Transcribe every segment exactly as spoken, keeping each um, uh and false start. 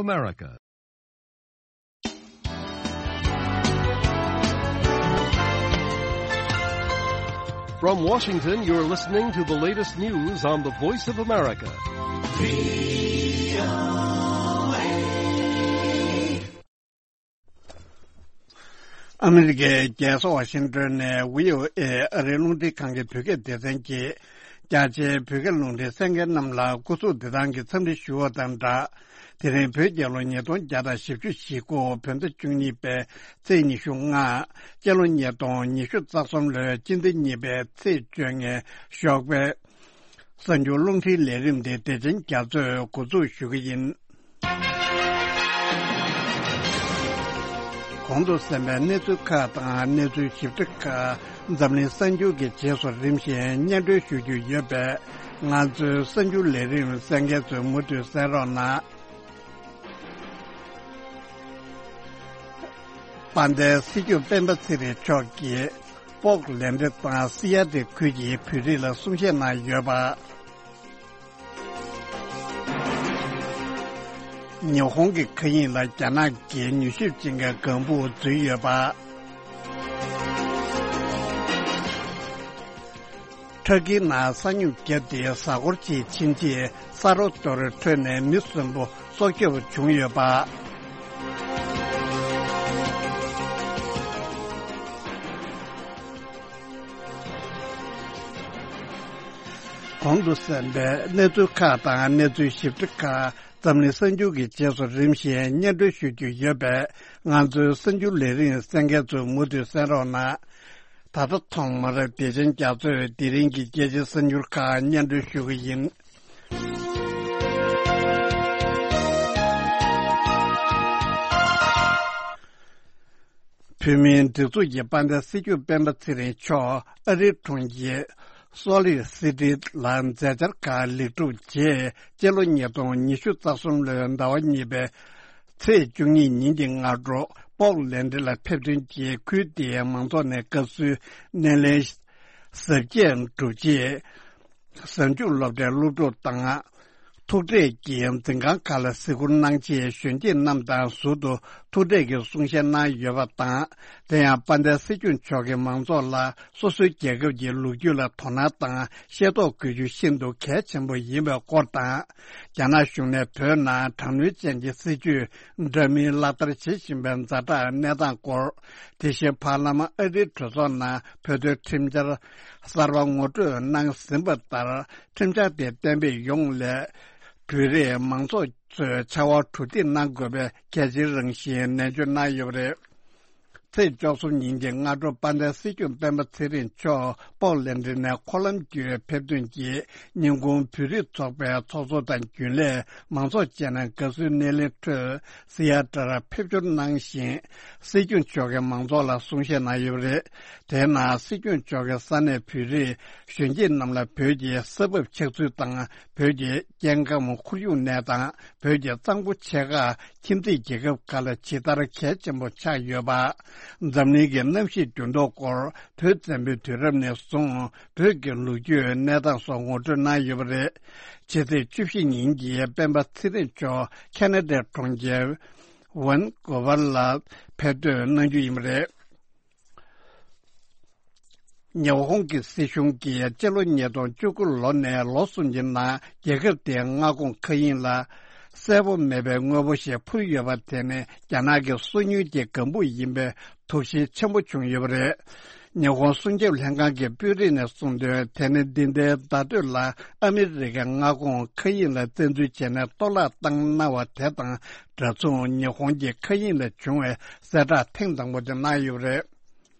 America. From Washington, you're listening to the latest news on the Voice of America. ཨ་མི་རི་ཀའི་རྒྱལ་ས་ཝ་ཤིང་ཏོན་ནས་བྷི་ཨོ་ཨེ་ཨ་རིའི་རླུང་འཕྲིན་ཁང་གི་བོད་སྐད་སྡེ་ཚན་གྱིས། རྒྱ་ཆེའི་བོད་སྐད་རླུང་འཕྲིན་གསན་མཁན་རྣམས་ལ་སྐུ་གཟུགས་བདེ་ཐང་གི་འཚམས་འདྲི་ཞུ་བ་དང་སྦྲགས། དེ་རིང་བོད་རྒྱལ་ལོ་ཉིས་སྟོང་བརྒྱ་དང་བཞི་བཅུ་ཞེ་དགུ་བོད་ཟླ་བཅུ་གཉིས་པའི་ཚེས་ཉི་ཤུ་ལྔ། སྤྱི་ལོ་ཉིས་སྟོང་ཉི་ཤུ་རྩ་གསུམ་ལོའི་སྤྱི་ཟླ་གཉིས་པའི་ཚེས་བཅོ་ལྔའི་ཞོགས་པའི་གསར་འགྱུར་རླུང་འཕྲིན་ལས་རིམ་དེ་བདེ་ཆེན་རྒྱ་མཚོས་འགོ་འཛུགས་ཞུ་གི་ཡིན། གོང་དུ་གསན་པའི་གནས་ཚུལ་ཁག་དང་གནས་ཚུལ་ཞིབ་ཕྲ་ཁག་འཛམ་གླིང་གསར་འགྱུར་གྱི་རྗེས་སུ་རིམ་བཞིན་སྙན་སྒྲོན་ཞུ་རྒྱུ་ཡོད་པས། ང་ཚོའི་གསར་འགྱུར་ལས་རིམ་གསན་མཁན་ཚོས་མུ་མཐུད་གསན་རོགས་གནང་། དཔལ་ལྡན་སྲིད་སྐྱོང་སྤེན་པ་ཚེ་རིང་མཆོག་གིས་པོག་ལན་ཌི་དང་སི་ཡ་ཏི་ཁུལ་གྱི་བོད་རིགས་ལ་གསུང་བཤད་གནང་ཡོད་པ། ཉི་ཧོང་གི་མཁའ་དབྱིངས་ལ་རྒྱ་ནག་གི་མྱུལ་ཞིབ་ཅན་གྱི་ལྒང་བུ་འཛུལ་ཡོད་པ། ཊར་ཀིའི་ནང་ས་སྨྱུག་བརྒྱབ་སྟེ་གཟའ་འཁོར་གཅིག་ཕྱིན་རྗེས་ས་རོ་གཏོར་ཁྲོད་ནས་མི་གསོན་པོ་སྲོག་སྐྱོབ་བྱུང་ཡོད་པ། གོང་དུ་གསན་པའི་གནས་ཚུལ་ཁག་དང་གནས་ཚུལ་ཞིབ་ཕྲ་ཁག་འཛམ་གླིང་གསར་འགྱུར་གྱི་རྗེས་སུ་རིམ་བཞིན་སྙན་སྒྲོན་ཞུ་རྒྱུ་ཡོད་པས། ང་ཚོའི་གསར་འགྱུར་ལས་རིམ་གསན་མཁན་ཚོས་མུ་མཐུད་གསན་རོགས་གནང་། ད་ལྟ་ཐོག་མར་བདེ་ཆེན་རྒྱ་མཚོས་དེ་རིང་གི་རྒྱལ་སྤྱིའི་གསར་འགྱུར་ཁག་སྙན་སྒྲོན་ཞུ་གི་ཡིན། བོད་མིའི་སྒྲིག་འཛུགས་ཀྱི་དཔལ་ལྡན་སྲིད་སྐྱོང་སྤེན་པ་ཚེ་རིང་མཆོག་ཨ་རིའི་གྲོང་ཁྱེར་སོལ་ལེག་སི་ཊི་ལ་མཛད་འཆར་ཁག་ལེགས་གྲུབ་རྗེས། སྤྱི་ལོ་ཉིས་སྟོང་ཉི་ཤུ་རྩ་གསུམ་ལོའི་ཟླ་བ་གཉིས་པའི་ཚེས་བཅུ་གཉིས་ཉིན་གྱི་སྔ་དྲོ་པོག་ལན་ཌི་ལ་ཕེབས་ཐོན་གྱིས་ཁུལ་དེའི་མང་ཚོགས་ནས་དགའ་བསུའི་སྣེ་ལེན་གཟབ་རྒྱས་གྲུབ་རྗེས། གཟའ་མཇུག་སློབ་གྲྭའི་སློབ་ཕྲུག་དང་། ཐུག་འཕྲད་ཀྱིས་འཛིན་ཁང་ཁག་ལ་གཟིགས་སྐོར་གནང་རྗེས། གཞོན་སྐྱེས་རྣམས་དང་ཟུར་དུ་ཐུག་འཕྲད་ཀྱིས་གསུང་བཤད་གནང་ཡོད་པ་དང་། དེ་ཡང་དཔལ་ལྡན་སྲིད་སྐྱོང་མཆོག་གིས་མང་ཚོགས་ལ་སོ་སོའི་རྒྱལ་ཁབ་ཀྱི་ལོ་རྒྱུས་ལ་དོ་སྣང་དང་ཤེས་རྟོགས་དགོས་རྒྱུ་ཤིན་ཏུ་གལ་ཆེན་པོ་ཡིན་པའི་སྐོར་དང་། རྒྱ་ནག་གཞུང་ནས་བོད་ནང་དྲག་གནོན་ཅན་གྱི་སྲིད་བྱུས་འདྲ་མིན་ལག་བསྟར་བྱེད་བཞིན་པའི་ཛ་དྲག་གནས་སྟངས་སྐོར། དེ་བཞིན་ཕར་ལམ་ཨ་རིའི་གྲོས་ཚོགས་ནང་བོད་དོན་ཁྲིམས་འཆར་གསར་པ་ངོ་སྤྲོད་གནང་ཟིན་པ་ལྟར། ཁྲིམས་འཆར་དེ་གཏན་འབེབས་ཡོང་སླད། བོད་རིགས་མང་ཚོགས་ཚོས་ཕྱར་བ་གྲུ་འདེགས་གནང་དགོས་པའི་གལ་ཆེའི་རང་བཞིན་ནན་བརྗོད་གནང་ཡོད་པ་རེད། ཚེས་བཅུ་གསུམ་ཉིན་གྱི་སྔ་དྲོ་དཔལ་ལྡན་སྲིད་སྐྱོང་སྤེན་པ་ཚེ་རིང་མཆོག་པོག་ལན་ཌི་ནས་འཁོར་ལམ་བརྒྱུད་ཕེབས་ཐོན་གྱིས། ཉིན་གུང་བོད་རིགས་ཚོགས་པའི་ཚོགས་གཙོ་དང་རྒྱུན་ལས་མང་ཚོགས་བཅས་ནས་དགའ་བསུའི་སྣེ་ལེན་ཁྲོད་སི་ཡ་ཊི་ལ་ཕེབས་འབྱོར་གནང་ཞིང་། སྲིད་སྐྱོང་མཆོག་གིས་མང་ཚོགས་ལ་གསུང་བཤད་གནང་ཡོད་པ་རེད། དེའི་ནང་སྲིད་སྐྱོང་མཆོག་གིས་ས་གནས་བོད་རིགས་གཞོན་སྐྱེས་རྣམས་ལ་བོད་ཀྱི་ས་བབ་ཆགས་ཚུལ་དང་། བོད་ཀྱི་སྐྱེ་ཁམས་ཁོར་ཡུག་གནས་སྟངས། བོད་ཀྱི་གཙང་པོ་ཆེ་ཁག་ཁྱིམ་མཚེས་རྒྱལ་ཁབ་ཁག་ལ་ཇི་ལྟར་གལ་ཆེན་པོ་ཆགས་ཡོད་པ། འཛམ་གླིང་གི་གནམ་གཤིས་འགྱུར་ལྡོག་སྐོར། བོད་བཙན་པོའི་དུས་རབས་ནས་བཟུང་བོད་ཀྱི་ལོ་རྒྱུས་གནས་སྟངས་སོགས་ངོ་སྤྲོད་གནང་ཡོད་པ་རེད། ཕྱི་ཚེས་བཅུ་བཞི་ཉིན་གྱི་སྤེན་པ་ཚེ་རིང་མཆོག་ཁ་ན་ཌའི་གྲོང་ཁྱེར་ཝན་ཀོ་ཝར་ལ་ཕེབས་ཐོན་གནང་རྒྱུ་ཡིན་པ་རེད། ཉི་ཧོང་གི་སྲིད་གཞུང་གིས་སྤྱི་ལོ་ཉིས་སྟོང་བཅུ་དགུ་ལོ་ནས་ལོ་གསུམ་གྱི་ནང་རྒྱལ་ཁབ་དེའི་མངའ་ཁོངས་མཁའ་དབྱིངས་ལ་གསལ་པོ་མེད་པའི་དངོས་པོ་ཞིག་འཕུར་ཡོད་པ་དེ་ནི་རྒྱ་ནག་གི་སོ་ཉུལ་གྱི་ལྒང་བུ་ཡིན་པའི་དོགས་གཞི་ཆེན་པོ་བྱུང་ཡོད་པ་རེད། ཉི་ཧོང་སྲུང་སྐྱོབ་ལྷན་ཁང་གི་དཔོན་རིགས་ནས་གསུངས་དོན། དེ་ནི་འདི་ཟླའི་ཟླ་སྟོད་ལ་ཨ་མི་རི་ཀའི་མངའ་ཁོངས་མཁའ་དབྱིངས་ལ་བཙན་འཛུལ་བྱས་ནས་གཏོར་བརླག་བཏང་གནང་བ་དེ་དང་འདྲ་མཚུངས། ཉི་ཧོང་གི་མཁའ་དབྱིངས་ལ་བྱུང་བའི་གསལ་བསྒྲགས་ཐེངས་དང་པོ་དེ་གནང་ཡོད་པ་རེད།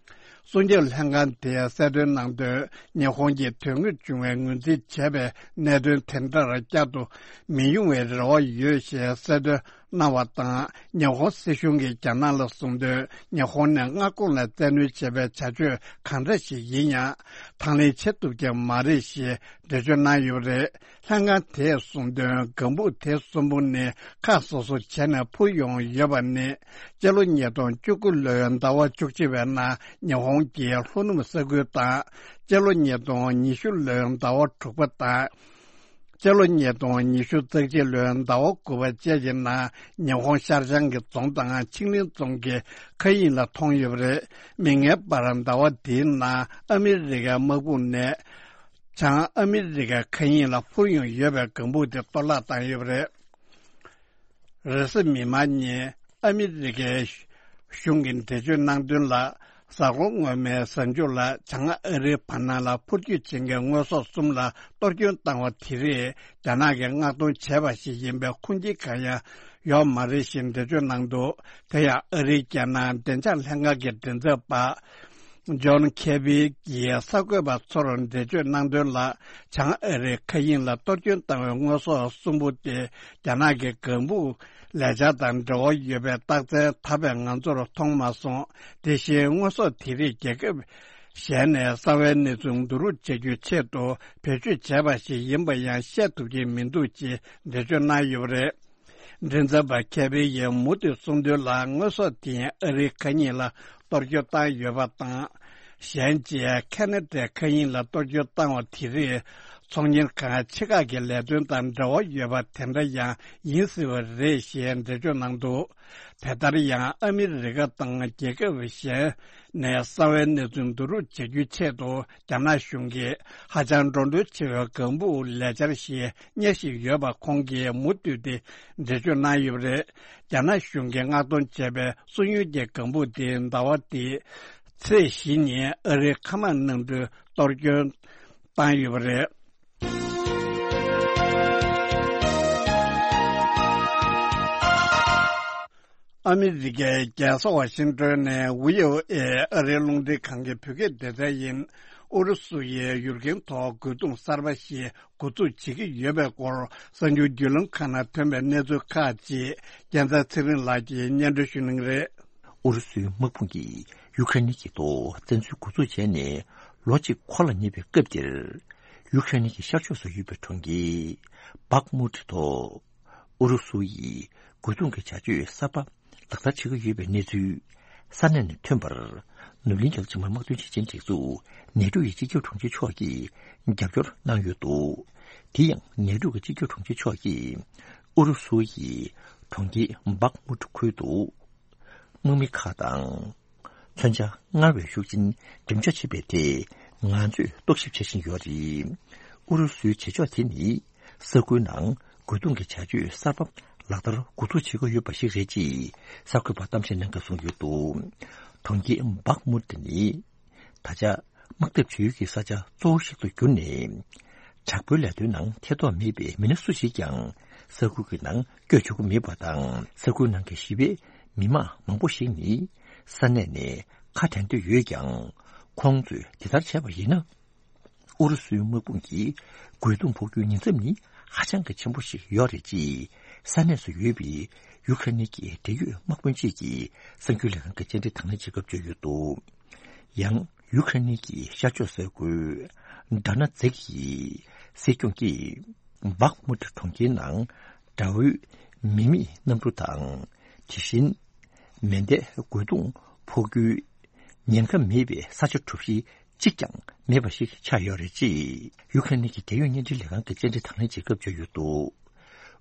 སྲུང་སྐྱོབ་ལྷན་ཁང་དེས་གསལ་སྟོན་གནང་དོན། ཉི་ཧོང་གིས་དོན་དངོས་བྱུང་བའི་ངོས་འཛིན་བྱས་པའི་གནད་དོན་དེ་འདྲར་བསྐྱར་དུ་མི་ཡོང་བའི་རེ་བ་ཡོད་ཞེས་གསལ་སྟོན་གནང་བ་དང་། ཉི་ཧོང་སྲིད་གཞུང་གིས་རྒྱ་ནག་ལ་གསུངས་དོན། ཉི་ཧོང་ནས་མངའ་ཁོངས་ལ་བཙན་གནོན་བྱས་པའི་བྱ་སྤྱོད་གང་འདྲ་ཞིག་ཡིན་ཡང་དང་ལེན་བྱེད་ཐུབ་ཀྱི་མ་རེད་ཞེས་འགྲེལ་བརྗོད་གནང་ཡོད་པ་རེད། ལྷན་ཁང་དེས་གསུངས་དོན། ལྒང་བུ་དེ་གསུམ་པོ་ནི་ཁག་སོ་སོ་བྱས་ནས་འཕུར་ཡོང་ཡོད་པ་ནི། སྤྱི་ལོ་ཉིས་སྟོང་བཅུ་དགུ་ལོའི་ཟླ་བ་བཅུ་གཅིག་པའི་ནང་ཉི་ཧོང་གི་ལྷོ་ནུབ་ས་ཁུལ་དང་། སྤྱི་ལོ་ཉིས་སྟོང་ཉི་ཤུ་ལོའི་ཟླ་བ་དྲུག་པ་དང་། སྤྱི་ལོ་ཉིས་སྟོང་ཉི་ཤུ་རྩ་གཅིག་ལོའི་ཟླ་བ་དགུ་པ་བཅས་ཀྱི་ནང་ཉི་ཧོང་ཤར་བྱང་གི་རྫོང་དང་ཆིང་ལིང་རྫོང་གི་མཁའ་དབྱིངས་ལ་མཐོང་ཡོད་པ་རེད། མིག་སྔའི་བར་ཟླ་བ་འདིའི་ནང་ཨ་མི་རི་ཀའི་དམག་དཔུང་ནས་བྱང་ཨ་མི་རི་ཀའི་མཁའ་དབྱིངས་ལ་འཕུར་མྱོང་ཡོད་པའི་ལྒང་བུ་དེ་གཏོར་བརླག་བཏང་ཡོད་པ་རེད། རེས་གཟའ་མིག་དམར་ཉིན་ཨ་མི་རི་ཀའི་གཞུང་གིས་འགྲེལ་བརྗོད་གནང་དོན་ལ། གཟའ་འཁོར་སྔོན་མའི་གཟའ་མཇུག་ལ་བྱང་ཨ་རིའི་བར་སྣང་ལ་འཕུར་སྐྱོད་བྱེད་མཁན་དངོས་ཟོག་གསུམ་ལ་གཏོར་སྐྱོན་བཏང་བ་དེ་རིགས་རྒྱ་ནག་གིས་མངགས་གཏོང་བྱས་པ་ཞིག་ཡིན་པའི་ཁུངས་སྐྱེལ་གང་ཡང་ཡོད་མ་རེད་ཞེས་འགྲེལ་བརྗོད་གནང་འདུག་དེ་ཡང་ཨ་རིའི་རྒྱལ་ནང་བདེ་འཇགས་ལྷན་ཁང་གི་མགྲིན་ཚབ་པ། ཇོན་ཁེ་བི་ཡིས་གསར་འགོད་པ་ཚོར་འགྲེལ་བརྗོད་གནང་དོན་ལ། བྱང་ཨ་རིའི་མཁའ་དབྱིངས་ལ་གཏོར་སྐྱོན་བཏང་བའི་དངོས་ཟོག་གསུམ་པོ་དེ་རྒྱ་ནག་གི་ལྒང་བུ་ལས་འཆར་དང་འབྲེལ་བ་ཡོད་པའི་རྟགས་མཚན་ད་བར་ང་ཚོར་མཐོང་མ་སོང་། དེ་བཞིན་དངོས་ཟོག་དེ་རིགས་རྒྱལ་ཁབ་གཞན་ནས་གསང་བའི་གནས་ཚུལ་བསྡུ་རུབ་བྱ་རྒྱུའི་ཆེད་དུ་བེད་སྤྱོད་བྱས་པ་ཞིག་ཡིན་པ་ཡང་བཤད་ཐུབ་ཀྱི་མི་འདུག་ཅེས་འགྲེལ་བརྗོད་གནང་ཡོད་པ་རེད། མགྲིན་ཚབ་པ་ཁེ་བི་ཡིས་མུ་མཐུད་གསུངས་དོན་ལ། དངོས་ཟོག་དེ་ཨ་རིའི་མཁའ་དབྱིངས་ལ་གཏོར་སྐྱོན་བཏང་ཡོད་པ་དང་། གཞན་གཅིག་ཁ་ན་ཌའི་མཁའ་དབྱིངས་ལ་གཏོར་སྐྱོན་བཏང་བ་དེ་རིགས་ཚོང་གཉེར་ཁང་ཆེ་ཁག་གི་ལས་དོན་དང་འབྲེལ་བ་ཡོད་པ་དེ་འདྲ་ཡང་ཡིན་སྲིད་པ་རེད་ཞེས་འགྲེལ་བརྗོད་གནང་འདུག་དེ་ལྟར་ཡང་ཨ་མི་རི་ཀ་དང་རྒྱལ་ཁབ་གཞན་ནས་གསང་བའི་གནས་ཚུལ་བསྡུ་རུབ་བྱ་རྒྱུའི་ཆེད་དུ་རྒྱ་ནག་གཞུང་གིས་ཧ་ཅང་འགྲོ་གྲོན་ཆེ་བའི་ལྒང་བུ་ལས་འཆར་ཞིག་གཉེར་བཞིན་ཡོད་པ་ཁོང་གིས་མུ་མཐུད་དེ་འགྲེལ་བརྗོད་གནང་ཡོད་པ་རེད། རྒྱ་ནག་གཞུང་གིས་མངགས་གཏོང་བྱས་པའི་སོ་ཡུན་གྱི་ལྒང་བུ་དེ་ཟླ་བ་འདིའི་ཚེས་བཞི་ཉིན་ཨ་རིའི་མཁའ་དམག་གནམ་གྲུས་གཏོར་སྐྱོན་བཏང་ཡོད་པ་རེད། ཨ་མི་རི་ཀའི་རྒྱལ་ས་ཝ་ཤིང་ཏོན་ནས་ཝི་ཨོ་ཨེ་ཨ་རིའི་རླུང་འཕྲིན་ཁང་གི་བོད་སྐད་སྡེ་ཚན་ཡིན། ཨུ་རུ་སུ་ཡིས་ཡུལ་གྱན་ཐོག་རྒོལ་རྡུང་གསར་པ་ཞིག་འགོ་འཛུགས་བྱེད་ཀྱི་ཡོད་པའི་སྐོར་གསར་འགྱུར་བརྒྱུད་ལམ་ཁག་ནང་ཐོན་པའི་གནས་ཚུལ་ཁག་ཅིག་རྒྱལ་མཚན་ཚེ་རིང་ལགས་ཀྱིས་སྙན་སྒྲོན་ཞུ་གནང་གི་རེད། ཨུ་རུ་སུའི་དམག་དཔུང་གིས་ཡུ་ཁ་རེན་གྱི་ཐོག་བཙན་འཛུལ་འགོ་འཛུགས་བྱས་ནས་ལོ་གཅིག་འཁོར་ལ་ཉེ་བའི་སྐབས་འདིར། ཡུ་ཁ་རེན་གྱི་ཤར་ཕྱོགས་སུ་ཡོད་པའི་གྲོང་ཁྱེར་བྷག་མུད་ཐོག་ཨུ་རུ་སུ་ཡིས་རྒོལ་རྡུང་གི་བྱ་སྤྱོད་གསར་པ་ལག་བསྟར་བྱེད་ཀྱི་ཡོད་པའི་གནས་ཚུལ་ས་གནས་ནས་ཐོན་པར། ནུབ་གླིང་རྒྱལ་ཁབ་ཕྱི་དམག་དོན་ཆེད་ཆེན་སྒྲིག་འཛུགས་ནེ་ཏོ་ཡི་སྤྱི་ཁྱབ་དྲུང་ཆེ་མཆོག་གིས་རྒྱབ་སྐྱོར་གནང་ཡོད་འདུག་དེ་ཡང་ནེ་ཏོ་གི་སྤྱི་ཁྱབ་དྲུང་ཆེ་མཆོག་གིས་ཨུ་རུ་སུ་ཡིས་གྲོང་ཁྱེར་བྷག་མུད་ཁུལ་དུ། དམག་མི་ཁག་དང་། མཚོན་ཆ་སྔར་བས་ཤུགས་ཆེན་འགྲེམས་འཇོག་བྱེད་པའི་ཐད་ང་ཚོས་རྟོག་ཞིབ་བྱེད་བཞིན་ཡོད་རེད། ཨུ་རུ་སུའི་བྱེད་ཕྱོགས་དེ་ནི་ས་ཁུལ་ནང་རྒོལ་རྡུང་གི་བྱ་སྤྱོད་གསར་པ་ལག་བསྟར་འགོ་འཛུགས་བྱེད་ཀྱི་ཡོད་པ་ཞིག་རེད་ཅེས་གསར་འགོད་པར་གཏམ་བཤད་གནང་སྐབས་གསུངས་ཡོད་འདུག་གྲོང་ཁྱེར་བྷག་མུད་ནི། ད་ཆ་དམག་འཐབ་བྱེད་ཡུལ་གྱི་ས་ཆ་གཙོ་བོ་ཞིག་ཏུ་གྱུར་ནས། དྲག་པོའི་ལས་དོན་ནང་ཐེ་གཏོགས་མེད་པའི་མི་སྣ་སུ་ཞིག་ཀྱང་ས་ཁུལ་གྱི་ནང་བསྐྱོད་ཆོག་གི་མེད་པ་དང་། ས་ཁུལ་ནང་གི་གཞིས་སྤེལ་མི་མང་མང་པོ་ཞིག་ནི་ས་གནས་ནས་ཁ་བྲལ་འདོད་ཡོད་ཀྱང་ཁོང་ཚོས་དེ་ལྟར་བྱས་པ་ཡིན་ན། ཨུ་རུ་སུའི་དམག་དཔུང་གིས་རྒོལ་རྡུང་ཕོག་རྒྱུའི་ཉེན་ཚབས་ནི་ཧ་ཅང་གི་ཆེན་པོ་ཞིག་ཡོད་རེད་ཅེས་ས་གནས་སུ་ཡོད་པའི་ཡུ་ཁ་རེན་གྱི་འབྲེལ་ཡོད་དམག་དཔོན་གཅིག་གིས་གསར་འགྱུར་ལས་ཁང་གི་བཅར་འདྲི་དང་ལེན་བྱེད་སྐབས་བརྗོད་ཡོད་འདུག་ཡང་ཡུ་ཁ་རེན་གྱི་ཤར་ཕྱོགས་ས་ཁུལ་ཌ་ན་ཛིག་ཡི་སྲིད་སྐྱོང་གིས་བྷག་མུད་གྲོང་ཁྱེར་ནང་དགྲ་བོའི་མི་མེད་གནམ་གྲུ་དང་། དེ་བཞིན་མེ་མདའི་རྒོལ་རྡུང་ཕོག་རྒྱུའི་ཉེན་ཁ་མེད་པའི་ས་ཆ་གྲུ་བཞི་གཅིག་ཀྱང་མེད་པ་ཞིག་ཆགས་ཡོད་རེད་ཅེས་ཡུ་ཁ་རེན་གྱི་རྒྱལ་ཡོངས་བརྙན་འཕྲིན་ལས་ཁང་གི་བཅར་འདྲི་དང་ལེན་བྱེད་སྐབས་བརྗོད་ཡོད་འདུག་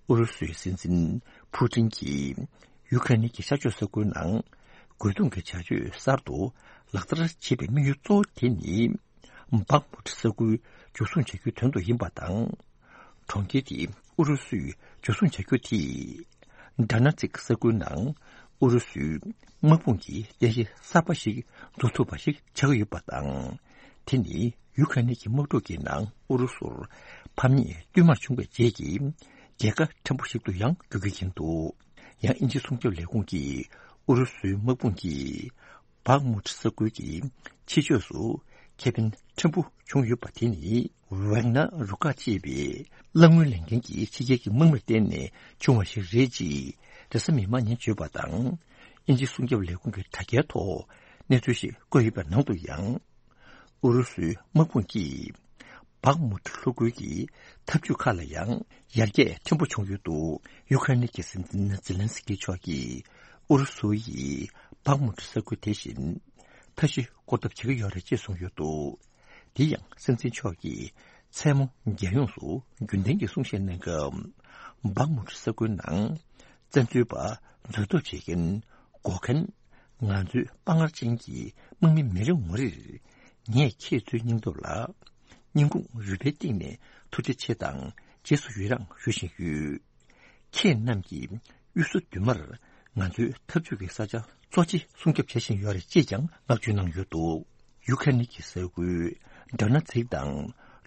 ཨུ་རུ་སུའི་སྲིད་འཛིན་ཕུ་ཀྲིན་གྱིས་ཡུ་ཁ་རེན་གྱི་ཤར་ཕྱོགས་ས་ཁུལ་ནང་རྒོལ་རྡུང་གི་བྱ་སྤྱོད་གསར་དུ་ལག་བསྟར་བྱེད་པའི་དམིགས་ཡུལ་གཙོ་བོ་དེ་ནི། བྷག་མུད་ས་ཁུལ་འཇུ་བཟུང་བྱ་རྒྱུའི་དོན་དུ་ཡིན་པ་དང་། གྲོང་ཁྱེར་དེ་ཨུ་རུ་སུས་འཇུ་བཟུང་བྱ་རྒྱུ་དེས། ཌ་ན་ཛིག་ས་ཁུལ་ནང་ཨུ་རུ་སུའི་དམག་དཔུང་གི་རྟེན་གཞི་གསར་པ་ཞིག་འཛུགས་ཐུབ་པ་ཞིག་ཆགས་ཀྱི་ཡོད་པ་དང་། དེ་ནི་ཡུ་ཁ་རེན་གྱི་དམག་འཁྲུག་གི་ནང་ཨུ་རུ་སུར་ཕམ་ཉེས་བསྟུད་མར་བྱུང་བའི་རྗེས་ཀྱི་རྒྱལ་ཁ་ཕྲན་བུ་ཞིག་ཏུ་ཡང་འགྱུར་གྱི་ཡིན་འདུག་ཡང་དབྱིན་ཇིའི་སྲུང་སྐྱོབ་ལས་ཁུངས་ཀྱིས་ཨུ་རུ་སུའི་དམག་དཔུང་གིས། བྷག་མུད་ས་ཁུལ་གྱི་ཕྱི་ཕྱོགས་སུ་ཁེ་ཕན་ཕྲན་བུ་བྱུང་ཡོད་པ་དེ་ནི་ཝེག་ན་རུ་ཁག་ཅེས་པའི་གླང་སྔོན་ལེན་མཁན་གྱི་ཕྱི་རྒྱལ་གྱི་དམག་མིར་བརྟེན་ནས་བྱུང་བ་ཞིག་རེད་ཅེས་རེས་གཟའ་མིག་དམར་ཉིན་བརྗོད་པ་དང་། དབྱིན་ཇིའི་སྲུང་སྐྱོབ་ལས་ཁུངས་ཀྱི་དྲ་རྒྱའི་ཐོག་གནས་ཚུལ་ཞིག་བཀོད་ཡོད་པའི་ནང་དུ་ཡང་། ཨུ་རུ་སུའི་དམག་དཔུང་གིས་བྷག་མུད་ལྷོ་ཁུལ་གྱི་འཐབ་ཇུས་ཁག་ལ་ཡང་ཡར་རྒྱས་ཕྲན་བུ་བྱུང་ཡོད་འདུག་ཡུ་ཁ་རེན་གྱི་སྲིད་འཛིན་ཛེ་ལན་སི་ཀི་མཆོག་གིས་ཨུ་རུ་སུ་ཡིས་བྷག་མུད་ས་ཁུལ་དེ་བཞིན་མཐའ་བཞི་བསྐོར་ཐབས་བྱེད་ཀྱི་ཡོད་རེད་ཅེས་གསུངས་ཡོད་འདུག་དེ་ཡང་སྲིད་འཛིན་མཆོག་གིས་ མཚན་མོ་རྒྱལ་ཡོངས་སུ་རྒྱུན་ལྡན་གྱི་གསུང་བཤད་གནང་སྐབས། སྦག་མུ་ཊི་ས་ཁུལ་ནང་བཙན་འཛུལ་པ་འཛུལ་གཏུབ་བྱེད་མཁན་འགོག་མཁན་ང་ཚོའི་དཔའ་ངར་ཅན་གྱི་དམག་མི་མི་རེ་ངོ་རེར། ངས་ཁྱེད་ཚོའི་སྙིང་སྟོབས་ལ་སྙིང་ཁུང་རུས་པའི་གཏིང་ནས་ཐུགས་རྗེ་ཆེ་དང་རྗེས་སུ་ཡི་རང་ཞུ་བཞིན་ཡོད། ཁྱེད་རྣམས་ཀྱིས་གཡུལ་ས་མདུན་མར་ང་ཚོའི་འཐབ་ཇུས་ཀྱི་ས་ཆ་གཙོ་ཆེ་སྲུང་སྐྱོབ་བྱེད་བཞིན་ཡོད་རེད་ཅེས་ཀྱང་བསྔགས་བརྗོད་གནང་ཡོད་འདུག་ཡུ་ཁ་རེན་གྱི་ས་ཁུལ་ཌོ་ནེ་ཚིག་དང་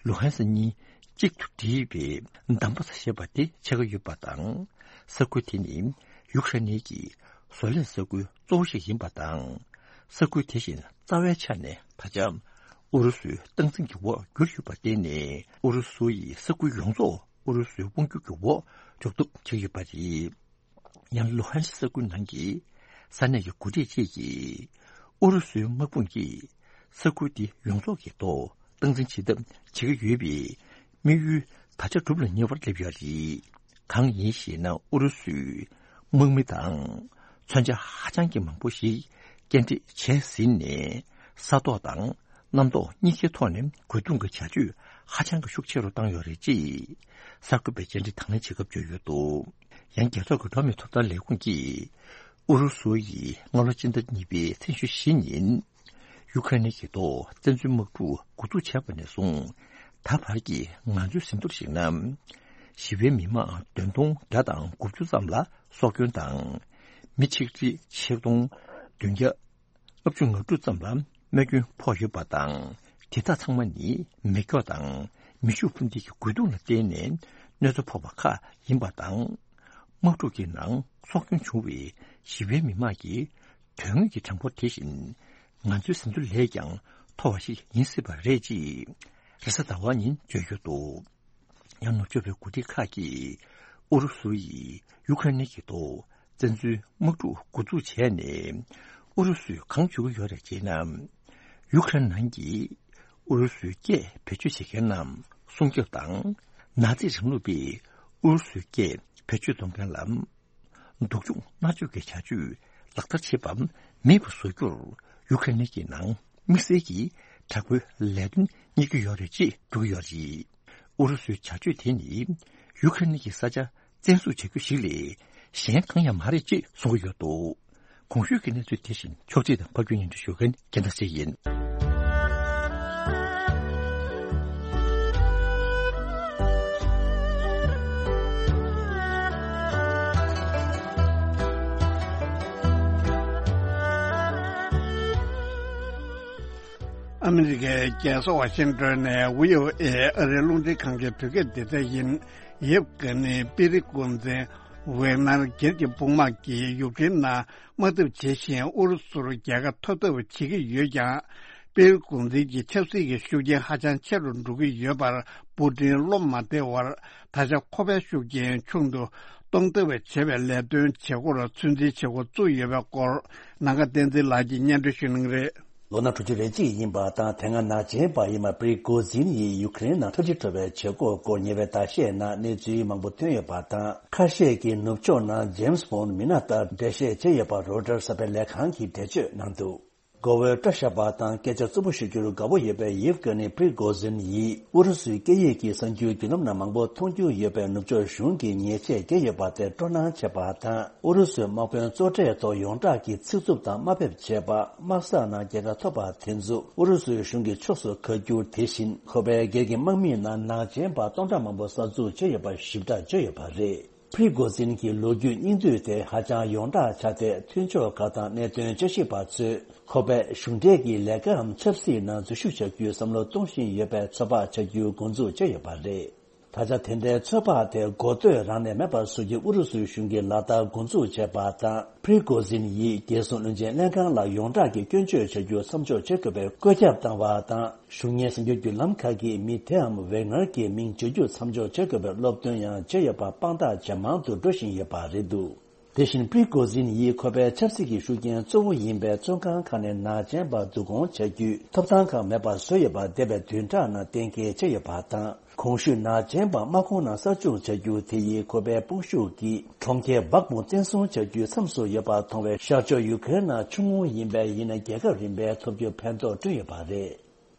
ལུ་ཧན་སི་གཉིས་གཅིག་ཏུ་སྒྲིལ་བའི་དམ་པ་ས་ཞེས་པ་དེ་ཆགས་ཀྱི་ཡོད་པ་དང་། ས་ཁུལ་དེ་ནི་ཡུ་ཁ་རེན་གྱི་བཟོ་ལས་ས་ཁུལ་གཙོ་བོ་ཞིག་ཡིན་པ་དང་། ས་ཁུལ་དེ་བཞིན་རྩ་བའི་ཆ་ནས་ད་ཆ་ཨུ་རུ་སུའི་སྟངས་འཛིན་གྱི་འོག་གྱུར་ཡོད་པར་བརྟེན་ནས། ཨུ་རུ་སུ་ཡི་ས་ཁུལ་ཡོངས་རྫོགས་ཨུ་རུ་སུའི་དབང་སྒྱུར་གྱི་འོག་འཇུག་ཐབས་བྱས་ཡོད་པ་རེད། ཡང་ལུ་ཧན་ས་ཁུལ་ནང་གི་ས་གནས་ཀྱི་འགོ་ཁྲིད་ཅིག་གིས། ཨུ་རུ་སུའི་དམག་དཔུང་གིས་ས་ཁུལ་འདི་ཡོངས་རྫོགས་ཀྱི་ཐོག་སྟངས་འཛིན་བྱེད་ཐབས་བྱེད་ཀྱི་ཡོད་པའི་དམིགས་ཡུལ་ད་ཆ་སྒྲུབ་ལ་ཉེ་བར་སླེབས་ཡོད་རེད། གང་ཡིན་ཞེ་ན། ཨུ་རུ་སུའི་དམག་མི་དང་མཚོན་ཆ་ཧ་ཅང་གི་མང་པོ་ཞིག་སྐྱེལ་འདྲེན་བྱས་ཟིན་ནས། ས་ཐོག་དང་གནམ་ཐོག་གཉིས་ཀའི་ཐོག་ནས་རྒོལ་རྡུང་གི་བྱ་སྤྱོད་ཧ་ཅང་གི་ཤུགས་ཆེ་རུ་བཏང་ཡོད་རེད་ཅེས་གསར་འགོད་པས་བཅར་འདྲི་དང་ལེན་བྱེད་སྐབས་བརྗོད་ཡོད་འདུག་ཡང་རྒྱལ་ཚོགས་ཀྱི་འགྲོ་བ་མིའི་ཐོབ་ཐང་ལས་ཁུངས་ཀྱིས། ཨུ་རུ་སུ་ཡིས་སྔ་ལོ་སྤྱི་ཟླ་གཉིས་པའི་ཚེས་ཉི་ཤུ་རྩ་བཞི་ཉིན། ཡུ་ཁ་རེན་གྱི་ཐོག་བཙན་འཛུལ་དམག་འཁྲུག་འགོ་འཛུགས་བྱས་པ་ནས་བཟུང་། ད་བར་གྱི་ང་ཚོའི་ཟིན་ཐོར་གཞིགས་ན། ཞི་བའི་མི་མང་བདུན་སྟོང་བརྒྱ་དང་དགུ་བཅུ་ཙམ་ལ་སྲོག་སྐྱོན་དང་། མི་ཆིག་ཁྲི་ཆིག་སྟོང་བདུན་བརྒྱ་ལྔ་བཅུ་ང་དྲུག་ཙམ་ལ་རྨས་སྐྱོན་ཕོག་ཡོད་པ་དང་། དེ་དག་ཚང་མ་ནི་མེ་སྒྱོགས་དང་མེ་ཤུགས་འཕུར་མདེལ་གྱི་རྒོལ་རྡུང་ལ་བརྟེན་ནས་གནོད་འཚེ་ཕོག་པ་ཁག་ཡིན་པ་དང་། དམག་འཁྲུག་གི་ནང་སྲོག་སྐྱོན་བྱུང་བའི་ཞི་བའི་མི་མང་གི་དོན་དངོས་ཀྱི་གྲངས་འབོར་དེ་བཞིན་ང་ཚོའི་ཟིན་ཐོ་ལས་ཀྱང་མཐོ་བ་ཞིག་ཡིན་སྲིད་པ་རེད་ཅེས་རེས་གཟའ་ཟླ་བ་ཉིན་བརྗོད་ཡོད་འདུག་ཡང་ནུབ་ཕྱོགས་པའི་འགོ་ཁྲིད་ཁག་གིས་ཨུ་རུ་སུ་ཡིས་ཡུ་ཁ་རེན་གྱི་ཐོག་བཙན་འཛུལ་དམག་འཁྲུག་འགོ་འཛུགས་བྱས་ནས་ཨུ་རུ་སུས་གང་བྱེད་ཀྱི་ཡོད་རེད་ཅེ་ན། ཡུ་ཁ་རེན་ནང་གི་ཨུ་རུ་སུའི་སྐད་བེད་སྤྱོད་བྱེད་མཁན་རྣམས་སྲུང་སྐྱོབ་དང་། ནཱ་ཛི་རིང་ལུགས་པས་ཨུ་རུ་སུའི་སྐད་བེད་སྤྱོད་གཏོང་མཁན་ལ། སྡུག་སྦྱོང་མནར་གཅོད་ཀྱི་བྱ་སྤྱོད་ལག་བསྟར་བྱེད་པ་མེད་པར་བཟོ་རྒྱུར་ཡུ་ཁ་རེན་གྱི་ནང་དམིགས་བསལ་གྱི་དྲག་པོའི་ལས་དོན་གཉེར་གྱི་ཡོད་རེད་ཅེས་བརྗོད་ཀྱི་ཡོད་རེད། ཨུ་རུ་སུའི་བྱ་སྤྱོད་དེ་ནི་ཡུ་ཁ་རེན་གྱི་ས་ཆ་བཙན་བཟུང་བྱ་རྒྱུ་ཞིག་ལས་གཞན་གང་ཡང་མ་རེད་ཅེས་གསུང་གི་ཡོད་འདུག་གོང་ཞུས་ཀྱི་གནས་ཚུལ་དེ་བཞིན་ཕྱོགས་སྒྲིག་དང་ཕབ་སྒྱུར་སྙན་སྒྲོན་ཞུ་མཁན་རྒྱལ་མཚན་ཞིག་ཡིན། ཨ་མི་རི་ཀའི་རྒྱལ་ས་ཝ་ཤིང་ཏོན་ནས་བྷི་ཨོ་ཨེ་ཨ་རིའི་རླུང་འཕྲིན་ཁང་གི་བོད་སྐད་སྡེ་ཚན་ཡིན། ཡེབ་གྷ་ནི་པི་རི་གོ་འཛིན་ཝེག་ནར་སྒེར་གྱི་དཔུང་དམག་གིས་ཡུཀ་རེན་ནང་དམག་འཐབ་བྱེད་བཞིན་ཨུ་རུ་སུར་རྒྱལ་ཁ་ཐོབ་ཐབས་བྱེད་ཀྱི་ཡོད་ཀྱང་། པི་རི་གོ་འཛིན་གྱི་ཆབ་སྲིད་ཀྱི་ཤུགས་རྐྱེན་ཧ་ཅང་ཆེ་རུ་འགྲོ་གི་ཡོད་པར་པུ་ཏིན་བློ་མ་བདེ་བར། ད་ཆ་ཁོ་པའི་ཤུགས་རྐྱེན་ཆུང་དུ་གཏོང་ཐབས་བྱེད་པའི་ལས་དོན་བྱེད་སྒོར་ཚོད་འཛིན་བྱེད་འགོ་བཙུགས་ཡོད་པའི་སྐོར། ནམ་མཁའ་བསྟན་འཛིན་ལགས་ཀྱིས་སྙན་སྒྲོན་ཞུ་གནང་གི་རེད། ལོ་ན་དྲུག་ཅུ་རེ་གཅིག་ཡིན་པ་དང་། དེ་སྔ་ནག་ཅན་པ་ཡིན་པ་པི་རི་གོ་ཛིན་ཡིས་ཡུཀ་རེན་ནང་འཁྲབ་ཁྲིད་འགྲོ་བའི་བྱེད་སྒོ་སྐོར་ཉེ་བའི་ཟླ་ཤས་ནང་གནས་ཚུལ་མང་པོ་ཐོན་ཡོད་པ་དང་། ཁ་ཤས་ཀྱིས་ནུབ་ཕྱོགས་ནང་ཇེམ་སི་བྷོན་མི་སྣ་ལྟར་འགྲེལ་བཤད་བྱས་ཡོད་པ་རོའི་ཊར་གསར་པའི་ལས་ཁང་གིས་འགྲེལ་བརྗོད་གནང་འདུག་མགོ་བོའི་སྐྲ་བཞར་བ་དང་སྐད་ཆ་རྩུབ་པོ་ཤོད་རྒྱུར་དགའ་པོ་ཡོད་པའི་ཡེབ་གྷ་ནི་པི་རི་གོ་ཛིན་ཡིས་ཨུ་རུ་སུའི་སྐད་ཡིག་གི་གསར་འགྱུར་བརྒྱུད་ལམ་ནང་མང་པོ་མཐོང་རྒྱུ་ཡོད་པའི་ནུབ་ཕྱོགས་གཞུང་གིས་ཉེས་ཆད་བཀལ་ཡོད་པ་དེར་སྤྲོ་སྣང་བྱས་པ་དང་། ཨུ་རུ་སུའི་དམག་དཔོན་གཙོ་གྲས་ཐོག་ཡོངས་གྲགས་ཀྱི་ཚིག་རྩུབ་དང་དམའ་འབེབས་བྱས་པ། དམག་ས་ནང་རྒྱལ་ཁ་ཐོབ་པ་དེ་ཚོ་ཨུ་རུ་སུའི་གཞུང་གི་ཕྱོགས་སུ་ཁ་བསྒྱུར། དེ་བཞིན་ཁོ་པའི་སྒེར་གྱི་དམག་མིའི་ནང་ནག་ཅན་པ་སྟོང་ཕྲག་མང་པོ་གསར་འཛུགས་བྱས་ཡོད་པ་ཞིབ་ཕྲ་བརྗོད་ཡོད་པ་རེད། པི་རི་གོ་ཛིན་གྱི་ལོ་རྒྱུས་སྙིང་བསྡུས་དེ་ཧ་ཅང་ཡོངས་གྲགས་ཆགས་ཏེ། མཐུན་ཕྱོགས་ཁག་དང་གནད་དོན་དཔྱད་ཞིབ་པ་ཚོས་ཁོ་པས་གཞུང་འབྲེལ་གྱི་ལས་ཀའམ་ཆབ་སྲིད་ནང་འཛུལ་ཞུགས་བྱ་རྒྱུའི་བསམ་བློ་གཏོང་བཞིན་ཡོད་པའི་ཚོད་དཔག་བྱ་རྒྱུ་འགོ་འཛུགས་བྱས་ཡོད་པ་རེད། ད་ཆ་དེ་འདྲའི་ཚོད་དཔག་དེ་མགོ་སྟོད་རང་ནས་མེད་པ་བཟོ་རྒྱུ་ཨུ་རུ་སུའི་གཞུང་གིས་ལག་བསྟར་འགོ་འཛུགས་བྱས་པ་དང་། པི་རི་གོ་ཛིན་ཡིས་རྒྱལ་སྲུང་བློན་ཆེན་ལྷན་ཁང་ལ་ཡོངས་གྲགས་ཀྱི་སྐྱོན་བརྗོད་བྱ་རྒྱུ་མཚམས་འཇོག་བྱེད་དགོས་པའི་བཀོད་ཁྱབ་བཏང་བ་དང་། གཞུང་གཉེར་གསར་འགྱུར་བརྒྱུད་ལམ་ཁག་གིས་མི་དེའམ་ཝེག་ནར་གྱི་མིང་བརྗོད་རྒྱུ་མཚམས་འཇོག་བྱེད་དགོས་པའི་སློབ་སྟོན་ཡང་བྱས་ཡོད་པ་དཔང་རྟགས་ཇེ་མང་དུ་འགྲོ་བཞིན་ཡོད་པ་རེད་འདུག་དེ་བཞིན་པི་རི་གོ་ཛིན་ཡིས་ཁོ་པའི་ཆབ་སྲིད་ཀྱི་ཤུགས་རྐྱེན་གཙོ་བོ་ཡིན་པའི་བཙོན་ཁང་ཁག་ནས་ནག་ཅན་པ་བསྡུ་སྐོང་བྱ་རྒྱུའི་ཐོབ་ཐང་ཁག་མེད་པ་བཟོས་ཡོད་པ་འདས་པའི་བདུན་ཕྲག་ནང་གཏན་འཁེལ་བྱས་ཡོད་པ་དང་། གོང་ཞུས་ནག་ཅན་པ་དམག་ཁོངས་ནང་གསར་བཅུག་བྱ་རྒྱུ་དེ་ཡིས་ཁོ་པའི་དཔུང་ཤུགས་ཀྱིས་གྲོང་ཁྱེར་སྦག་མུ་བཙན་བཟུང་བྱ་རྒྱུའི་མཚམས་སུ་ཡོད་པ་མཐོང་བས། ཤར་ཕྱོགས་ཡུ་ཀེ་རེན་ནང་ཆུང་ངུ་ཡིན་པས་ཡིན་ན་རྒྱལ་ཁ་རིམ་པས་ཐོབ་རྒྱུ་ཕན་ཐོགས་བསྐྲུན་ཡོད་པ་རེད།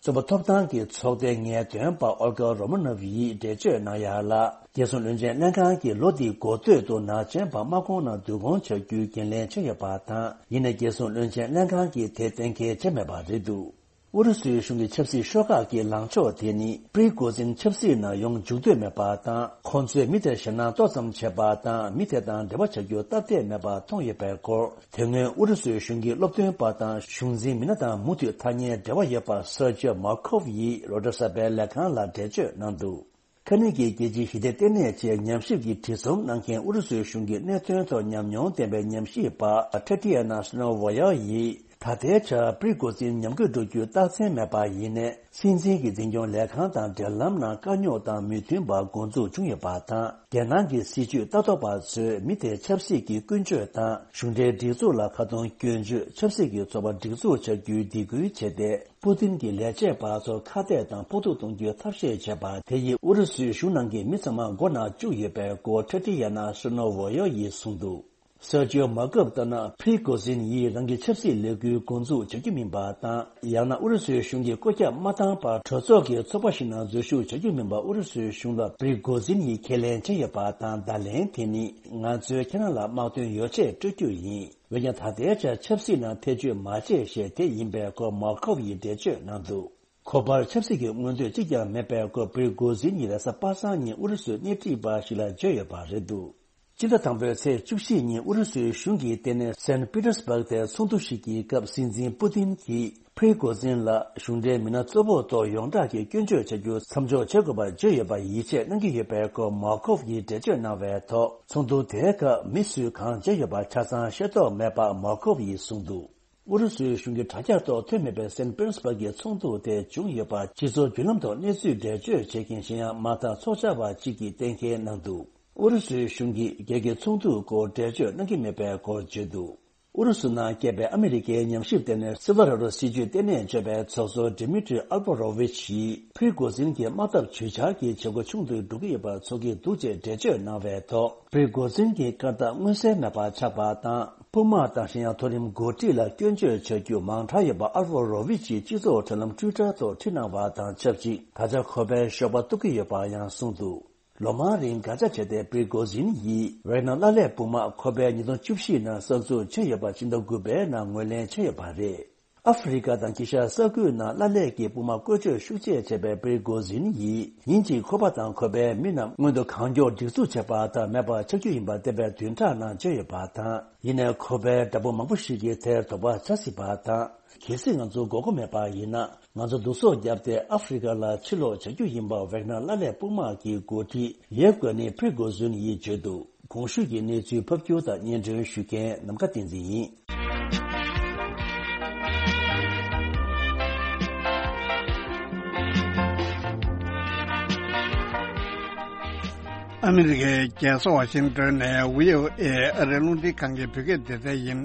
རྩོམ་པ་ཐོབ་ཐང་གི་ཚོགས་སྡེའི་ངེས་སྟོན་པ་ཨོལ་གྷ་རོ་མ་ནོབ་ཡིས་འགྲེལ་བརྗོད་གནང་ཡ་ལ། རྒྱལ་སྲུང་བློན་ཆེན་ལྷན་ཁང་གིས་ལོ་འདིའི་འགོ་སྟོད་དུ་ནག་ཅན་པ་དམག་ཁོངས་ནང་བསྡུ་སྐོང་བྱ་རྒྱུའི་འགན་ལེན་བྱས་ཡོད་པ་དང་། ཡིན་ནའི་རྒྱལ་སྲུང་བློན་ཆེན་ལྷན་ཁང་གིས་དེ་གཏན་འཁེལ་བྱས་མེད་པ་རེད་འདུག་ཨུ་རུ་སུའི་གཞུང་གི་ཆབ་སྲིད་ཤོག་ཁག་གི་ལངས་ཕྱོགས་དེ་ནི། པྲི་གོ་ཛིན་ཆབ་སྲིད་ནང་ཡོང་འཇུག་འདོད་མེད་པ་དང་། ཁོང་ཚོས་མི་དེར་ཞེད་སྣང་ཏོག་ཙམ་བྱེད་པ་དང་། མི་དེ་དང་འབྲེལ་བ་བྱ་རྒྱུར་སྟབས་བདེ་མེད་པ་མཐོང་ཡོད་པའི་སྐོར། དེ་སྔོན་ཨུ་རུ་སུའི་གཞུང་གི་སློབ་སྟོན་པ་དང་གཞུང་འཛིན་མི་སྣ་དང་མུ་མཐུད་ཐག་ཉེའི་འབྲེལ་བ་ཡོད་པ་སར་ཇོ་མར་ཁོབ་ཡིས་རོའི་ཊར་གསར་པའི་ལས་ཁང་ལ་འགྲེལ་བརྗོད་གནང་འདུག་ཁ་ནི་གི་རྒྱལ་སྤྱིའི་ཞི་བདེ་ལྟེ་གནས་བཅས་ཉམས་ཞིབ་ཀྱི་བྲིས་རྩོམ་གནང་མཁན་ཨུ་རུ་སུའི་གཞུང་གི་གནད་དོན་ཐོག་ཉམས་མྱོང་ལྡན་པའི་ཉམས་ཞིབ་པ་ཐ་ཏི་ཡ་ན་སི་ནོ་ཝོ་ཡ་ཡིས། ད་ལྟའི་ཆར་པྲི་གོ་ཛིན་ཉམས་རྒུད་འགྲོ་རྒྱུའི་རྟགས་མཚན་མེད་པ་ཡིན་ནའི། སྲིད་འཛིན་གྱི་འཛིན་སྐྱོང་ལས་ཁང་དང་འབྲེལ་ལམ་ནང་དཀའ་རྙོག་དང་མོས་མཐུན་པ་འགོ་འཛུགས་བྱུང་ཡོད་པ་དང་། རྒྱལ་ནང་གི་སྲིད་བྱུས་ལྟ་རྟོག་པ་ཚོས་མི་དེའི་ཆབ་སྲིད་ཀྱི་ཀུན་སྤྱོད་དང་། གཞུང་འབྲེལ་སྒྲིག་འཛུགས་ལ་ཁ་རྡུང་སྐྱོན་བརྗོད། ཆབ་སྲིད་ཀྱི་ཚོགས་པ་སྒྲིག་འཛུགས་བྱ་རྒྱུའི་སྡིགས་སྐུལ་བྱས་ཏེ། པུ་ཏིན་གྱི་ལས་བྱེད་པ་ཚོར་ཁ་གཏད་དང་ཕོག་ཐུག་གཏོང་རྒྱུའི་ཐབས་ཤེས་བྱས་པ་དེ་ཡིས་ཨུ་རུ་སུའི་གཞུང་ནང་གི་མི་ཚང་མ་མགོ་ནག་བཅུག་ཡོད་པའི་སྐོར་ཐ་ཏི་ཡ་ན་སི་ནོ་ཝོ་ཡ་ཡིས་གསུངས་འདུག་སར་ཇིའོ་མར་ཁོབ་ལྟར་ན། པྲི་གོ་ཛིན་ཡིས་རང་གི་ཆབ་སྲིད་ལས་འགུལ་འགོ་འཛུགས་བྱ་རྒྱུ་མིན་པ་དང་། ཡང་ན་ཨུ་རུ་སུའི་གཞུང་གིས་བཀོད་ཁྱབ་མ་བཏང་བར་གྲོས་ཚོགས་ཀྱི་ཚོགས་པ་ཞིག་ནང་འཛུལ་ཞུགས་བྱ་རྒྱུ་མིན་པ་ཨུ་རུ་སུའི་གཞུང་ལ་པྲི་གོ་ཛིན་ཡིས་ཁས་ལེན་བྱས་ཡོད་པ་དང་། བརྡ་ལན་དེ་ནི། ང་ཚོས་ཁྱེད་རང་ལ་དམག་དོན་ཡོ་ཆས་སྤྲོད་རྒྱུ་ཡིན། འོན་ཀྱང་ད་ལྟའི་ཆར་ཆབ་སྲིད་ནང་ཐེ་བྱུས་མ་བྱེད་ཞེས་དེ་ཡིན་པའི་སྐོར་མར་ཁོབ་ཡིས་འགྲེལ་བརྗོད་གནང་འདུག་ཁོ་པར་ཆབ་སྲིད་ཀྱི་མངོན་འདོད་གཅིག་ཀྱང་མེད་པའི་སྐོར་པྲི་གོ་ཛིན་ཡིས་རེས་གཟའ་པ་སངས་ཉིན་ཨུ་རུ་སུའི་སྣེ་ཁྲིད་པ་ཞིག་ལ་བརྗོད་ཡོད་པ་རེད་འདུག་སྤྱི་ཟླ་དང་པོའི་ཚེས་བཅུ་བཞི་ཉིན་ཨུ་རུ་སུའི་གཞུང་གི་ལྟེ་གནས་སན་པི་ཏེར་སྦུག་དེར་ཚོགས་འདུ་ཞིག་གི་སྐབས་སྲིད་འཛིན་པུ་ཏིན་གྱིས་པྲི་གོ་ཛིན་ལ་གཞུང་འབྲེལ་མི་སྣ་གཙོ་བོ་ཐོག་ཡོངས་གྲགས་ཀྱི་སྐྱོན་བརྗོད་བྱ་རྒྱུ་མཚམས་འཇོག་བྱེད་དགོས་པར་བརྗོད་ཡོད་པར་ཡིད་ཆེས་གནང་གི་ཡོད་པའི་སྐོར་མར་ཁོབ་ཡིས་འགྲེལ་བརྗོད་གནང་བའི་ཐོག་ཚོགས་འདུ་དེའི་སྐབས་མི་སུས་གང་བརྗོད་ཡོད་པ་ཆ་ཚང་ཤེས་རྟོགས་མེད་པ་མར་ཁོབ་ཡིས་གསུངས་འདུག་ཨུ་རུ་སུའི་གཞུང་གི་དྲ་རྒྱ་ཐོག་ཐོན་མེད་པའི་སན་པི་ཏེར་སྦུག་གི་ཚོགས་འདུ་དེ་བྱུང་ཡོད་པ་སྤྱི་ཚོགས་བརྒྱུད་ལམ་ཐོག་གནས་ཚུལ་འགྲེལ་བརྗོད་བྱེད་མཁན་གཞན་ཡང་མ་མཐའ་ཚོགས་བཅར་བ་གཅིག་གིས་གཏན་འཁེལ་གནང་འདུག་ཨུ་རུ་སུའི་གཞུང་གིས་རྒྱལ་སྤྱིའི་ཚོགས་འདུའི་སྐོར་འགྲེལ་བརྗོད་གནང་གི་མེད་པའི་སྐོར་བརྗོད་འདུག་ཨུ་རུ་སུ་ནང་སྐྱེས་པའི་ཨ་མི་རི་ཀའི་ཉམས་ཞིབ་ལྟེ་གནས་སིལ་ཝ་ར་རོ་སྲིད་བྱུས་ལྟེ་གནས་གཙོས་པའི་ཚོགས་གཙོ་ཌི་མི་ཏྲི་ཨལ་བྷ་རོ་ཝི་ཆི་ཡིས་ཕི་རི་གོ་ཛིན་གྱི་དམག་འཐབ་ཇུས་འཆར་གྱི་བྱེད་སྒོ་ཆུང་དུ་འགྲོ་གི་ཡོད་པ་ཚོར་གྱི་འདུག་ཅེས་འགྲེལ་བརྗོད་གནང་བའི་ཐོག་ཕི་རི་གོ་ཛིན་གྱི་བཀའ་རྟགས་མངོན་གསལ་མེད་པ་ཆགས་པ་དང་། དཔུང་དམག་དང་གཞན་ཡང་མཐོ་རིམ་འགོ་ཁྲིད་ལ་སྐྱོན་བརྗོད་བྱ་རྒྱུ་མང་དྲགས་ཡོད་པ་ཨལ་བྷ་རོ་ཝི་ཆིས་སྤྱི་ཚོགས་དྲ་ལམ་ཊུའི་ཊར་ཐོག་བྲིས་གནང་བ་དང་ཆབས་ཅིག་ད་ཆ་ཁོ་པའི་ཞོགས་པ་གཏུབ་ཀྱི་ཡོད་པ་ཡང་གསུངས་འདུག་ལོ་མང་རིང་དགག་བྱ་བྱས་ཏེ་པྲི་གོ་ཛིན་ཡིས་ཝེག་ནར་ལྷ་ལས་དཔུང་དམག་ཁོ་པས་ཉིས་སྟོང་བཅུ་བཞི་ནང་གསར་འཛུགས་བྱས་ཡོད་པ་ཕྱི་ཟླ་དགུ་པའི་ནང་ངོས་ལེན་བྱས་ཡོད་པ་རེད། ཨ་ཧྥེ་རི་ཁ་དང་དཀྱིལ་ཤར་ས་ཁུལ་ནང་ལྷ་ལས་ཀྱི་དཔུང་དམག་བཀོལ་སྤྱོད་ཤུགས་ཆེ་བྱས་པའི་པྲི་གོ་ཛིན་ཡིས་ཉིན་གཅིག་ཁོ་པ་དང་ཁོ་པའི་མི་རྣམས་སྔོན་དུ་གང་མགྱོགས་སྒྲིག་འཛུགས་བྱས་པ་ལྟར་མེད་པ་ཆགས་རྒྱུ་ཡིན་པ་བསྟན་པའི་བདུན་ཕྲག་ནང་བརྗོད་ཡོད་པ་དང་། ཡིན་ནའི་ཁོ་པའི་དགྲ་བོ་མང་པོ་ཞིག་གིས་དེར་དོགས་པ་ཆགས་སྲིད་པ་དང་། གལ་སྲིད་ང་ཚོ་མགོ་སྐོར་མེད་པ་ཡིན་ན། ང་ཚོ་བསྡུ་གསོག་བརྒྱབ་སྟེ་ཨ་ཧྥེ་རི་ཁ་ལ་ཕྱིར་ལོག་བྱ་རྒྱུ་ཡིན་པ་ཝེག་ནར་ལྷ་ལས་དཔུང་དམག་གི་འགོ་ཁྲིད་ཡེབ་གྷ་ནི་པྲི་གོ་ཛུན་ཡིས་བརྗོད་འདུག་གོང་ཞུས་ཀྱི་གནས་ཚུལ་ཕབ་སྒྱུར་དང་སྙན་སྒྲོན་ཞུ་མཁན་ནམ་མཁའ་བསྟན་འཛིན་ཡིན། ཨ་མི་རི་ཀའི་རྒྱལ་ས་ཝ་ཤིང་ཏོན་ནས་བྷི་ཨོ་ཨེ་ཨ་རིའི་རླུང་འཕྲིན་ཁང་གི་བོད་སྐད་སྡེ་ཚན་ཡིན།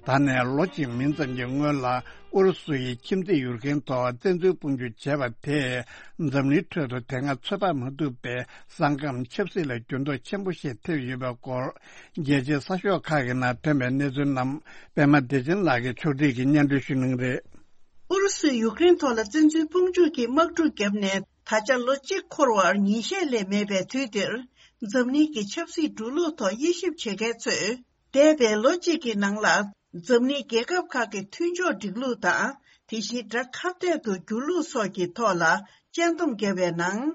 ད་ནས་ལོ་གཅིག་མིན་ཙམ་གྱི་སྔོན་ལ་ཨུ་རུ་སུ་ཡིས་ཁྱིམ་མཚེས་ཡུཀ་རེན་ཐོག་བཙན་འཛུལ་དཔུང་འཇུག་བྱས་པ་དེས་འཛམ་གླིང་ཁྲོད་དུ་དེ་སྔ་ཚོད་དཔག་མ་ཐུབ་པའི་ས་ཁམས་ཆབ་སྲིད་ལ་འགྱུར་ལྡོག་ཆེན་པོ་ཞིག་ཐེབས་ཡོད་པའི་སྐོར། རྒྱལ་སྤྱིའི་གསར་ཤོག་ཁག་གི་ནང་ཐོན་པའི་གནས་ཚུལ་རྣམས་པད་མ་བདེ་ཆེན་ལགས་ཀྱིས་ཕྱོགས་སྒྲིག་གིས་སྙན་སྒྲོན་ཞུ་གནང་གི་རེད། ཨུ་རུ་སུས་ཡུཀ་རེན་ཐོག་ལ་བཙན་འཛུལ་དཔུང་འཇུག་གི་དམག་འཁྲུག་བརྒྱབ་ནས་ད་ཆ་ལོ་གཅིག་འཁོར་བར་ཉིན་ཤས་ལས་མེད་པའི་དུས་འདིར། འཛམ་གླིང་གི་ཆབ་སྲིད་འགྲོ་ལུགས་ཐོག་དབྱེ་ཞིབ་བྱེད་མཁན་ཚོས། འདས་པའི་ལོ་གཅིག་གི་ནང་ལ། འཛམ་གླིང་རྒྱལ་ཁབ་ཁག་གི་མཐུན་ཕྱོགས་སྒྲིག་ལུགས་དང་། དེ་བཞིན་དགྲ་ཁ་གཏད་དུ་འགྱུར་ལུགས་སོགས་ཀྱི་ཐོག་ལ་དཔྱད་འདོམས་བརྒྱབ་པའི་ནང་།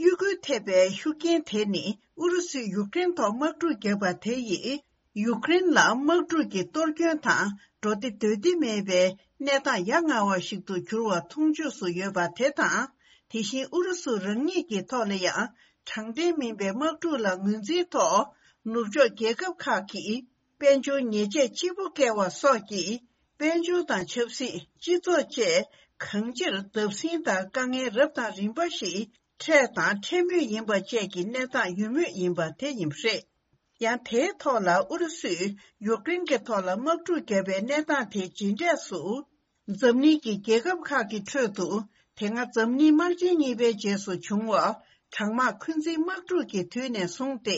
གཡོ་འགུལ་ཐེབས་པའི་ཤུགས་རྐྱེན་དེ་ནི་ཨུ་རུ་སུས་ཡུཀ་རེན་ཐོག་དམག་འཁྲུག་བརྒྱབ་པ་དེ་ཡིས། ཡུཀ་རེན་ལ་དམག་འཁྲུག་གི་གཏོར་སྐྱོན་དང་འགྲོ་བདེ་སྡོད་བདེ་མེད་པའི་གནས་སྟངས་ཡ་ང་བ་ཞིག་ཏུ་གྱུར་བ་མཐོང་ཆོས་སུ་ཡོད་པ་དེ་དང་། དེ་བཞིན་ཨུ་རུ་སུ་རང་ཉིད་ཀྱི་ཐོག་ལ་ཡང་དྲང་བདེན་མིན་པའི་དམག་འཁྲུག་ལ་ངོས་འཛིན་ཐོག་ནུབ་ཕྱོགས་རྒྱལ་ཁབ་ཁག་གིས་དཔལ་འབྱོར་ཉེས་ཆད་ལྕི་པོ་བཀལ་བ་སོགས་ཀྱིས་དཔལ་འབྱོར་དང་ཆབ་སྲིད། སྤྱི་ཚོགས་བཅས་གང་ཅིར་བརྡབ་གསིག་དང་དཀའ་ངལ་རབ་དང་རིམ་པ་ཞིག་འཕྲད་དང་འཕྲད་མུས་ཡིན་པ་བཅས་ཀྱི་གནས་སྟངས་ཡོད་མུས་ཡིན་པ་དེ་ཡིན་པ་རེད། ཡང་དེའི་ཐོག་ལ་ཨུ་རུ་སུས་ཡུཀ་རེན་གྱི་ཐོག་ལ་དམག་འཁྲུག་བརྒྱབ་པའི་གནས་སྟངས་དེ་རྗེས་འབྲས་སུ། འཛམ་གླིང་གི་རྒྱལ་ཁབ་ཁག་གི་ཁྲོད་དུ་དེ་སྔ་འཛམ་གླིང་དམག་ཆེན་གཉིས་པའི་རྗེས་སུ་བྱུང་བ་གྲང་དམག་འཁོན་འཛིན་དམག་འཁྲུག་གི་དུས་ནས་བཟུང་སྟེ་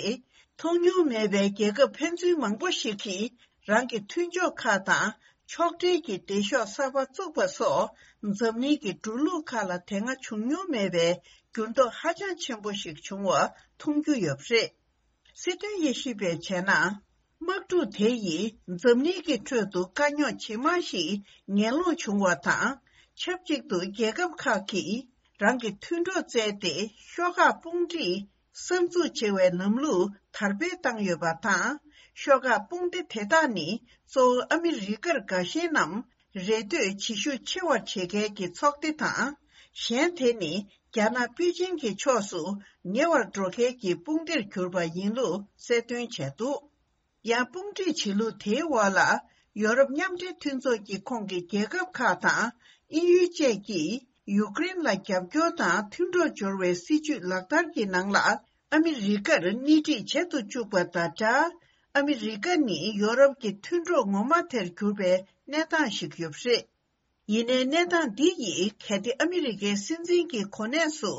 མཐོང་མྱོང་མེད་པའི་རྒྱལ་ཁབ་ཕན་ཚུན་མང་པོ་ཞིག་གིས་རང་གི་མཐུན་ཕྱོགས་ཁག་དང་ ཕྱོགས་སྒྲིལ་གྱི་སྡེ་ཤོག་གསར་པ་བཙུགས་པ་སོགས། འཛམ་གླིང་གི་འགྲོ་ལུགས་ཁག་ལ་དེ་སྔ་བྱུང་མྱོང་མེད་པའི་འགྱུར་ལྡོག་ཧ་ཅང་ཆེན་པོ་ཞིག་བྱུང་བ་མཐོང་རྒྱུ་ཡོད་པ་རེད། སྲིད་དོན་དབྱེ་ཞིབ་པས་བྱས་ན། དམག་འཁྲུག་དེ་ཡིས་འཛམ་གླིང་གི་ཁྲོད་དུ་དཀའ་རྙོག་ཇི་མང་ཞིག་ངན་སློང་བྱུང་བ་དང་། ཆབས་ཅིག་ཏུ་རྒྱལ་ཁབ་ཁག་གིས་རང་གི་མཐུན་གྲོགས་བཙལ་ཏེ་ཤོག་ཁག་དཔུང་སྒྲིག་གསར་འཛུགས་བྱེད་པའི་ལམ་ལུགས་དར་སྤེལ་བཏང་ཡོད་པ་དང་། ཤོག་ཁག་དཔུང་སྡེ་དེ་དག་ནི་གཙོ་བོ་ཨ་མི་རི་ཀར་དགའ་ཞེན་ནམ་རེ་ལྟོས་བྱེད་ཤུགས་ཆེ་བར་བྱེད་མཁན་གྱི་ཚོགས་སྡེ་དང་། གཞན་དེ་ནི་རྒྱ་ནག་པེ་ཅིང་གི་ཕྱོགས་སུ་ཉེ་བར་འགྲོ་མཁན་གྱི་དཔུང་སྡེར་གྱུར་པ་ཡིན་ལུགས་གསལ་སྟོན་བྱས་འདུག་ཡང་དཔུང་སྒྲིག་བྱེད་ལུགས་དེའི་འོག་ལ་ཡོ་རོབ་མཉམ་འབྲེལ་མཐུན་ཚོགས་ཀྱི་ཁོངས་ཀྱི་རྒྱལ་ཁབ་ཁག་དང་དབྱིན་ཡུལ་བཅས་ཀྱིས་ཡུཀ་རེན་ལ་རྒྱབ་སྐྱོར་དང་མཐུན་གྲོགས་སྦྱོར་བའི་སྲིད་ཇུས་ལག་བསྟར་གྱི་ནང་ལ་ཨ་མི་རི་ཀར་སྣེ་ཁྲིད་བྱེད་དུ་བཅུག་པ་དང་སྦྲགས། ཨ་མི་རི་ཀ་ནི་ཡོ་རོབ་ཀྱི་མཐུན་གྲོགས་ངོ་མ་དེར་གྱུར་པའི་གནས་སྟངས་ཤིག་ཡོད་པ་རེད། ཡིན་ནའི་གནས་སྟངས་འདི་ཡིས་གལ་ཏེ་ཨ་མི་རི་ཀའི་སྲིད་འཛིན་གྱི་གོ་གནས་སུ་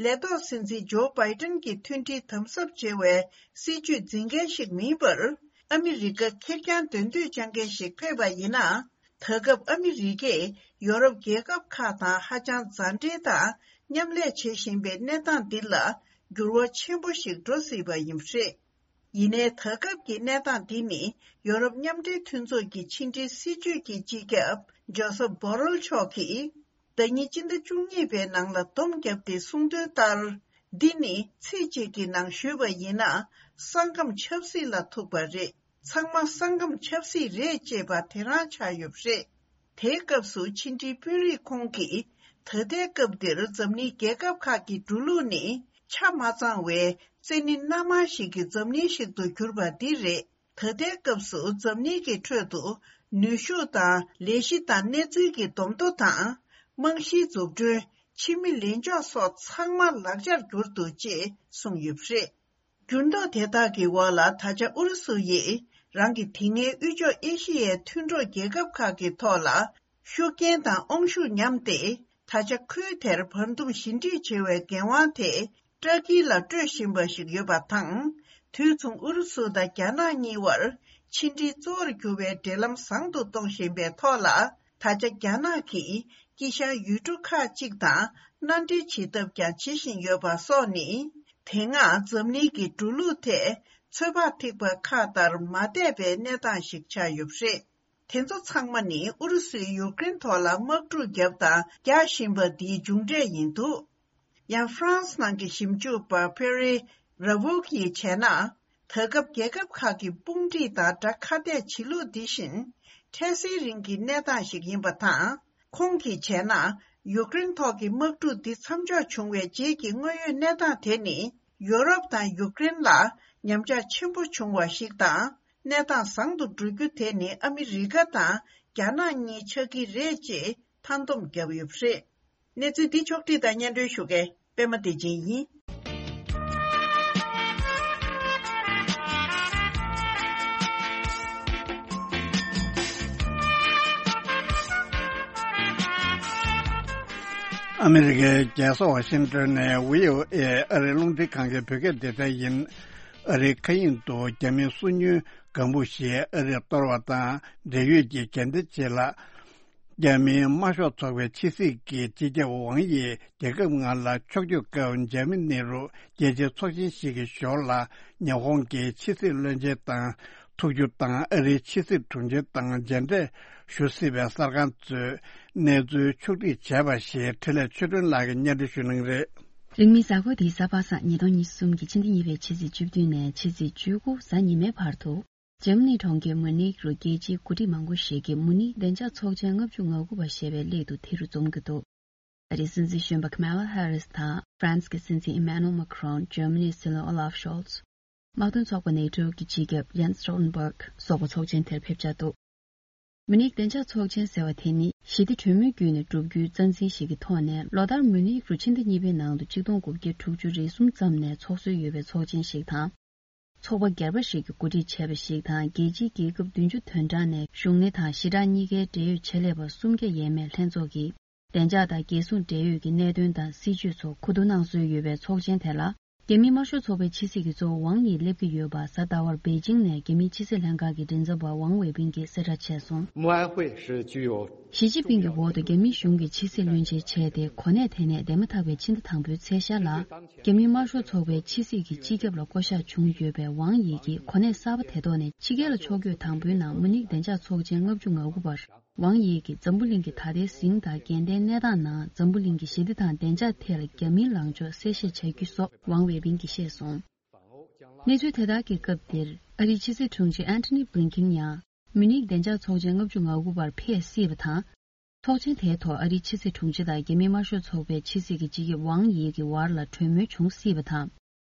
ལས་ཐོག་སྲིད་འཛིན་ཇོ་བྷའི་ཏན་གྱི་མཐུན་སྒྲིལ་དམ་ཟབ་བྱེད་པའི་སྲིད་ཇུས་འཛིན་མཁན་ཞིག་མིན་པར། ཨ་མི་རི་ཀ་ཁེར་རྐྱང་འདོན་འདོད་བཅངས་མཁན་ཞིག་ཕེབས་པ་ཡིན་ན། ད་སྐབས་ཨ་མི་རི་ཀས་ཡོ་རོབ་རྒྱལ་ཁབ་ཁག་དང་ཧ་ཅང་མཛའ་འབྲེལ་དང་མཉམ་ལས་བྱེད་བཞིན་པའི་གནས་སྟངས་འདི་ལ་འགྱུར་བ་ཆེན་པོ་ཞིག་འགྲོ་སྲིད་པ་ཡིན་པ་རེད། ཡིན་ནའི་ད་སྐབས་ཀྱི་གནས་སྟངས་འདི་ནི་ཡོ་རོབ་མཉམ་འབྲེལ་མཐུན་ཚོགས་ཀྱི་ཕྱི་འབྲེལ་སྲིད་ཇུས་ཀྱི་སྤྱི་ཁྱབ་ཇོ་སབ་བྷོ་རེལ་མཆོག་གིས། ཟླ་ཉིན་སྤྱི་ཟླ་བཅུ་གཉིས་པའི་ནང་ལ་སྡོམ་བརྒྱབ་སྟེ་གསུངས་དོན་ལྟར། འདི་ནི་ཚིག་གཅིག་གི་ནང་ཞུས་པ་ཡིན་ན། ས་ཁམས་ཆབ་སྲིད་ལ་ཐུག་པ་རེད། ཚང་མ་ས་ཁམས་ཆབ་སྲིད་རེད་ཅེས་པ་དེ་རང་ཆགས་ཡོད་པ་རེད། དེའི་སྐབས་སུ་ཕྱི་འབྲེལ་དཔོན་རིགས་ཁོང་གིས་ད་ལྟའི་སྐབས་འདིར་འཛམ་གླིང་རྒྱལ་ཁབ་ཁག་གི་འགྲོ་ལུགས་ནི་ཆ་མ་ཚང་བའི་བཙན་གནོན་སྣ་མང་ཞིག་གི་འཛམ་གླིང་ཞིག་ཏུ་གྱུར་པ་འདི་རེད། ད་ལྟའི་སྐབས་སུ་འཛམ་གླིང་གི་ཁྲོད་དུ་ནུས་ཤུགས་དང་ལས་གཞི་དང་གནས་ཚུལ་གྱི་སྡོམ་ཐོ་དང་། རྨང་གཞིའི་འཛུགས་སྐྲུན། ཕྱི་མི་ལེན་ཕྱོགས་སོགས་ཚང་མ་ལག་ཆར་གྱུར་འདུག་ཅེས་གསུངས་ཡོད་པ་རེད། འགྱུར་ལྡོག་དེ་དག་གི་འོག་ལ་ད་ཆ་ཨུ་རུ་སུ་ཡིས་རང་གི་དེ་སྔའི་དབུས་ཕྱོགས་ཨེ་ཤི་ཡའི་མཐུན་གྲོགས་རྒྱལ་ཁབ་ཁག་གི་ཐོག་ལ་ཤུགས་རྐྱེན་དང་དབང་ཤུགས་ཉམས་ཏེ། ད་ཆ་ཁུལ་དེར་བར་འདུམ་ཞི་འགྲིག་བྱེད་པའི་འགན་དབང་དེ་ཏྲ་ཀི་ལ་སྤྲོད་བཞིན་པ་ཞིག་ཡོད་པ་དང་། དུས་མཚུངས་ཨུ་རུ་སུ་དང་རྒྱ་ནག་གཉིས་བར་ཕྱི་འབྲེལ་གཙོ་བོར་གྱུར་པའི་འབྲེལ་ལམ་བཟང་དུ་གཏོང་བཞིན་པའི་ཐོག་ལ། ད་ཆ་རྒྱ་ནག་གིས་དཀྱིལ་ཤར་ཡུལ་གྲུ་ཁག་ཅིག་དང་མནའ་འབྲེལ་བྱེད་ཐབས་ཀྱང་བྱེད་བཞིན་ཡོད་པ་སོགས་ནི། དེ་སྔ་འཛམ་གླིང་གི་འགྲོ་ལུགས་ཐད་ཚོད་དཔག་ཐིགས་པ་ཁག་ལྟར་མ་བསྡད་པའི་གནས་སྟངས་ཤིག་ཆགས་ཡོད་པ་རེད། དེ་ཚོ་ཚང་མ་ནི་ཨུ་རུ་སུས་ཡུཀ་རེན་ཐོག་ལ་དམག་འཁྲུག་བརྒྱབ་དང་རྒྱག་བཞིན་པ་འདིའི་མཇུག་འབྲས་ཡིན་འདུག་ཡང་ཧྥ་རན་སི་ནང་གི་ཞིབ་འཇུག་པ་ཕེ་རེ་ར་ཝུག་ཡིས་བྱས་ན། ད་སྐབས་རྒྱལ་ཁབ་ཁག་གི་དཔུང་སྒྲིག་དང་དགྲ་ཁ་གཏད་བྱེད་ལུགས་འདི་བཞིན། འཕྲལ་སེལ་རིང་གི་གནས་སྟངས་ཤིག་ཡིན་པ་དང་། ཁོང་གིས་བྱས་ན། ཡུཀ་རེན་ཐོག་གི་དམག་འཁྲུག་འདི་མཚམས་འཇོག་བྱུང་བའི་རྗེས་ཀྱི་དངོས་ཡོད་གནས་སྟངས་དེ་ནི། ཡོ་རོབ་དང་ཡུཀ་རེན་ལ་ཉམས་ཆག་ཆེན་པོ་བྱུང་བ་ཞིག་དང་། གནས་སྟངས་བཟང་དུ་འགྲོ་རྒྱུ་དེ་ནི་ཨ་མི་རི་ཀ་དང་རྒྱ་ནག་གཉིས་ཆགས་ཀྱི་རེད་ཅེས་མཐའ་སྡོམ་བརྒྱབ་ཡོད་པ་རེད། གནས་ཚུལ་འདི་ཕྱོགས་བསྒྲིགས་དང་སྙན་སྒྲོན་ཞུ་མཁན་པད་མ་བདེ་ཆེན་ཡིན། ཨ་མི་རི་ཀའི་རྒྱལ་ས་ཝ་ཤིང་ཏོན་ནས་བྷི་ཨོ་ཨེ་ཨ་རིའི་རླུང་འཕྲིན་ཁང་གི་བོད་སྐད་སྡེ་ཚན་ཡིན། ཨ་རིའི་མཁའ་དབྱིངས་སུ་རྒྱ་མིའི་སོ་ཉུལ་ལྒང་བུ་ཞིག་ཨ་རིར་གཏོར་བ་དང་འབྲེལ་ཡོད་ཀྱི་འགན་འདེད་ཆེད་ལ། རྒྱ་མིའི་དམར་ཤོག་ཚོགས་པའི་ཕྱི་སྲིད་ཀྱི་སྤྱི་ཁྱབ་ཝང་ཡིས་རྒྱལ་ཁབ་ལྔ་ལ་ཕྱོགས་བསྐྱོད་སྐབས་འཇར་མ་ནི་རུ་རྒྱལ་སྤྱིའི་ཚོགས་ཆེན་ཞིག་གི་ཞོར་ལ་ཉི་ཧོང་གི་ཕྱི་སྲིད་བློན་ཆེན་དང་ཐུག་རྒྱུ་དང་ཨ་རིའི་ཕྱི་སྲིད་དྲུང་ཆེ་དང་མཇལ་འཕྲད་ཞུ་སྲིད་པའི་གསར་ཁང་གཙོས་གནས་ཚུལ་ཕྱོགས་བསྒྲིགས་བྱས་པ་ཞིག་འཕྲིན་ལས་ཆོས་སྒྲོན་ལགས་ཀྱིས་སྙན་སྒྲོན་ཞུ་གནང་གི་རེད། རིང་མིན་གཟའ་འཁོར་འདིའི་གཟའ་པ་སངས་ཉིས་སྟོང་ཉི་ཤུ་རྩ་གསུམ་གྱི་ཕྱི་ཟླ་གཉིས་པའི་ཕྱི་ཚེས་བཅུ་བདུན་ནས་ཕྱི་ཚེས་བཅུ་དགུ་གཟའ་ཉི་མའི་བར་དུ། འཇར་མ་ནིའི་གྲོང་ཁྱེར་མུ་ནིག་རུ་རྒྱལ་སྤྱིའི་འགོ་ཁྲིད་མང་པོ་ཞིག་གིས་མུ་ནིག་བདེ་འཇགས་ཚོགས་ཆེན་ལྔ་བཅུ་ང་དགུ་པ་ཞེས་པའི་སླད་དུ་དེ་རུ་འཛོམས་ཀྱི་འདུག་ཨ་རིའི་སྲིད་འཛིན་གཞོན་པ་ཁ་མ་ལ་ཧེ་རིས་དང་ཧྥ་རན་སི་གི་སྲིད་འཛིན་ཨི་མེ་ནུ་ཨེལ་མཱ་ཁི་རོན། འཇར་མ་ནིའི་སྲིད་བློན་ཨོ་ལཱབ་ཤོལ་ཚ། དམག་དོན་ཚོགས་པ་ནེ་ཊོ་གི་སྤྱི་ཁྱབ་ཡན་སི་སི་ཊོལ་ཊེན་བྷར་གྷི་སོགས་པ་ཚོགས་ཆེན་དེར་ཕེབས་འཆར་འདུག་མུ་ནིག་བདེ་འཇགས་ཚོགས་ཆེན་ཟེར་བ་དེ་ནི་ཞི་བདེ་གྲོས་མོལ་བརྒྱུད་ནས་བསྒྲུབ་རྒྱུའི་རྩ་འཛིན་ཞིག་གི་ཐོག་ནས་ལོ་ལྟར་མུ་ནིག་རུ་ཕྱི་ཟླ་གཉིས་པའི་ནང་དུ་ཆིག་སྟོང་དགུ་བརྒྱ་དྲུག་ཅུ་རེ་གསུམ་ཙམ་ནས་འཚོགས་སྲོལ་ཡོད་པའི་ཚོགས་ཆེན་ཞིག་དང་། ཚོགས་པ་སྒེར་པ་ཞིག་གིས་གོ་སྒྲིག་བྱས་པ་ཞིག་དང་། རྒྱལ་སྤྱིའི་རྒྱལ་ཁབ་བདུན་ཅུ་དོན་གྲངས་ནས་གཞུང་གནས་དང་ཞི་དྲག་གཉིས་ཀའི་འབྲེལ་ཡོད་ཆེད་ལས་པ་སུམ་བརྒྱ་ཡས་མས་ལྷན་ཚོགས་ཀྱིས་བདེ་འཇགས་དང་རྒྱལ་སྲུང་འབྲེལ་ཡོད་ཀྱི་གནད་དོན་དང་སྲིད་བྱུས་སོགས་གོ་བསྡུར་གནང་སྲོལ་ཡོད་པའི་ཚོགས་ཆེན་དེ་ལ། རྒྱ་མིའི་དམར་ཤོག་ཚོགས་པའི་ཕྱི་སྲིད་ཀྱི་གཙོ་བོ་ཝང་དབྱི་སླེབས་ཀྱི་ཡོད་པ་གཟའ་ཟླ་བར་པེ་ཅིང་ནས་རྒྱ་མིའི་ཕྱི་སྲིད་ལྷན་ཁང་གི་མགྲིན་ཚབ་པ་ཝང་ཝེ་པིན་གྱིས་གསལ་བསྒྲགས་བྱས་སོང་། 默哀会是具有 ཞི་ཅིན་ཕིང་གི་འོག་ཏུ་རྒྱ་མིའི་གཞུང་གི་ཕྱི་སྲིད་བློན་ཆེན་བྱས་ཏེ་གོ་གནས་དེ་ནས་འདས་མ་ཐག་པའི་ཕྱི་ཟླ་དང་པོའི་ཚེས་ཤར་ལ། རྒྱ་མིའི་དམར་ཤོག་ཚོགས་པའི་ཕྱི་སྲིད་ཀྱི་སྤྱི་ཁྱབ་ལ་བསྐོ་གཞག་བྱུང་ཡོད་པའི་ཝང་དབྱི་གིས་གོ་གནས་གསར་པ་དེ་ཐོག་ནས་ཕྱི་རྒྱལ་ལ་ཕྱོགས་བསྐྱོད་དང་པོའི་ནང་མུ་ནིག་བདེ་འཇགས་ཚོགས་ཆེན་ལྔ་བཅུ་ང་དགུ་པར། ཝང་དབྱི་གིས་འཛམ་བུ་གླིང་གི་ད་ལྟའི་ཟིང་དང་རྒྱལ་ལྡན་གནས་སྟངས་ནང་འཛམ་བུ་གླིང་གི་ཞི་བདེ་དང་བདེ་འཇགས་ཐད་ལ་རྒྱ་མིའི་ལངས་ཕྱོགས་གསལ་བཤད་བྱ་རྒྱུ་སོགས་ཝང་ཝེ་པིན་གྱིས་བཤད་སོང་། གནས་ཚུལ་དེ་དག་གི་སྐབས་འདིར་ཨ་རིའི་ཕྱི་སྲིད་དྲུང་ཆེ་ཨན་ཐོ་ནི་བྷི་ལིན་ཀིན་ཡང་མུ་ནིག་བདེ་འཇགས་ཚོགས་ཆེན་ལྔ་བཅུ་ང་དགུ་པར་ཕེབས་སྲིད་པ་དང་། ཚོགས་ཆེན་དེའི་ཐོག་ཨ་རིའི་ཕྱི་སྲིད་དྲུང་ཆེ་དང་རྒྱ་མིའི་དམར་ཤོག་ཚོགས་པའི་ཕྱི་སྲིད་ཀྱི་སྤྱི་ཁྱབ་ཝང་དབྱི་གི་བར་ལ་གྲོས་མོལ་བྱུང་སྲིད་པ་དང་།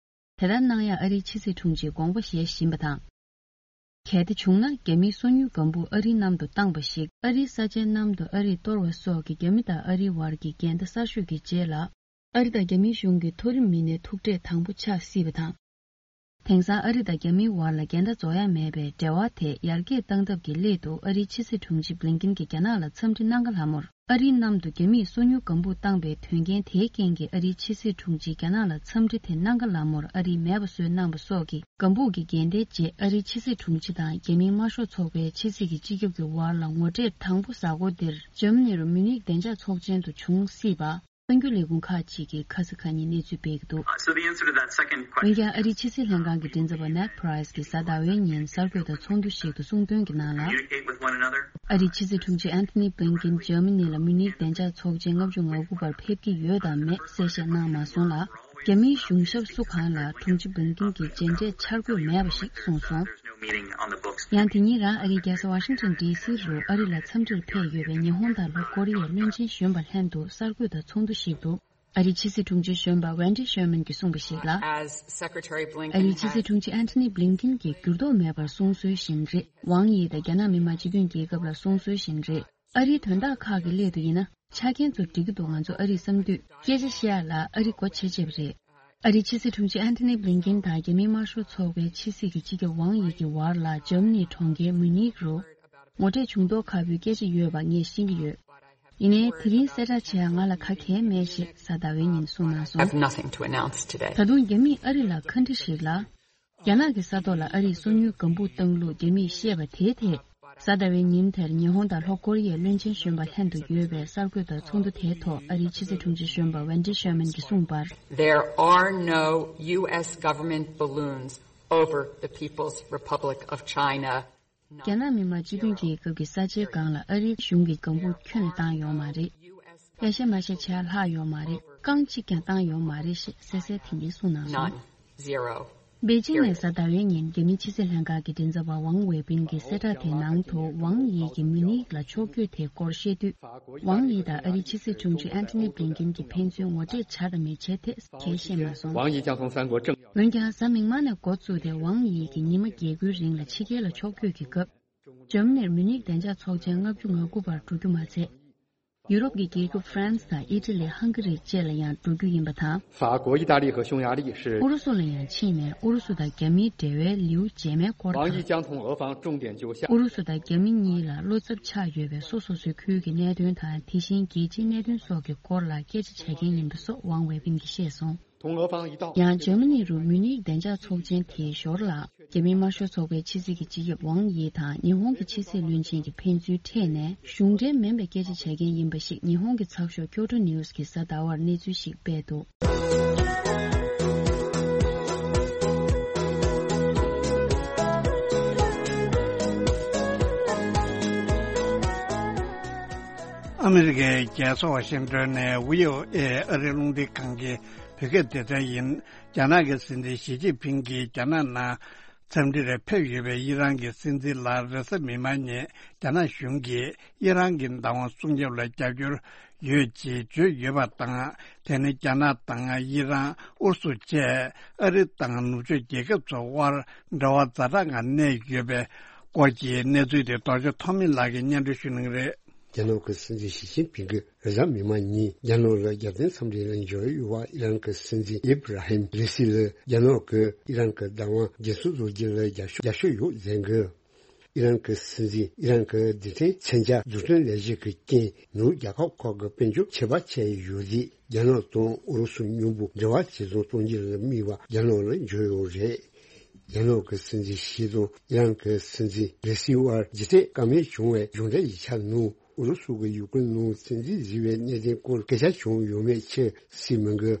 དེ་ལྟར་གནང་ཡང་ཨ་རིའི་ཕྱི་སྲིད་དྲུང་ཆེས་དགོངས་པ་བཞེས་བཞིན་པ་དང་། གལ་ཏེ་བྱུང་ན་རྒྱ་མིའི་སོ་ཉུལ་ལྒང་བུ་ཨ་རིའི་གནམ་དུ་བཏང་པ་ཞིག་ཨ་རིའི་ས་ཆའི་གནམ་དུ་ཨ་རིས་གཏོར་བ་སོགས་ཀྱི་རྒྱ་མི་དང་ཨ་རིའི་བར་གྱི་འགལ་ཟླ་གསར་ཤོས་ཀྱི་རྗེས་ལ། ཨ་རི་དང་རྒྱ་མིའི་གཞུང་གི་མཐོ་རིམ་མི་སྣའི་ཐུག་འཕྲད་དང་པོ་ཆགས་སྲིད་པ་དང་། དེང་སང་ཨ་རི་དང་རྒྱ་མིའི་བར་ལ་འགལ་ཟླ་རྫོགས་ཡ་མེད་པའི་འབྲེལ་བ་དེ་ཡར་རྒྱས་གཏང་ཐབས་ཀྱི་སླད་དུ་ཨ་རིའི་ཕྱི་སྲིད་དྲུང་ཆེ་བྷི་ལིན་ཀིན་གྱིས་རྒྱ་ནག་ལ་འཚམས་འདྲི་གནང་ག་ལ་མོར། ཨ་རིའི་གནམ་དུ་རྒྱ་མིས་སོ་ཉུལ་ལྒང་བུ་བཏང་པའི་དོན་རྐྱེན་དེའི་རྐྱེན་གྱིས་ཨ་རིའི་ཕྱི་སྲིད་དྲུང་ཆེས་རྒྱ་ནག་ལ་འཚམས་འདྲི་དེ་གནང་ག་ལ་མོར་ཨ་རིས་མེད་པ་བཟོས་གནང་པ་སོགས་ཀྱི་ལྒང་བུ་གི་འགལ་ཟླའི་རྗེས་ཨ་རིའི་ཕྱི་སྲིད་དྲུང་ཆེ་དང་རྒྱ་མིའི་དམར་ཤོག་ཚོགས་པའི་ཕྱི་སྲིད་ཀྱི་སྤྱི་ཁྱབ་ཀྱི་བར་ལ་ངོ་འཕྲད་དང་པོ་གཟའ་འཁོར་འདིར་འཇར་མ་ནི་རུ་མུ་ནིག་བདེ་འཇགས་ཚོགས་ཆེན་དུ་བྱུང་སྲིད་པ། གསར་འགྱུར་ལས་ཁུངས་ཁག་ཅིག་གིས་ཁ་ས་ཁ་ཉིན་གནས་ཚུལ་སྤེལ་གྱི་འདུག་འོན་ཀྱང་ཨ་རིའི་ཕྱི་སྲིད་ལྷན་ཁང་གི་མགྲིན་ཚབ་པ་Ned Price་གྱིས་གཟའ་ཟླ་བའི་ཉིན་གསར་འགོད་པ་ཚོགས་འདུ་ཞིག་ཏུ་གསུངས་དོན་གྱི་ནང་ལ། ཨ་རིའི་ཕྱི་སྲིད་དྲུང་ཆེ་Antony Blinken་འཇར་མ་ནི་ལ་མུ་ནིག་བདེ་འཇགས་ཚོགས་ཆེན་ལྔ་བཅུ་ང་དགུ་པར་ཕེབས་ཀྱི་ཡོད་དམ་མེད་གསལ་བཤད་གནང་མ་སོང་ལ། རྒྱ་མིའི་གཞུང་ཞབས་སུ་གང་ལ་དྲུང་ཆེ་Blinken་གྱི་མཇལ་འཕྲད་འཆར་འགོད་མེད་པ་ཞིག་གསུངས་སོང་། ཡང་དེ་ཉིན་རང་ཨ་རིའི་རྒྱལ་ས་Washington D C་རུ་ཨ་རི་ལ་འཚམས་འདྲིར་ཕེབས་ཡོད་པའི་ཉི་ཧོང་དང་ལྷོ་ཀོ་རི་ཡའི་བློན་ཆེན་གཞོན་པ་ལྷན་དུ་གསར་འགོད་པ་ཚོགས་འདུ་ཞིག་ཏུ། ཨ་རིའི་ཕྱི་སྲིད་དྲུང་ཆེ་གཞོན་པ་Wendy Sherman་གྱིས་གསུངས་པ་ཞིག་ལ། As Secretary Blinken ཨ་རིའི་ཕྱི་སྲིད་དྲུང་ཆེ་Antony Blinken་གྱིས་འགྱུར་ལྡོག་མེད་པར་གསུངས་སྲོལ་བཞིན་རེད། ཝང་དབྱི་དང་རྒྱ་ནག་མི་དམངས་སྤྱི་མཐུན་རྒྱལ་ཁབ་ལ་གསུངས་སྲོལ་བཞིན་རེད། ཨ་རིའི་དོན་དག་ཁག་གི་སླད་དུ་ཡིན་ན་ཆ་རྐྱེན་ཚོ་འགྲིག་གི་འདུག་ང་ཚོ་ཨ་རིར་བསམ་དུས་སྐད་ཆ་བཤད་ཡ་ལ་ཨ་རི་སྒོ་ཕྱེ་བྱས་པ་རེད། ཨ་རིའི་ཕྱི་སྲིད་དྲུང་ཆེ་Antony Blinken་དང་རྒྱ་མིའི་དམར་ཤོག་ཚོགས་པའི་ཕྱི་སྲིད་ཀྱི་སྤྱི་ཁྱབ་ཝང་དབྱི་གི་བར་ལ་འཇར་མ་ནིའི་གྲོང་ཁྱེར་མུ་ནིག་རུ་ངོ་འཕྲད་བྱུང་མདོག་ཁ་པོའི་སྐད་ཆ་ཡོད་པ་ངས་ཤེས་ཀྱི་ཡོད། ཡིན་ནའི་དེ་རིང་གསལ་བསྒྲགས་བྱེད་ཡ་ང་ལ་ག་གལ་མེད་ཞེས་གཟའ་ཟླ་བའི་ཉིན་གསུངས་གནང་སོང་། Have nothing to announce today. ད་དུང་རྒྱ་མིས་ཨ་རི་ལ་ཁ་འདྲི་ཞིག་ལ། རྒྱ་ནག་གི་ས་ཐོག་ལ་ཨ་རིས་སོ་ཉུལ་ལྒང་བུ་བཏང་ལུགས་རྒྱ་མིས་བཤད་པ་དེའི་ཐད། གཟའ་ཟླ་བའི་ཉིན་དེར་ཉི་ཧོང་དང་ལྷོ་ཀོ་རི་ཡའི་བློན་ཆེན་གཞོན་པ་ལྷན་དུ་ཡོད་པའི་གསར་འགོད་པ་ཚོགས་འདུ་དེའི་ཐོག་ཨ་རིའི་ཕྱི་སྲིད་དྲུང་ཆེ་གཞོན་པ་Wendy Sherman་གྱིས་གསུངས་པར། There are no U S government balloons over the People's Republic of China. རྒྱ་ནག་མི་དམངས་སྤྱི་མཐུན་རྒྱལ་ཁབ་ཀྱི་ས་ཆའི་སྒང་ལ་ཨ་རིའི་གཞུང་གི་ལྒང་བུ་ཁྱོན་ནས་བཏང་ཡོད་མ་རེད། ཡ་ཤ་མ་ཤ་བྱས་ལྷག་ཡོད་མ་རེད། རྐང་གཅིག་ཀྱང་བཏང་ཡོད་མ་རེད་ཞེས་གསལ་གསལ་དེ་ཉིན་གསུངས་གནང་སོང་། None. Zero. པེ་ཅིང་ནས་གཟའ་ཟླ་བའི་ཉིན་རྒྱ་མིའི་ཕྱི་སྲིད་ལྷན་ཁང་གི་མགྲིན་ཚབ་པ་ཝང་ཝེ་པིན་གྱི་གསལ་བསྒྲགས་དེའི་ནང་དུ་ཝང་དབྱི་གིས་མུ་ནིག་ལ་ཕྱོགས་བསྐྱོད་དེ་སྐོར་བཤད་དུས། ཝང་དབྱི་དང་ཨ་རིའི་ཕྱི་སྲིད་དྲུང་ཆེ་Antony Blinken་གྱིས་ཕན་ཚུན་ངོ་འཕྲད་བྱ་དང་མི་བྱ་ཐད་གལ་བཤད་མ་སོང་། 王毅将从三国政 འོན་ཀྱང་གཟའ་མིག་དམར་ནས་འགོ་བཙུགས་ཏེ་ཝང་དབྱི་གིས་ཉི་མ་བརྒྱད་དགུའི་རིང་ལ་ཕྱི་རྒྱལ་ལ་ཕྱོགས་བསྐྱོད་ཀྱི་སྐབས། འཇར་མ་ནིར་མུ་ནིག་བདེ་འཇགས་ཚོགས་ཆེན་ལྔ་བཅུ་ང་དགུ་པར་འགྲོ་རྒྱུ་མ་ཚད། ཡུ་རོབ་ཀྱི་རྒྱལ་ཁབ་ཧྥ་རན་སི་དང་ཨི་ཊ་ལི། ཧང་ག་རི་བཅས་ལ་ཡང་འགྲོ་རྒྱུ་ཡིན་པ་དང་། 法国、意大利和匈牙利是 ཨུ་རུ་སུ་ལ་ཡང་ཕྱིན་ནས་ཨུ་རུ་སུ་དང་རྒྱ་མིའི་འབྲེལ་བའི་ལེའུ་རྗེས་མའི་སྐོར་དང་། 王毅将同俄方重点就向 ཨུ་རུ་སུ་དང་རྒྱ་མི་གཉིས་ལ་བློ་འཚབ་ཆགས་ཡོད་པའི་སོ་སོ་སོའི་ཁུལ་གྱི་གནད་དོན་དང་དེ་བཞིན་རྒྱལ་སྤྱིའི་གནད་དོན་སོགས་ཀྱི་སྐོར་ལ་སྐད་ཆ་བྱ་མཁན་ཡིན་པ་སོགས་ཝང་ཝེ་པིན་གྱིས་བཤད་སོང་། 同俄方一道 ཡང་འཇར་མ་ནི་རུ་མུ་ནིག་བདེ་འཇགས་ཚོགས་ཆེན་དེའི་ཞོར་ལ། རྒྱ་མིའི་དམར་ཤོག་ཚོགས་པའི་ཕྱི་སྲིད་ཀྱི་སྤྱི་ཁྱབ་ཝང་དབྱི་དང་ཉི་ཧོང་གི་ཕྱི་སྲིད་བློན་ཆེན་གྱིས་ཕན་ཚུན་འཕྲད་ནས་གཞུང་འབྲེལ་མིན་པའི་སྐད་ཆ་བྱ་མཁན་ཡིན་པ་ཞིག་ཉི་ཧོང་གི་ཚགས་ཤོག་ཁྱོ་ཊོ་ནིའུ་སི་གིས་གཟའ་ཟླ་བར་གནས་ཚུལ་ཞིག་སྤེལ་འདུག་ཨ་མི་རི་ཀའི་རྒྱལ་ས་ཝ་ཤིང་ཏོན་ནས་བྷི་ཨོ་ཨེ་ཨ་རིའི་རླུང་འཕྲིན་ཁང་གི་བོད་སྐད་སྡེ་ཚན་ཡིན། རྒྱ་ནག་གི་སྲིད་འཛིན་ཞི་ཅིན་ཕིང་གིས་རྒྱ་ནག་ནང་འཚམས་འདྲིར་ཕེབས་ཡོད་པའི་ཨི་རན་གྱི་སྲིད་འཛིན་ལ་རེས་གཟའ་མིག་དམར་ཉིན་རྒྱ་ནག་གཞུང་གིས་ཨི་རན་གྱི་བདག་དབང་སྲུང་སྐྱོབ་ལ་རྒྱབ་སྐྱོར་ཡོད་ཅེས་བརྗོད་ཡོད་པ་དང་། དེ་ནི་རྒྱ་ནག་དང་ཨི་རན། ཨུ་རུ་སུ་བཅས་ཨ་རི་དང་ནུབ་ཕྱོགས་རྒྱལ་ཁབ་ཚོའི་དབར་འབྲེལ་བ་ཛ་དྲག་ངང་གནས་ཡོད་པའི་སྐོར་གྱི་གནས་ཚུལ་དེ་རྡོ་རྗེ་ཐོགས་མེད་ལགས་ཀྱིས་སྙན་སྒྲོན་ཞུ་གནང་གི་རེད། རྒྱ་ནག་གི་སྲིད་འཛིན་ཞི་ཅིན་ཕིང་གིས་རེས་གཟའ་མིག་དམར་ཉིན་རྒྱ་ནག་ལ་རྒྱལ་བསྟན་འཚམས་འདྲི་ལ་འབྱོར་ཡོད་པ་ཨི་རན་གྱི་སྲིད་འཛིན་ཨི་བྷ་ར་ཧིམ་རེ་སི་ལ་རྒྱ་ནག་གིས་ཨི་རན་གྱི་བདག་དབང་རྒྱུན་སྲུང་བཟོ་རྒྱུ་ལ་རྒྱབ་སྐྱོར་རྒྱབ་སྐྱོར་ཡོད་ཟེར་གི། ཨི་རན་གྱི་སྲིད་འཛིན་ཨི་རན་གྱི་རྡུལ་ཕྲན་མཚོན་ཆ་འཛུགས་སྐྲུན་ལས་གཞི་གི་རྐྱེན་ནུབ་རྒྱལ་ཁབ་ཁག་གི་དཔལ་འབྱོར་ཆད་པ་ཆད་ཡོད་རིགས། རྒྱ་ནག་དང་ཨུ་རུ་སུ་མཉམ་པོ་འབྲེལ་བ་ཇེ་བཟང་གཏོང་རྒྱུར་དམིགས་པ་རྒྱ་ནག་ལ་འབྱོར་ཡོད་རེད། རྒྱ་ནག་གི་སྲིད་འཛིན་ཞི་དང་ཨི་རན་གྱི་སྲིད་འཛིན་རེ་སི་བར་རྗེས་ཐེབས་བཀའ་མོལ་བྱུང་བའི་གཞུང་འབྲེལ་ཡིག་ཆ་ནང་ཨུ་རུ་སུ་གིས་ཡུ་ཀེ་རེན་ནང་སྲིད་འཛིན་བཟོས་པའི་གནད་དོན་སྐོར་སྐད་ཆ་བྱུང་ཡོད་མེད་ཕྱིར་གསལ་མི་འདུག་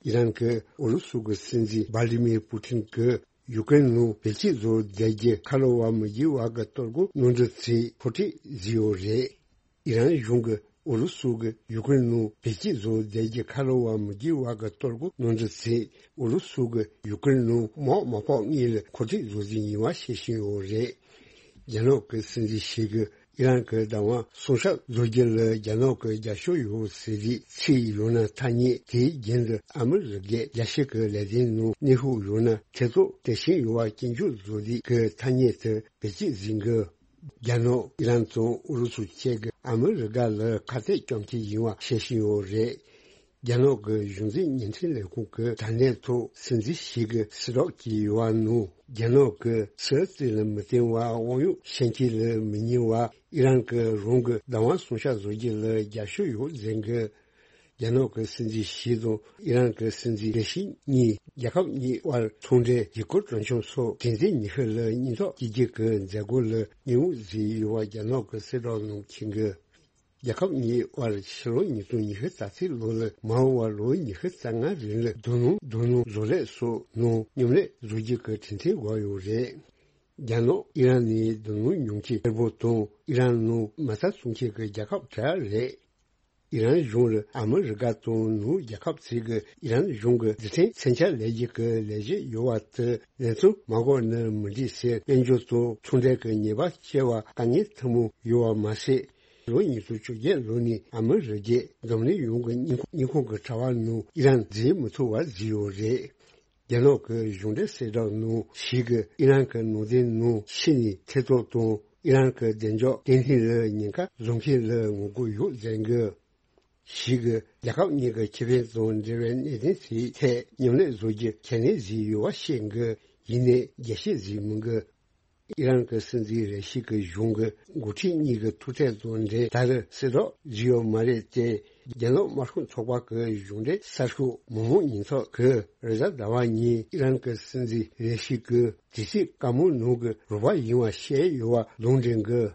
ཨི་རན་གྱི་ཨུ་རུ་སུ་གི་སྲིད་འཛིན་ཝ་ལི་མིར་པུ་ཏིན་གྱིས་ཡུ་ཀེ་རེན་ནང་བེད་སྤྱོད་བཟོ་བསྡད་རྒྱུ་ཁ་ལོ་བ་མི་འགྱུར་བ་གི་གཏོར་རྒོལ་གནང་འདྲི་ཚེ་ཁོ་ཁྲིད་བཟོས་ཡོད་རེད། ཨི་རན་གཞུང་གིས་ཨུ་རུ་སུ་གིས་ཡུ་ཀེ་རེན་ནང་བེད་སྤྱོད་བཟོ་བསྡད་རྒྱུ་ཁ་ལོ་བ་མི་འགྱུར་བ་གི་གཏོར་རྒོལ་གནང་འདྲི་ཚེ་ཨུ་རུ་སུ་གིས་ཡུ་ཀེ་རེན་ནང་དམག་མ་ཕོག་སྔོན་ལ་ཁོ་ཁྲིད་བཟོ་རྒྱུ་ཡིན་པ་བཤད་བཞིན་ཡོད་རེད། རྒྱ་ནག་གི་སྲིད་འཛིན་ཞི་གིས་ཨི་རན་གྱི་བདག་དབང་སྲུང་སྐྱོབ་བཟོ་རྒྱུ་ལ་རྒྱ་ནག་གི་རྒྱབ་སྐྱོར་ཡོད་ཟེར་རིགས་ཚིག་ཡོད་ན་ཐ་སྙད་དེའི་རྒྱུན་དུ་ཨ་མི་རི་ཀའི་རྒྱལ་སྤྱི་གི་ལས་དོན་ནང་གནོན་ཤུགས་ཡོད་ན་ཐེ་གཏོགས་དེ་བཞིན་ཡོད་པ་སྐྱོན་བརྗོད་བཟོ་རིགས་ཀྱི་ཐ་སྙད་དེ་བེད་སྤྱོད་བཟོས་འདུག་རྒྱ་ནག་ཨི་རན་དང་ཨུ་རུ་སུ་བཅས་ཀྱིས་ཨ་མི་རི་ཀ་ལ་ཁ་གཏད་གཅོག་མཁན་ཡིན་པ་བཤད་བཞིན་ཡོད་རེད། རྒྱ་ནག་གི་གཞུང་འཛིན་བརྙན་འཕྲིན་ལས་ཁུངས་ཀྱི་དྲ་གནས་ཐོག་སྲིད་འཛིན་ཞི་གིས་གསལ་བསྒྲགས་བྱས་ཡོད་པ་ནང་། རྒྱ་ནག་གིས་ཕྱི་རྩིས་ལ་མི་བརྟེན་པར་དབང་གཡོག་བྱེད་མཁན་ལ་མི་ཉན་པར་ཨི་རན་གྱིས་རང་གི་བདག་དབང་སྲུང་སྐྱོབ་བཟོ་རྒྱུ་ལ་རྒྱབ་སྐྱོར་ཡོད་ཟེར་གི། རྒྱ་ནག་གི་སྲིད་འཛིན་ཞི་དང་ཨི་རན་གྱི་སྲིད་འཛིན་རེ་ཞིག་གཉིས་རྒྱལ་ཁབ་གཉིས་དབར་ཚོང་འབྲེལ་ཡུལ་སྐོར་སྤྲོ་འཆམ་སོགས་དྲན་རྟེན་ཉི་ཤུ་ལ་སྙིང་སྟོབས་སྐྱེད་རྒྱུ་གི་མཛད་སྒོ་ལ་མཉེས་པོ་བཟོས་ཡོད་པ་རྒྱ་ནག་གི་གསལ་བསྒྲགས་ནང་འཁོད་འདུག་རྒྱལ་ཁབ་གཉིས་དབར་ཕྱི་ལོ་ཉིས་སྟོང་ཉི་ཤུ་རྩ་གཅིག་ལོ་ལས་མར་བར་ལོ་ཉི་ཤུ་རྩ་ལྔ་རིང་ལ་རྡུལ་སྣུམ་རྡུལ་སྣུམ་བཟོ་ལས་སོགས་ནང་མཉམ་ལས་བཟོ་རྒྱུ་གི་གྲོས་མཐུན་བཞག་ཡོད་རེད། རྒྱ་ནག་ཨི་རན་ནི་རྡུལ་སྣུམ་ཉོ་མཁན་གཙོ་བོ་དང་ཨི་རན་ནང་མ་རྩ་བཙོང་མཁན་གྱི་རྒྱལ་ཁབ་གྲས་རེད། ཨི་རན་གཞུང་ལ་ཨ་མི་རི་ཀ་དང་ནུབ་རྒྱལ་ཁབ་ཚོས་ཀྱིས་ཨི་རན་གཞུང་གི་རྡུལ་ཕྲན་མཚོན་ཆ་ལས་རྒྱུ་གི་ལས་གཞི་ཡོད་པ་དེ་ལེགས་ཚུལ་མ་དགོས་ན་མི་འགྲིག་ཟེར་དཔལ་འབྱོར་དང་ཚོང་འབྲེལ་གྱི་ཉེས་པ་སྐྱེལ་བར་དཀའ་ངལ་ཐུན་མོང་ཡོད་པ་མ་ཟད། ལོ་ཉིས་སྟོང་བཅོ་བརྒྱད་ལོ་ནས་ཨ་མི་རི་ཀས་འཛམ་གླིང་ཡོངས་ཀྱི་སྙིང་ཁོང་སྙིང་ཁོང་གི་དྲ་བ་ནང་ཨི་རན་འཛུལ་མི་ཐུབ་པ་བཟོས་ཡོད་རེད། རྒྱ་ནག་གི་གཞུང་འབྲེལ་གསལ་བསྒྲགས་ནང་ཞིག་གིས་ཨི་རན་གྱི་ནང་བསྟན་ནང་ཕྱི་ནས་ཐེ་གཏོགས་དང་ཨི་རན་གྱི་བདེ་འཇགས་བརྟན་ལྷིང་ལ་ཉེན་ཁ་བཟོ་མཁན་ལ་ངོ་རྒོལ་ཡོད་ཟེར་གི། ཞིག་གིས་རྒྱལ་ཁབ་གཉིས་ཀྱི་ཁེ་ཕན་དང་འབྲེལ་བའི་གནད་དོན་དེའི་ཐད་མཉམ་ལས་བཟོ་རྒྱུ་ཁས་ལེན་བཟོས་ཡོད་པ་བཤད་གི། ཡིན་ནའི་རྒྱས་བཤད་བཟོས་མི་འདུག་ཨི་རན་གྱི་སྲིད་འཛིན་རེ་ཞིག་གི་གཞུང་གི་འགོ་ཁྲིད་གཉིས་ཀྱི་ཐུག་འཕྲད་དང་འབྲེལ་ད་རེས་གསལ་བསྒྲགས་བཟོས་ཡོད་མ་རེད་དེ། རྒྱ་ནག་དམར་ཤོག་ཚོགས་པ་གི་གཞུང་འབྲེལ་གསར་ཤོག་མི་དམངས་ཉེན་ཚབ་ཀྱིས་རེས་གཟའ་ཟླ་བ་ཉིན་ཨི་རན་གྱི་སྲིད་འཛིན་རེ་ཞིག་གིས་དུས་ཚོད་དཀའ་མོའི་ནང་གི་རོགས་པ་ཡིན་པ་བཤད་ཡོད་པ་ལུང་འདྲེན་གྱིས།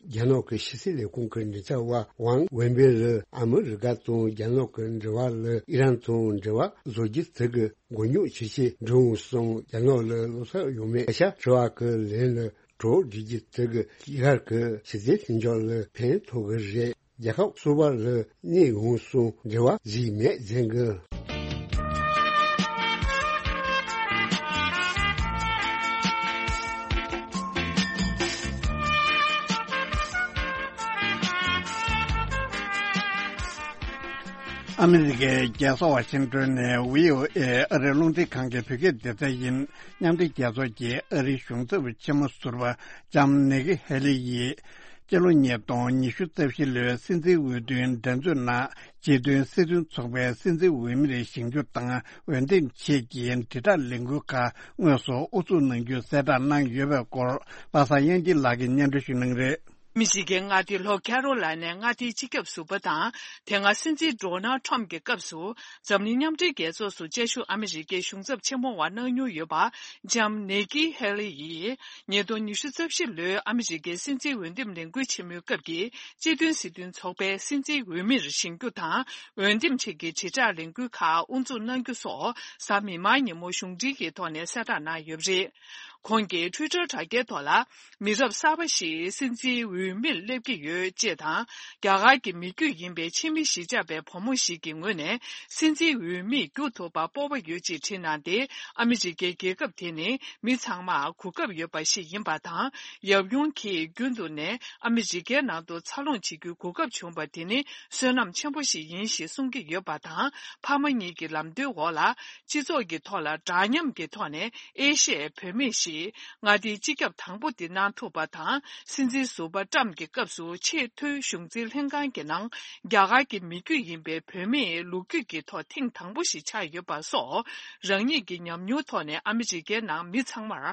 རྒྱ་ནག་གི་ཕྱི་སྲིད་ལས་ཁུངས་ཀྱི་མགྲིན་ཚབ་པ་ཝང་ཝེན་པེ་ལ་ཨ་མི་རི་ཀ་དང་རྒྱ་ནག་གི་འབྲེལ་བ་ལ་ཨི་རན་དང་འབྲེལ་བ་བཟོ་རྒྱུ་དེ་གི་མགོ་རྙོག་ཇི་ཆེ་འགྲོ་འོང་སོང་རྒྱ་ནག་ལ་བློ་འཚབ་ཡོད་མེད་སྐད་ཆ་དྲི་བ་གི་ལན་ལ་གྲོགས་སྒྲིག་རྒྱུ་དེ་གི་ཡར་གི་ཕྱི་སྲིད་མཐུན་ཕྱོགས་ལ་ཕན་ཐོགས་གི་རེད། རྒྱལ་ཁབ་སོ་པ་ལ་གནས་འོང་སོང་འབྲེལ་བ་ཟིག་མེད་ཟེར་གི། ཨ་མི་རི་ཀའི་རྒྱལ་ས་ཝ་ཤིང་ཏོན་ནས་བྷི་ཨོ་ཨེ་ཨ་རིའི་རླུང་འཕྲིན་ཁང་གི་བོད་སྐད་སྡེ་ཚན་ཡིན། མཉམ་འབྲེལ་རྒྱལ་ཚོགས་ཀྱི་ཨ་རིའི་གཞུང་ཚབ་ཆེན་མོ་ཟུར་པ་ལྕམ་ནེ་ཀི་ཧེ་ལི་ཡིས། སྤྱི་ལོ་ཉིས་སྟོང་ཉི་ཤུ་རྩ་བཞི་ལོའི་སྲིད་འཛིན་འོས་བསྡུའི་འགྲན་རྩོད་ནང་། སྤྱི་མཐུན་སྲིད་དོན་ཚོགས་པའི་སྲིད་འཛིན་འོས་མིར་ཞིབ་འཇུག་དང་འོས་འདེམས་ཆེད་ཀྱི་དྲིལ་བསྒྲགས་ལས་འགུལ་ཁག་དངོས་སུ་དབུ་འཛུགས་གནང་རྒྱུ་གསལ་བསྒྲགས་གནང་ཡོད་པའི་སྐོར། པ་སངས་དབྱངས་སྐྱིད་ལགས་ཀྱིས་སྙན་སྒྲོན་ཞུ་གནང་རེད། ཨ་མི་རི་ཀའི་མངའ་སྡེ་ལྷོ་ཁེ་རོ་ལ་ནའི་མངའ་སྡེའི་སྤྱི་ཁྱབ་ཟུར་པ་དང་། དེ་སྔ་སྲིད་འཛིན་ཌོ་ནལ་ཁྲོམ་གྱི་སྐབས་སུ། འཛམ་གླིང་མཉམ་འབྲེལ་རྒྱལ་ཚོགས་སུ་བཅའ་བཞུགས་ཨ་མི་རི་ཀའི་གཞུང་ཚབ་ཆེན་མོ་བ་གནང་མྱོང་ཡོད་པ། ལྕམ་ནེ་ཀི་ཧེ་ལི་ཡིས། ཉིས་སྟོང་ཉི་ཤུ་རྩ་བཞི་ལོའི་ཨ་མི་རི་ཀའི་སྲིད་འཛིན་འོས་འདེམས་ལས་འགུལ་ཆེན་མོའི་སྐབས་ཀྱི་སྤྱི་མཐུན་སྲིད་དོན་ཚོགས་པའི་སྲིད་འཛིན་འོས་མིར་བཞེངས་རྒྱུ་དང་། འོས་འདེམས་ཆེད་ཀྱི་དྲིལ་བསྒྲགས་ལས་འགུལ་ཁག་དབུ་འཛུགས་གནང་རྒྱུ་སོགས། གཟའ་མིག་དམར་ཉིན་མོ་གཞུང་འབྲེལ་གྱི་ཐོག་ནས་གསལ་བསྒྲགས་གནང་ཡོད་པ་རེད། ཁོང་གིས་ཊུའི་ཊར་དྲ་རྒྱའི་ཐོག་ལ། མི་རབས་གསར་པ་ཞིག་སྲིད་འཛིན་འོས་མིར་སླེབས་ཀྱི་ཡོད་ཅེས་དང་། རྒྱ་གར་གྱི་མི་རྒྱུད་ཡིན་པའི་ཕྱི་མི་གཞིས་ཆགས་པའི་བུ་མོ་ཞིག་གི་ངོས་ནས་སྲིད་འཛིན་འོས་མིར་འགྱུར་ཐུབ་པར་སྤོབས་པ་ཡོད་ཅེས་བྲིས་གནང་སྟེ། ཨ་མི་རི་ཀའི་རྒྱལ་ཁབ་དེ་ནི་མི་ཚང་མར་གོ་སྐབས་ཡོད་པ་ཞིག་ཡིན་པ་དང་། ཡབ་ཡུམ་གྱིས་རྒྱུན་དུ་ནས་ཨ་མི་རི་ཀའི་ནང་དུ་འཚར་ལོངས་བྱེད་རྒྱུའི་གོ་སྐབས་བྱུང་བ་དེ་ནི་བསོད་ནམས་ཆེན་པོ་ཞིག་ཡིན་ཞེས་གསུང་གི་ཡོད་པ་དང་། ཕ་མ་གཉིས་ཀྱི་ལམ་སྟོན་འོག་ལ། སྤྱི་ཚོགས་ཀྱི་ཐོག་ལ་འདྲ་མཉམ་གྱི་ཐོག་ནས་ཨེ་ཤི་ཡའི་བུད་མེད་ཞིག་ཀྱིས་མངའ་སྡེའི་སྤྱི་ཁྱབ་དང་པོ་དེ་གནང་ཐུབ་པ་དང་། སྲིད་འཛིན་ཟུར་པ་ཊམ་གྱི་སྐབས་སུ་ཆེས་མཐོའི་གཞུང་འཛིན་ལྷན་ཁང་གི་ནང་རྒྱ་གར་གྱི་མི་རྒྱུད་ཡིན་པའི་བོད་མིས་ལོ་རྒྱུས་ཀྱི་ཐོག་ཐེངས་དང་པོ་ཞིག་ཆགས་ཡོད་པ་སོགས། རང་ཉིད་ཀྱི་ཉམས་མྱོང་ཐོག་ནས་ཨ་མི་རི་ཀའི་ནང་མི་ཚང་མར་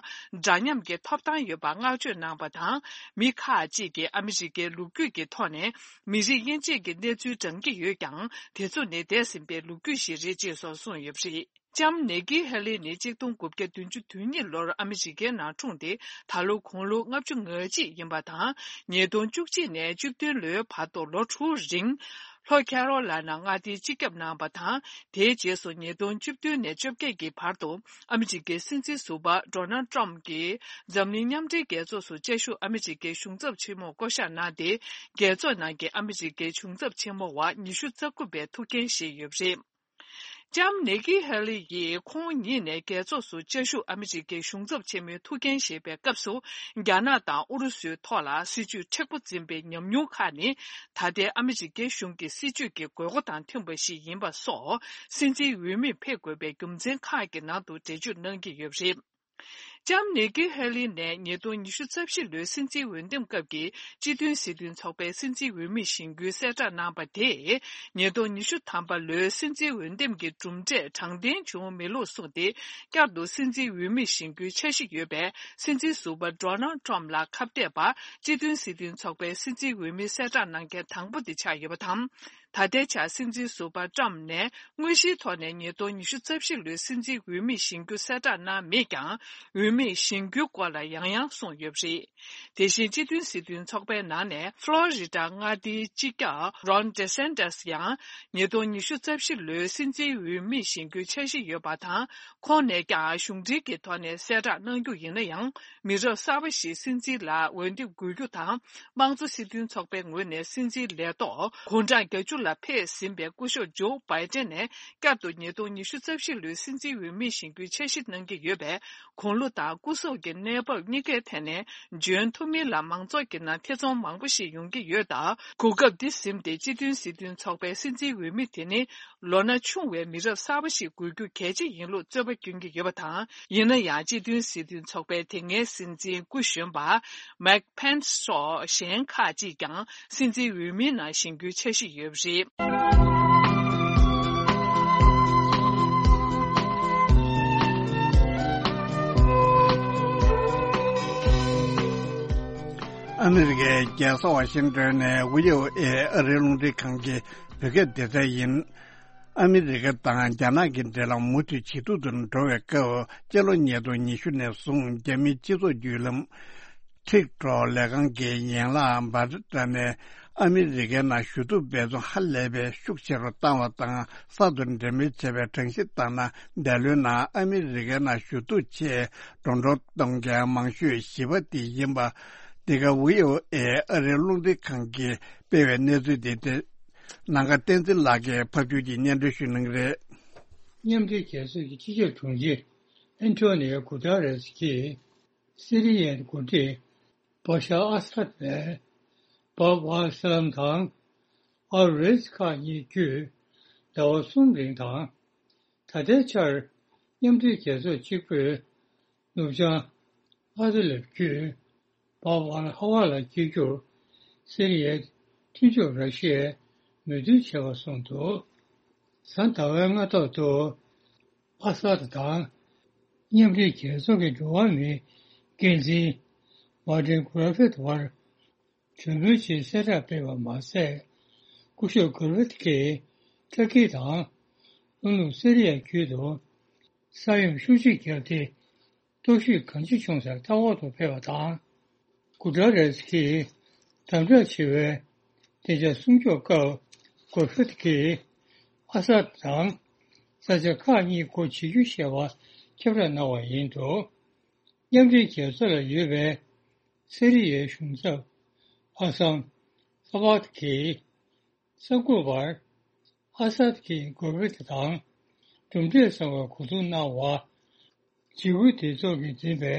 འདྲ་མཉམ་གྱི་ཐོབ་ཐང་ཡོད་པར་བསྔགས་བརྗོད་གནང་པ་དང་། མི་ཁག་ཅིག་གིས་ཨ་མི་རི་ཀའི་ལོ་རྒྱུས་ཀྱི་ཐོག་ནས་མི་རིགས་དབྱེ་འབྱེད་ཀྱི་གནས་ཚུལ་བགྲང་གི་ཡོད་ཀྱང་། དེ་ཚོ་ནི་འདས་ཟིན་པའི་ལོ་རྒྱུས་ཤིག་རེད་ཅེས་སོགས་གསུངས་ཡོད་པ་རེད། ལྕམ་ནེ་ཀི་ཧེ་ལི་ནི་གཅིག་སྟོང་དགུ་བརྒྱ་བདུན་ཅུ་དོན་གཉིས་ལོར་ཨ་མི་རི་ཀའི་ནང་འཁྲུངས་ཏེ། ད་ལོ་དགུང་ལོ་ལྔ་བཅུ་ང་གཅིག་ཡིན་པ་དང་། ཉིས་སྟོང་བཅུ་གཅིག་ནས་བཅུ་བདུན་ལོའི་བར་དུ་ལོ་དྲུག་རིང་ལྷོ་ཁེ་རོ་ལ་ན་མངའ་སྡེའི་སྤྱི་ཁྱབ་གནང་བ་དང་། དེའི་རྗེས་སུ་ཉིས་སྟོང་བཅུ་བདུན་ནས་བཅོ་བརྒྱད་ཀྱི་བར་དུ་ཨ་མི་རི་ཀའི་སྲིད་འཛིན་ཟུར་པ་ཌོ་ནལ་ཊམ་གྱིས་འཛམ་གླིང་མཉམ་འབྲེལ་རྒྱལ་ཚོགས་སུ་བཅའ་བཞུགས་ཨ་མི་རི་ཀའི་གཞུང་ཚབ་ཆེན་མོར་བསྐོ་གཞག་གནང་སྟེ། རྒྱལ་ཚོགས་ནང་གི་ཨ་མི་རི་ཀའི་གཞུང་ཚབ་ཆེན་མོ་བ་ཉི་ཤུ་རྩ་དགུ་པའི་ཐུགས་འགན་བཞེས་ཡོད་པ་རེད། ལྕམ་ནེ་ཀི་ཧེ་ལི་ཡིས་ཁོང་ཉིད་ནས་རྒྱལ་ཚོགས་སུ་བཅའ་བཞུགས་ཨ་མི་རི་ཀའི་གཞུང་ཚབ་ཆེན་མོའི་ཐུགས་འགན་བཞེས་པའི་སྐབས་སུ། རྒྱ་ནག་དང་ཨུ་རུ་སུའི་ཐོག་ལ་སྲིད་ཇུས་མཁྲེགས་པོ་འཛིན་པའི་ཉམས་མྱོང་ཁག་ནི། ད་ལྟའི་ཨ་མི་རི་ཀའི་གཞུང་གི་སྲིད་ཇུས་ཀྱི་དགོས་མཁོ་དང་མཐུན་པ་ཞིག་ཡིན་པ་སོགས། སྲིད་འཛིན་འོས་མིར་ཕེབས་དགོས་པའི་རྒྱུ་མཚན་ཁག་གི་ནང་དུ་འགྲེལ་བརྗོད་གནང་གི་ཡོད་པ་རེད། ལྕམ་ནེ་ཀི་ཧེ་ལི་ནས་ཉིས་སྟོང་ཉི་ཤུ་རྩ་བཞི་ལོའི་སྲིད་འཛིན་འོས་འདེམས་སྐབས་ཀྱི་སྤྱི་མཐུན་སྲིད་དོན་ཚོགས་པའི་སྲིད་འཛིན་འོས་མི་བཞེངས་རྒྱུའི་གསལ་བསྒྲགས་གནང་པ་དེས། ཉིས་སྟོང་ཉི་ཤུ་ཐམ་པ་ལོའི་སྲིད་འཛིན་འོས་འདེམས་ཀྱི་གྲུབ་འབྲས་དྲང་བདེན་བྱུང་མེད་ལུགས་གསུངས་ཏེ། བསྐྱར་དུ་སྲིད་འཛིན་འོས་མི་བཞེངས་རྒྱུའི་འཆར་གཞི་ཡོད་པའི་སྲིད་འཛིན་ཟུར་པ་ཌོ་ནལ་ཊམ་ལ་ཁ་གཏད་པར། སྤྱི་མཐུན་སྲིད་དོན་ཚོགས་པའི་སྲིད་འཛིན་འོས་མི་གསལ་བསྒྲགས་གནང་མཁན་དང་པོ་དེ་ཆགས་ཡོད་པ་དང་། ད་ལྟའི་ཆར་སྲིད་འཛིན་ཟུར་པ་ཊམ་ནས་དངོས་གཞིའི་ཐོག་ནས་ཉིས་སྟོང་ཉི་ཤུ་རྩ་བཞི་ལོའི་སྲིད་འཛིན་འོས་མི་བཞེངས་རྒྱུ་གསལ་བསྒྲགས་གནང་མེད་ཀྱང་། འོས་མི་བཞེངས་རྒྱུའི་སྐོར་ལ་ཡང་ཡང་གསུངས་ཡོད་པ་རེད། དེ་བཞིན་སྤྱི་མཐུན་སྲིད་དོན་ཚོགས་པའི་ནང་ནས་ཧྥ་ལོ་རི་ཌ་མངའ་སྡེའི་སྤྱི་ཁྱབ་རོན་ཌི་སན་ཏཱས་ཡང་ཉིས་སྟོང་ཉི་ཤུ་རྩ་བཞི་ལོའི་སྲིད་འཛིན་འོས་མི་བཞེངས་རྒྱུའི་འཆར་གཞི་ཡོད་པ་དང་། ཁོང་ནས་ཀྱང་གཞུང་འབྲེལ་གྱི་ཐོག་ནས་གསལ་བསྒྲགས་གནང་རྒྱུ་ཡིན་ན་ཡང་། མི་རབས་གསར་པ་ཞིག་སྲིད་འཛིན་ལ་འོས་འདེམས་དགོས་རྒྱུ་དང་། དམངས་གཙོ་སྲིད་དོན་ཚོགས་པའི་ངོས་ནས་སྲིད་འཛིན་ལས་ཐོག་དགུང་གྲངས་བརྒྱད་ཅུ་ལ་ཕེབས་ཟིན་པའི་སྐུ་ཞབས་ཇོ་བྷའི་ཏན་ནས། བསྐྱར་དུ་ཉིས་སྟོང་ཉི་ཤུ་རྩ་བཞི་ལོའི་སྲིད་འཛིན་འོས་མི་བཞེངས་རྒྱུའི་འཆར་གཞི་གནང་གི་ཡོད་པས། དགུང་ལོ་དང་སྐུ་གཟུགས་ཀྱི་གནས་བབ་གཉིས་ཀའི་ཐད་ནས་འཇོན་ཐུབ་མིན་ལ་མང་ཚོགས་ཀྱི་ནང་ཐེ་ཚོམ་མང་པོ་ཞིག་ཡོང་གི་ཡོད་སྟབས། གོ་སྐབས་འདི་ཟིན་ཏེ་སྤྱི་མཐུན་སྲིད་དོན་ཚོགས་པའི་སྲིད་འཛིན་འོས་མི་དེ་ནི། ལོ་ན་ཆུང་བའི་མི་རབས་གསར་པ་ཞིག་དགོས་རྒྱུ་གལ་ཆེ་ཡིན་ལུགས་རྩོད་པ་བསྐྱོན་གྱི་ཡོད་པ་དང་། ཡིན་ན་ཡང་སྤྱི་མཐུན་སྲིད་དོན་ཚོགས་པའི་དེ་སྔའི་སྲིད་འཛིན་སྐུ་གཞོན་པ་མེག་ཕེན་སི་སོགས་གཞན་ཁག་ཅིག་ཀྱང་སྲིད་འཛིན་འོས་མིའི་ནང་བཞེངས་རྒྱུའི་འཆར་གཞི་ཡོད་པ་རེད། ཨ་མི་རི་ཀའི་རྒྱལ་ས་ཝ་ཤིང་ཏོན་ནས་ཝི་ཨོ་ཨེ་ཨ་རིའི་རླུང་འཕྲིན་ཁང་གི་བོད་སྐད་སྡེ་ཚན་ཡིན། ཨ་མི་རི་ཀ་དང་རྒྱ་ནག་གི་འབྲེལ་ལམ་མུ་མཐུད་ཇེ་སྡུག་ཏུ་འགྲོ་བའི་སྐབས། སྤྱི་ལོ་ཉིས་སྟོང་ཉི་ཤུ་ནས་བཟུང་རྒྱ་མིའི་སྤྱི་ཚོགས་བརྒྱུད་ལམ་ཊིག་ཊོག་ལས་ཁང་གི་ཡན་ལག་འབར་ཊ་ནས་ཨ་མི་རི་ཀའི་ནང་ཞུ་གཏུག་འབད་བརྩོན་ཧ་ལས་པའི་ཤུགས་ཆེ་རུ་བཏང་བ་དང་། གསར་དུ་འབྲེལ་མོལ་བྱས་པའི་གྲངས་གཞི་ལྟར་ན། འདས་ལོའི་ནང་ཨ་མི་རི་ཀའི་ནང་ཞུ་གཏུག་ཆེད་འགྲོ་གྲོན་གཏོང་མཁན་མང་ཤོས་བཞི་པ་དེ་ཡིན་པ། འདི་ག་ཝི་ཨོ་ཨེ་ཨ་རིའི་རླུང་འཕྲིན་ཁང་གིས་སྤེལ་བའི་གནས་ཚུལ་འདི་སྟེ། ནང་ཁ་བསྟན་འཛིན་ལགས་ཀྱིས་ཕབ་སྒྱུར་གྱིས་སྙན་སྒྲོན་ཞུ་གནང་གི་རེད། མཉམ་འབྲེལ་རྒྱལ་ཚོགས་ཀྱི་སྤྱི་ཁྱབ་དྲུང་ཆེ་ཨན་ཐོ་ནིའོ་གུ་ཏ་རེས་ཀྱིས། སི་རི་ཡའི་འགོ་ཁྲིད་བ་ཤར་ཨ་སཱད་ནས་བྷ་བྷ་ཨལ་སཱ་ལམ་དང་ཨལ་རེས་ཁག་གཉིས་བརྒྱུད་ཟླ་བ་གསུམ་རིང་དང་། ད་ལྟའི་ཆར་མཉམ་འབྲེལ་རྒྱལ་ཚོགས་གཅིག་པུས་ནུབ་བྱང་ཨ་ཏི་ལབ་བརྒྱུད་བྷ་བྷ་ཨལ་ཧ་ཝ་ལ་སྐྱེལ་རྒྱུར་སི་རི་ཡའི་མཐུན་ཕྱོགས་ར་ཤི་ཡས་མོས་མཐུན་བྱས་པ་གསུངས་འདུག། གཟའ་ཟླ་བའི་སྔ་ཐོག་ཏུ་ཨ་སཱད་དང་མཉམ་འབྲེལ་རྒྱལ་ཚོགས་ཀྱི་འགྲོ་བ་མིའི་འགན་འཛིན་མར་ཏིན་གྷོ་རེ་ཕེད་བར་གྲོས་མོལ་ཆེད་གསལ་བསྒྲགས་སྤེལ་བ་མ་ཟད། སྐུ་ཞབས་གྷོ་རེ་ཕེད་ཀྱིས་ཏུར་ཀི་དང་ལྷོ་ནུབ་སི་རི་ཡ་ཁུལ་དུ་ས་ཡོམ་ཤུགས་ཆེ་བརྒྱབ་སྟེ། གཏོར་བཤིག་གང་ཆེ་བྱུང་སར་ལྟ་སྐོར་དུ་ཕེབས་པ་དང་། གུ་ཏ་རེས་ཀྱིས་དམ་དྲག་ཆེ་བའི་བདེ་འཇགས་སྲུང་སྐྱོབ་སྐབས། གྷོ་རེ་ཕེད་ཀྱིས་ཨ་སཱད་དང་ས་ཆ་ཁག་གཉིས་སྒོ་འབྱེད་རྒྱུ་ཞེས་པ་ཁྱབ་བསྒྲགས་གནང་བ་ཡིན་འདུག། མཉམ་འབྲེལ་རྒྱལ་ཚོགས་ལ་ཡོད་པའི་སི་རི་ཡའི་གཞུང་ཚབ་ཨ་སམ་ས་བྷ་ཏི་གིས། གསར་འགོད་པར། ཨ་སཱད་ཀྱིས་གྷོ་རེ་ཕེད་དང་གྲུབ་འབྲས་བཟང་བའི་གོ་བསྡུར་གནང་བ། འཇིགས་སྐུལ་སྡེ་ཚོགས་ཀྱིས་འཛིན་པའི་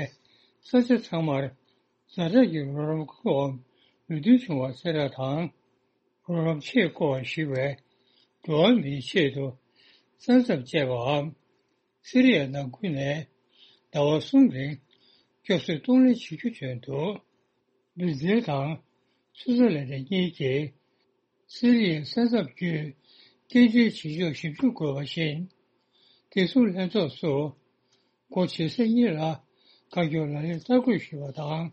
ས་ཆ་ཚང་མར་ཛ་དྲག་གི་རོགས་རམ་བཀོད་པར་མོས་མཐུན་བྱུང་བ་གསལ་བསྒྲགས་དང་། རོགས་རམ་ཆེད་བསྐོ་བར་གཞིགས་པའི་འགྲོ་བ་མིའི་ཆེད་དུ་ས་མཚམས་བཅད་པའམ། སི་རི་ཡ་ནང་ཁུལ་ནས་ཟླ་བ་གསུམ་རིང་ སྐྱོབ་གསོའི་གཏོང་ལེན་བྱེད་རྒྱུ་བཏོན་འདུག་བིར་ཛིལ་དང་སུའུ་ཙེར་ལན་ཌ་གཉིས་ཀྱིས་སི་རི་ཡའི་ས་མཚམས་བརྒྱུད་རྟེན་འབྲེལ་བྱེད་ཕྱོགས་ཞིབ་འཇུག་དགོས་པ་བཞིན། བདེ་སྲུང་ལྷན་ཚོགས་སུ་སྒོ་ཕྱེ་ས་གཉིས་ལ་བཀའ་སྐྱོར་ལག་ལེན་བསྟར་དགོས་ཞུས་པ་དང་།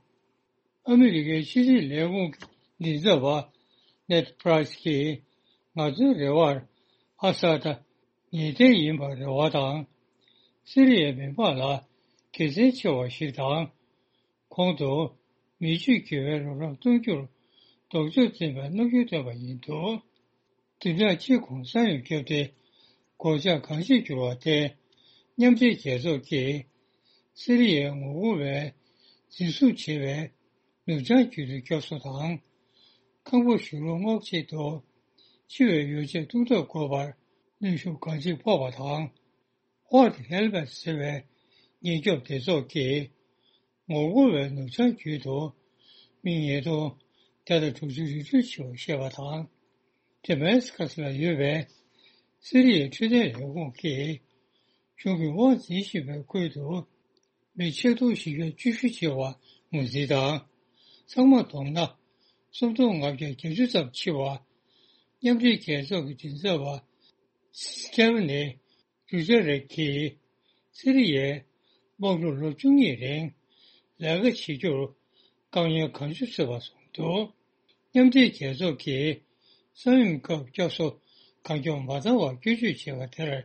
ཨ་མི་རི་ཀའི་ཕྱི་སྲིད་ལས་ཁུངས་མགྲིན་ཚབ་པ་ནེད་པྲའི་སི་ཀྱིས་ང་ཚོའི་རེ་བར་ཨ་ས་ད་ངེས་གཏན་ཡིན་པར་རེ་བ་དང་། སི་རི་ཡའི་མི་མང་ལ་དགེ་མཚན་ཆེ་བ་ཞིག་དང་། གོང་དུ་མི་ཆོས་དགེ་བའི་རོགས་རམ་གཏོང་རྒྱུར་ལྡོག་ཕྱོགས་འཛིན་པའི་རྣམ་འགྱུར་བསྟན་པ་ཡིན་འདུག་བདུན་ཕྲག་གཅིག་གོང་ས་ཡོམ་བརྒྱབ་སྟེ་སྒོ་ལྕགས་གང་ཞིག་གྱུར་བ་དེ། མཉམ་འབྲེལ་རྒྱལ་ཚོགས་ཀྱིས་སི་རི་ཡའི་ངོ་རྒོལ་བས་འཛིན་བཟུང་བྱས་པའི་ནུབ་བྱང་རྒྱུད་དུ་སྐྱོབ་གསོ་དང་། ཁང་པ་གཞུང་ལམ་སྔོག་ཆེད་དུ་འཆི་བའི་ཡོ་བྱད་གཏོང་ཐབས་དགོས་པར་གནོན་ཤུགས་གང་ཅིར་ཕོག་པ་དང་། World Helmet ཟེར་བའི་ཉེན་སྐྱོབ་སྡེ་ཚོགས་ཀྱིས་ངོ་རྒོལ་བའི་ནུབ་བྱང་རྒྱུད་དུ་མི་ཉིས་སྟོང་བརྒྱ་དང་དྲུག་ཅུ་རི་ཁྲོད་འཆི་བར་བཤད་པ་དང་། དེ་མེ་སི་ཁ་སི་ལ་ཡོད་པའི་སི་རི་ཡའི་འཕྲོད་བསྟེན་ལས་ཁུངས་ཀྱིས་གཞུང་གིས་དབང་འཛིན་བཞིན་པའི་ཁུལ་དུ་མི་ཆིག་སྟོང་བཞི་བརྒྱ་བཅུ་བཞི་བྱེ་བ་ངོས་འཛིན་དང་། ཚང་མ་བསྡོམས་ན་སུམ་སྟོང་ལྔ་བརྒྱ་བརྒྱད་ཅུ་ཙམ་འཆི་བ། མཉམ་འབྲེལ་རྒྱལ་ཚོགས་ཀྱི་མགྲིན་ཚབ་པ་སི་ཀེ་ཝི་ནི་རུ་ཇེ་རེག་གིས་སི་རི་ཡའི་དམག་འཁྲུག་ལོ་བཅུ་གཉིས་རིང་ལས་ཀ་བྱེད་རྒྱུར་དཀའ་ངལ་གང་བྱུང་བཟོས་པ་གསུངས་འདུག་མཉམ་འབྲེལ་རྒྱལ་ཚོགས་ཀྱིས་ས་ཡོམ་སྐབས་སྐྱོབ་གསོ་གང་མགྱོགས་མ་བཏང་བར་སྐྱོན་བརྗོད་བྱས་པ་དེར།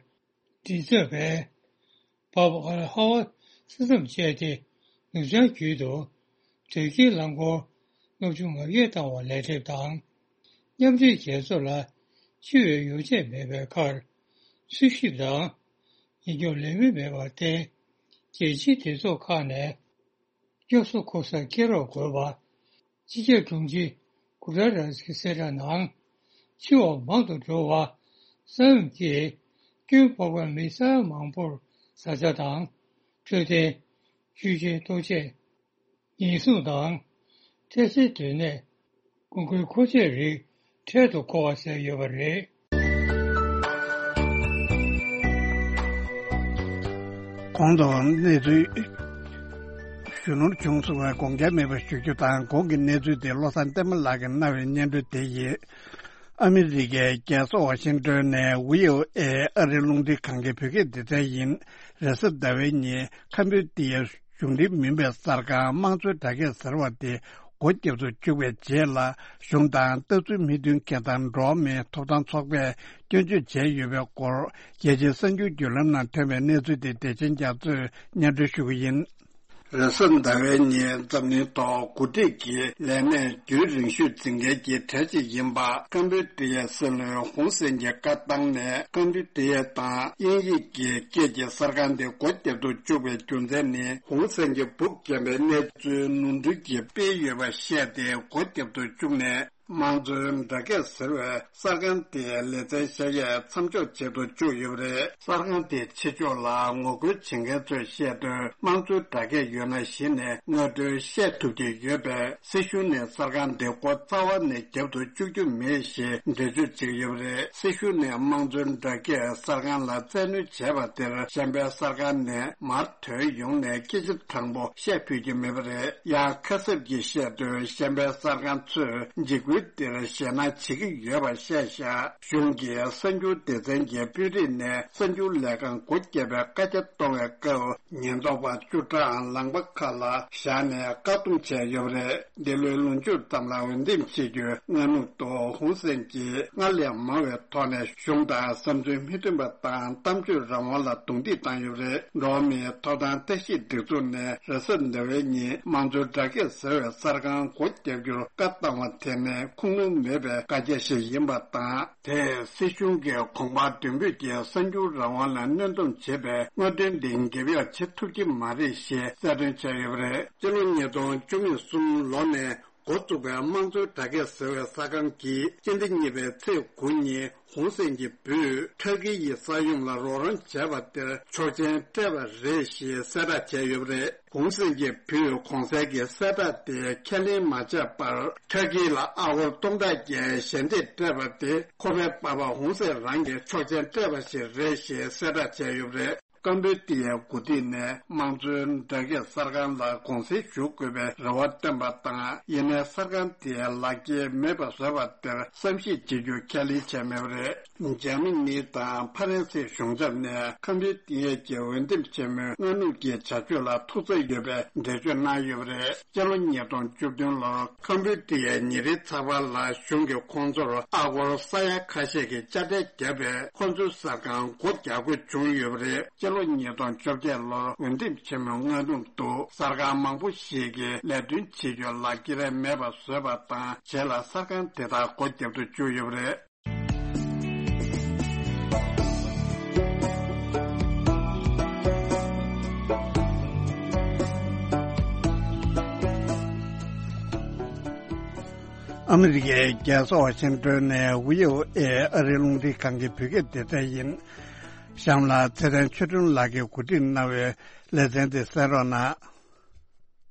མགྲིན་ཚབ་པས་བྷབ་ཨལ་ཧ་ཝ་ས་མཚམས་བཅད་དེ་ནུབ་བྱང་རྒྱུད་དུ་དོས་སྐྱེལ་རླངས་འཁོར་ལྔ་བཅུ་ང་བརྒྱད་བཏང་བར་ལས་འདེབས་དང་། མཉམ་འབྲེལ་རྒྱལ་ཚོགས་ལ་འཆི་བའི་ཡོ་བྱད་མེད་པའི་ཁར་འཚོལ་ཞིབ་དང་ཉེན་སྐྱོབ་ལས་མི་མེད་པར་བརྟེན། རྒྱལ་སྤྱིའི་སྡེ་ཚོགས་ཁག་ནས་སྐྱོབ་གསོ་འཁོར་གསར་སྐྱེལ་རོགས་དགོས་པ། སྤྱི་ཁྱབ་དྲུང་ཆེ་གུ་ཏ་རེས་ཀྱི་གསལ་བསྒྲགས་ནང་། འཆི་བ་མང་དུ་འགྲོ་བ། ས་ཡོམ་གྱིས་སྐྱོན་ཕོག་པའི་མི་ས་ཡ་མང་པོར་བཟའ་བཅའ་དང་། འཕྲོད་བསྟེན། ཆོས་ཆེན་ལྟོ་ཆས། ཉེན་སྲུང་དང་། འཕྲལ་སེལ་སྡོད་གནས། དགོས་མཁོའི་མཁོ་ཆས་རིགས་འཕྲལ་དུ་མཁོ་བ་བཟོས་ཡོད་པ་རེད། གོང་དུ་གནས་ཚུལ་ཞུ་ནོར་བྱུང་སོང་བས་དགོངས་འགལ་མེད་པར་ཞུ་རྒྱུ་དང་། གོང་གི་གནས་ཚུལ་དེ་བློ་བཟང་བསྟན་མ་ལགས་ཀྱིས་གནང་བའི་སྙན་སྒྲོན་དེ་ཡིན། ཨ་མི་རི་ཀའི་རྒྱལ་ས་ཝ་ཤིང་ཏོན་ནས་ཝི་ཨོ་ཨེ་ཨ་རིའི་རླུང་འཕྲིན་ཁང་གི་བོད་སྐད་སྡེ་ཚན་ཡིན། རེས་གཟའ་ཟླ་བའི་ཉིན་ཁམ་བུ་ཏི་ཡའི་གཞུང་འབྲེལ་མིན་པའི་གསར་ཁང་དམངས་གཙོའི་སྒྲ་སྐད་ཟེར་བ་དེ་སྒོ་བརྒྱབ་ཏུ་བཅུག་པའི་རྗེས་ལ། གཞུང་དང་ལྟ་ཚུལ་མི་མཐུན་མཁན་དང་འགྲོ་བ་མིའི་ཐོབ་ཐང་ཚོགས་པས་སྐྱོན་བརྗོད་བྱས་ཡོད་པའི་སྐོར། རྒྱལ་སྤྱིའི་གསར་འགྱུར་བརྒྱུད་ལམ་ནང་ཐོན་པའི་གནས་ཚུལ་དེ་བདེ་ཆེན་རྒྱ་མཚོས་སྙན་སྒྲོན་ཞུ་གི་ཡིན། རེས་གཟའ་ཟླ་བའི་ཉིན་འཛམ་གླིང་ཐོག་འགོ་ཁྲིད་ཀྱི་ལས་གནས་རྒྱུན་རིང་ཤོས་འཛིན་མཁན་གྱི་གྲས་གཅིག་ཡིན་པ་ཀམ་བུ་ཏི་ཡའི་སྲིད་བློན་ཧུན་སེན་གྱིས་བཀའ་བཏང་ནས། ཀམ་བུ་ཏི་ཡ་དང་དབྱིན་ཡིག་གི་སྐད་ཀྱི་གསར་ཁང་དེ་སྒོ་བརྒྱབ་ཏུ་བཅུག་པའི་རྒྱུ་མཚན་ནི། ཧུན་སེན་གྱི་སྦུག་བརྒྱབ་པའི་གནས་ཚུལ་ནོར་འཁྲུལ་གྱིས་སྤེལ་ཡོད་པ་བཤད་དེ་སྒོ་བརྒྱབ་ཏུ་བཅུག་ནས། དམངས་གཙོའི་སྒྲ་སྐད་ཟེར་བའི་གསར་ཁང་དེའི་ལེ་ཚན་བཞག་ཡས་མཚམས་འཇོག་བྱེད་དུ་བཅུག་ཡོད་པ་རེད། གསར་ཁང་དེའི་ཕྱི་ཕྱོགས་ལ་ངོ་རྒོལ་བྱེད་མཁན་ཚོས་བཤད་དོན། དམངས་གཙོའི་སྒྲ་སྐད་ཡོད་ན་གཞི་ནས་ངོ་སྤྲོད་བཤད་ཐུབ་ཀྱི་ཡོད་པས། སྲིད་གཞུང་ནས་གསར་ཁང་དེ་སྒོ་རྩ་བ་ནས་བརྒྱབ་ཏུ་བཅུག་རྒྱུ་མེད་ཞེས་འགྲེལ་བརྗོད་བྱེད་ཀྱི་ཡོད་པ་རེད། སྲིད་གཞུང་ནས་དམངས་གཙོའི་སྒྲ་སྐད་གསར་ཁང་ལ་བཙན་གནོན་བྱས་པ་དེར། གཞན་པའི་གསར་ཁང་ནས་མར་ཐོན་ཡོང་ནས་སྐད་ཆ་དྲང་པོ་བཤད་ཕོད་ཀྱི་མེད་པ་རེད། ཡང་ཁ་གསབ་ཀྱིས་བཤད་དོན། གཞན་པའི་གསར་ཁང་ཚོས་འཇིགས་སྐུལ་དེར་ཞེད་སྣང་བྱེད་ཀྱི་ཡོད་པ་བཤད་བཞག་གཞུང་གི་གསར་འགྱུར་སྡེ་ཚན་གྱི་དཔོན་རིགས་ནས་གསར་འགྱུར་ལས་ཁང་སྒོ་བརྒྱབ་པའི་བཀའ་རྒྱ་གཏོང་བའི་སྐབས། ཉེན་རྟོག་པ་བཅུ་ཕྲག་ལངས་པ་ཁག་ལ་བཞག་ནས་བཀག་སྡོམ་བྱས་ཡོད་པ་རེད། འདི་ལོའི་ལོ་མཇུག་ཙམ་ལ་འོས་འདེམས་བྱེད་རྒྱུའི་སྔ་ནུབ་ཏུ། ཧུན་སེན་གྱིས་སྔར་ལས་མང་བའི་ཐོག་ནས་གཞུང་དང་བསམ་ཚུལ་མི་མཐུན་པ་དང་གཏམ་བརྗོད་རང་དབང་ལ་རྡུང་རྡེག་བཏང་ཡོད་པ་རེད། འགྲོ་བ་མིའི་ཐོབ་ཐང་ལྟ་ཞིབ་སྒྲིག་འཛུགས་ནས་རེས་གཟའ་ཟླ་བའི་ཉིན་དམངས་གཙོའི་སྒྲ་སྐད་ཟེར་བའི་གསར་ཁང་སྒོ་བརྒྱབ་རྒྱུར་བཀའ་བཏང་བ་དེ་ནི་ཁུངས་ལུང་མེད་པའི་བཀའ་རྒྱ་ཞིག་ཡིན་པ་དང་། དེས་སྲིད་གཞུང་གིས་གོང་འཕེལ་མདུན་སྤོས་ཀྱིས་གསར་འགྱུར་རང་དབང་ལ་གནོན་སྡོམ་བྱེད་པའི་དངོས་དོན་འདི་འགེབས་ཡག་བྱེད་ཐུབ་ཀྱི་མ་རེད་ཞེས་གསལ་སྟོན་བྱས་ཡོད་པ་རེད། སྤྱི་ལོ་ཉིས་སྟོང་བཅུ་གསུམ་ལོ་ནས་འགོ་བཙུགས་པའི་དམངས་གཙོའི་སྒྲ་སྐད་ཟེར་བའི་གསར་ཁང་གིས་སྤྱི་ཟླ་གཉིས་པའི་ཚེས་དགུ་ཉིན་ཧུན་སེན་གྱི་བུས་ཁྲ་ཀི་ཡི་ས་ཡོམ་ལ་རོགས་རམ་བྱས་པ་དེར་ཆོག་མཆན་སྤྲད་པ་རེད་ཞེས་གསལ་བསྒྲགས་བྱས་ཡོད་པ་རེད། ཧུན་སེན་གྱི་བུས་གོང་གསལ་གྱི་གསལ་བསྒྲགས་དེ་ཁས་ལེན་མ་བྱས་པར། ཁྲ་ཀི་ལ་ཨ་སྒོར་སྟོང་ཕྲག་བརྒྱད་ཞལ་འདེབས་སྤྲད་པ་དེ་ཁོ་པའི་པ་ཕ་ཧུན་སེན་རང་གིས་ཆོག་མཆན་སྤྲད་པ་ཞིག་རེད་ཞེས་གསལ་བསྒྲགས་བྱས་ཡོད་པ་རེད། ཀམ་པོ་ཌི་ཡའི་འགོ་ཁྲིད་ནས་དམངས་གཙོའི་སྦྲགས་སྐད་གསར་ཁང་ལ་དགོངས་སེལ་ཞུ་དགོས་པའི་རེ་བ་བཏོན་པ་དང་། ཡིན་ནའི་གསར་ཁང་དེའི་ལག་འཁྱེར་མེད་པ་བཟོས་པ་དེར་བསམ་ཤེས་བྱེད་རྒྱུ་ཁས་ལེན་བྱས་མེད་པ་རེད། འཇར་མ་ནི་དང་ཧྥ་རན་སིའི་གཞུང་ཚབ་ནས་ཀམ་པོ་ཌི་ཡ་གི་འོས་འདེམས་ཆེན་མོའི་སྔ་སྣུར་གྱི་བྱ་སྤྱོད་ལ་ཐུགས་འཚེར་ཡོད་པའི་འགྲེལ་བརྗོད་གནང་ཡོད་པ་རེད། སྤྱི་ལོ་ཉིས་སྟོང་བཅུ་བདུན་ལོར་ཀམ་པོ་ཌི་ཡའི་ཉིན་རེའི་ཚགས་པར་ལ་གཞུང་གིས་ཁོང་ཚོར་ཨ་སྒོར་ས་ཡ་ཁ་ཤས་ཀྱི་དཔྱ་ཁྲལ་བརྒྱབ་པས། ཁོང་ཚོའི་གསར་ཁང་སྒོ་རྒྱག་དགོས་བྱུང་ཡོད་པ་རེད། སྤྱི་ལོ་ཉིས་སྟོང་བཅོ་བརྒྱད་ལོར་འོས་འདེམས་ཆེན་མོའི་སྔ་སྣུར་དུ་གསར་ཁང་མང་པོ་ཞིག་གིས་ལས་དོན་བྱེད་རྒྱུའི་ལག་འཁྱེར་མེད་པ་བཟོས་པ་དང་། རྗེས་ལ་གསར་ཁང་དེ་དག་སྒོ་བརྒྱབ་ཏུ་བཅུག་ཡོད་པ་རེད། ཨ་མི་རི་ཀའི་རྒྱལ་ས་ཝ་ཤིང་ཏོན་ནས་བྷི་ཨོ་ཨེ་ཨ་རིའི་རླུང་འཕྲིན་ཁང་གི་བོད་སྐད་སྡེ་ཚན་ཡིན། གཤམ་ལ་ཚེ་བརྟན་ཆོས་སྒྲོན་ལགས་ཀྱིས་གོ་སྒྲིག་གནང་བའི་ལེ་ཚན་དེ་གསན་རོགས་གནང་།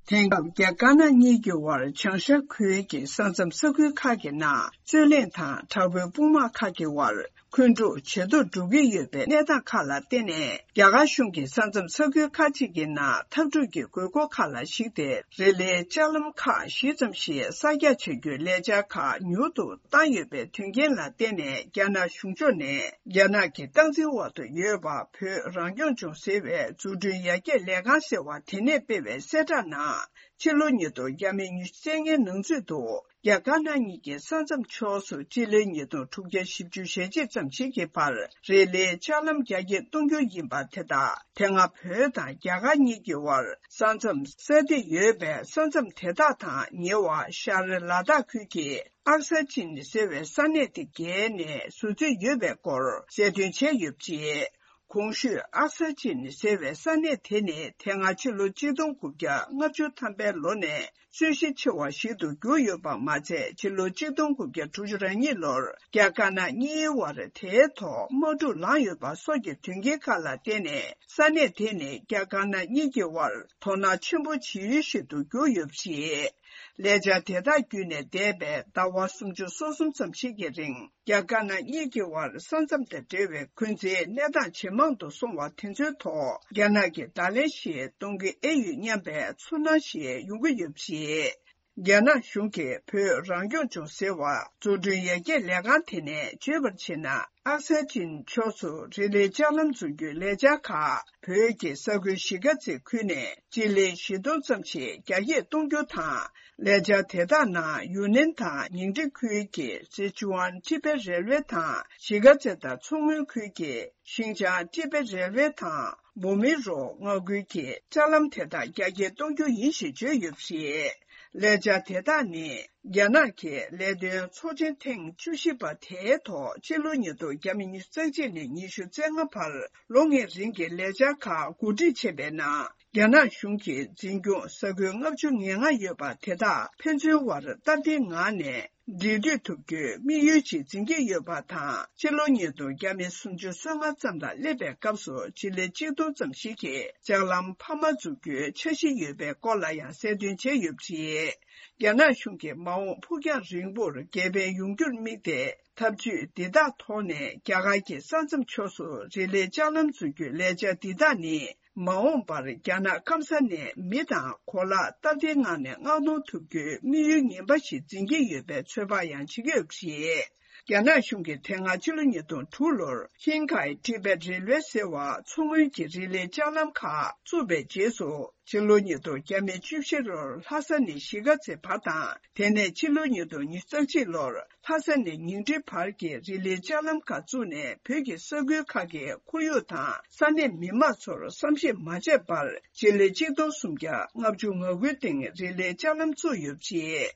དེང་སྐབས་རྒྱ་དཀར་ནག་གཉིས་ཀྱི་དབར་བྱང་ཤར་ཁུལ་གྱི་ས་མཚམས་ས་ཁུལ་ཁག་གི་ནང་རྩོད་གླེང་དང་དྲག་པོའི་དཔུང་དམག་ཁག་གི་དབར་འཁོན་འཁྲུག་ཇེ་མཐོར་འགྲོ་གི་ཡོད་པའི་གནས་སྟངས་ཁག་ལ་བརྟེན་ནས། རྒྱ་གར་གཞུང་གིས་ས་མཚམས་ས་ཁུལ་ཁག་ཅིག་གི་ནང་འཐབ་འཁྲུག་གི་དགོས་མཁོ་ཁག་ལ་གཞིགས་ཏེ། རི་ལིའི་ལྕགས་ལམ་ཁག་བཞི་ཙམ་ཞིག་གསར་རྒྱག་བྱ་རྒྱུའི་ལས་འཆར་ཁག་མྱུར་དུ་བཏང་ཡོད་པའི་དོན་རྐྱེན་ལ་བརྟེན་ནས། རྒྱ་ནག་གཞུང་ཕྱོགས་ནས་རྒྱ་ནག་གི་སྟངས་འཛིན་འོག་ཏུ་ཡོད་པ་བོད་རང་སྐྱོང་ལྗོངས་ཟེར་བའི་འཛུགས་སྐྲུན་ཡར་རྒྱས་ལས་ཁང་ཟེར་བ་དེ་ནས་སྤེལ་བའི་གསལ་བསྒྲགས་ནང་། ཕྱི་ལོ་ཉིས་སྟོང་ཉི་ཤུ་རྩ་ལྔའི་ནང་ཚུད་དུ། རྒྱ་དཀར་ནག་གཉིས་ཀྱི་ས་མཚམས་ཕྱོགས་སུ་སྤྱི་ལོའི་ཉིས་སྟོང་དྲུག་བརྒྱ་བཞི་བཅུ་ཞེ་གཅིག་ཙམ་ཞིག་གི་བར་རི་ལིའི་ལྕགས་ལམ་རྒྱ་སྐྱེད་གཏོང་རྒྱུ་ཡིན་པ་དེ་དག་དེ་སྔ་བོད་དང་རྒྱ་གར་གཉིས་ཀྱི་དབར་ས་མཚམས་གསར་འདེབས་ཡོད་པའི་ས་མཚམས་དེ་དག་དང་ཉེ་བ་ཤར་ལ་དྭགས་ཁུལ་གྱི་ཨག་ས་ཅིན་ཟེར་བའི་ས་གནས་དེ་བརྒལ་ནས་བཟོ་རྩིས་ཡོད་པའི་སྐོར་གསལ་སྟོན་བྱས་ཡོད་པ་རེད། གོང་ཞུས་ཨག་ས་ཅིན་ཟེར་བའི་ས་གནས་དེ་ནི་དེ་སྔ་ཕྱི་ལོ་གཅིག་སྟོང་དགུ་བརྒྱ་ལྔ་བཅུ་ཐམ་པའི་ལོ་ནས་རྩོད་གཞི་ཆེ་བ་ཞིག་ཏུ་གྱུར་ཡོད་པ་མ་ཚད། ཕྱི་ལོ་གཅིག་སྟོང་དགུ་བརྒྱ་དྲུག་ཅུ་རེ་གཉིས་ལོར་རྒྱ་དཀར་ནག་གཉིས་དབར་དེའི་ཐོག་དམག་འཁྲུག་ལངས་ཡོད་པ་སོགས་ཀྱི་དོན་རྐྱེན་ཁག་ལ་བརྟེན་ནས། ས་གནས་དེ་ནི་རྒྱ་དཀར་ནག་གཉིས་ཀྱི་དབར་དོ་སྣང་ཆེན་པོ་བྱེད་ཡུལ་ཞིག་ཏུ་གྱུར་ཡོད་པ་རེད། ལས་འཆར་དེ་དག་བརྒྱུད་ནས་འདས་པའི་ཟླ་བ་སུམ་ཅུ་སོ་གསུམ་ཙམ་ཞིག་གི་རིང་། རྒྱ་དཀར་ནག་གཉིས་ཀྱི་དབར་ས་མཚམས་དང་འབྲེལ་བའི་འཁོན་འཛིན་གནས་སྟངས་ཇེ་མང་དུ་སོང་བ་དེ་ཚོའི་ཐོག་རྒྱ་ནག་གིས་བརྡ་ལན་ཞིག་གཏོང་གི་ཨེ་ཡོད་སྙམ་པའི་ཚོར་སྣང་ཞིག་ཡོང་གི་ཡོད་པ་རེད། རྒྱ་ནག་གཞུང་གིས་བོད་རང་སྐྱོང་ལྗོངས་ཟེར་བ་འཛུགས་སྐྲུན་ཡར་རྒྱས་ལས་ཁང་དེ་ནས་བརྗོད་པར་བྱས་ན། ཨག་སན་ཅིན་ཕྱོགས་སུ་རི་ལིའི་ལྕགས་ལམ་འཛུགས་རྒྱུའི་ལས་འཆར་ཁག་བོད་ཀྱི་ས་ཁུལ་གཞིས་ཀ་རྩེ་ཁུལ་ནས་སྤྱི་ལེ་བཞི་སྟོང་ཙམ་ཞིག་རྒྱ་སྐྱེད་གཏོང་རྒྱུ་དང་། ལས་འཆར་དེ་དག་ནང་ཡུན་ནན་དང་ཉིང་ཁྲི་ཁུལ་གྱི་སི་ཅུའན་ཏི་བེད་རེལ་ཝེ་དང་། གཞིས་ཀ་རྩེ་དང་མཚོ་སྔོན་ཁུལ་གྱི་ཤིང་ཅང་ཏི་བེད་རེལ་ཝེ་དང་། བོ་མི་རོ་མངའ་ཁུལ་གྱི་ལྕགས་ལམ་དེ་དག་རྒྱ་སྐྱེད་གཏོང་རྒྱུ་ཡིན་ཞེས་བརྗོད་ཡོད་པ་རེད། ལས་འཆར་དེ་དག་ནི་རྒྱ་ནག་གི་ལས་དོན་ཚོགས་ཆེན་ཐེངས་བཅུ་བཞི་པ་དེའི་ཐོག་ཕྱི་ལོ་ཉིས་སྟོང་ཉི་ཤུ་རྩ་གཅིག་ནས་ཉི་ཤུ་རྩ་ལྔ་བར་ལོ་ལྔའི་རིང་གི་ལས་འཆར་ཁག་གོ་སྒྲིག་བྱས་པའི་ནང་། རྒྱ་ནག་གཞུང་གིས་འཛིན་སྐྱོང་ས་ཁུལ་ལྔ་བཅུ་ང་ལྔ་ཡོད་པ་དེ་དག་ཕན་ཚུན་བར་སྟབས་བདེའི་ངང་ནས་འབྲེལ་མཐུད་ཐུབ་རྒྱུའི་དམིགས་ཡུལ་ཅིག་འཛིན་གྱི་ཡོད་པ་དང་། ཕྱི་ལོ་ཉིས་སྟོང་ཉི་ཤུ་རྩ་ལྔ་ཙམ་ལ་སླེབས་པའི་སྐབས་སུ་སྤྱི་ལེ་གཅིག་སྟོང་ཙམ་ཞིག་གི་ལྕགས་ལམ་འཕར་མ་འཛུགས་རྒྱུའི་འཆར་གཞི་ཡོད་པའི་སྐོར་ལ་ཡང་གསལ་སྟོན་བྱས་ཡོད་པ་རེད། རྒྱ་ནག་གཞུང་གིས་མ་འོངས་ཕུགས་རྒྱང་རིང་པོར་དགེ་ཕན་ཡོང་རྒྱུར་དམིགས་ཏེ། ཐབས་ཇུས་འདི་དག་ཐོག་ནས་རྒྱ་གར་གྱི་ས་མཚམས་ཕྱོགས་སུ་རི་ལིའི་ལྕགས་ལམ་འཛུགས་རྒྱུའི་ལས་འཆར་འདི་དག་ནི། མ་འོངས་པར་རྒྱ་ནག་སྐམ་ས་ནས་མི་དང་གོ་ལག་སྟབས་བདེའི་ངང་ནས་མངགས་གཏོང་ཐུབ་རྒྱུའི་དམིགས་ཡུལ་ངན་པ་ཞིག་འཛིན་གྱི་ཡོད་པའི་ཚོད་དཔག་ཡང་བྱེད་ཀྱི་ཡོད་པ་རེད། རྒྱ་ནག་གཞུང་གིས་དེ་སྔ་ཕྱི་ལོ་ཉིས་སྟོང་དྲུག་ལོར་ཧིན་ཁའེ་ཏི་བེད་རེལ་ཝེ་ཟེར་བ་མཚོ་སྔོན་གྱི་རི་ལིའི་ལྕགས་ལམ་ཁག་བཙུགས་པའི་རྗེས་སུ། ཕྱི་ལོ་ཉིས་སྟོང་བཅུ་བཞི་ལོར་ལྷ་ས་ནས་གཞིས་ཀ་རྩེ་བར་དང་། དེ་ནས་ཕྱི་ལོ་ཉིས་སྟོང་ཉི་ཤུ་རྩ་གཅིག་ལོར་ལྷ་ས་ནས་ཉིང་ཁྲི་བར་གྱི་རི་ལིའི་ལྕགས་ལམ་ཁག་བཙུགས་ནས། བོད་ཀྱི་ས་ཁུལ་ཁག་གི་ཁོར་ཡུག་དང་ས་གནས་མི་དམངས་ཚོར་བསམ་ཤེས་མ་བྱས་པར། སྤྱི་ལེ་གཅིག་སྟོང་སུམ་བརྒྱ་ལྔ་བཅུ་ང་དགུའི་སྟེང་རི་ལིའི་ལྕགས་ལམ་བཙུགས་ཡོད་པ་རེད།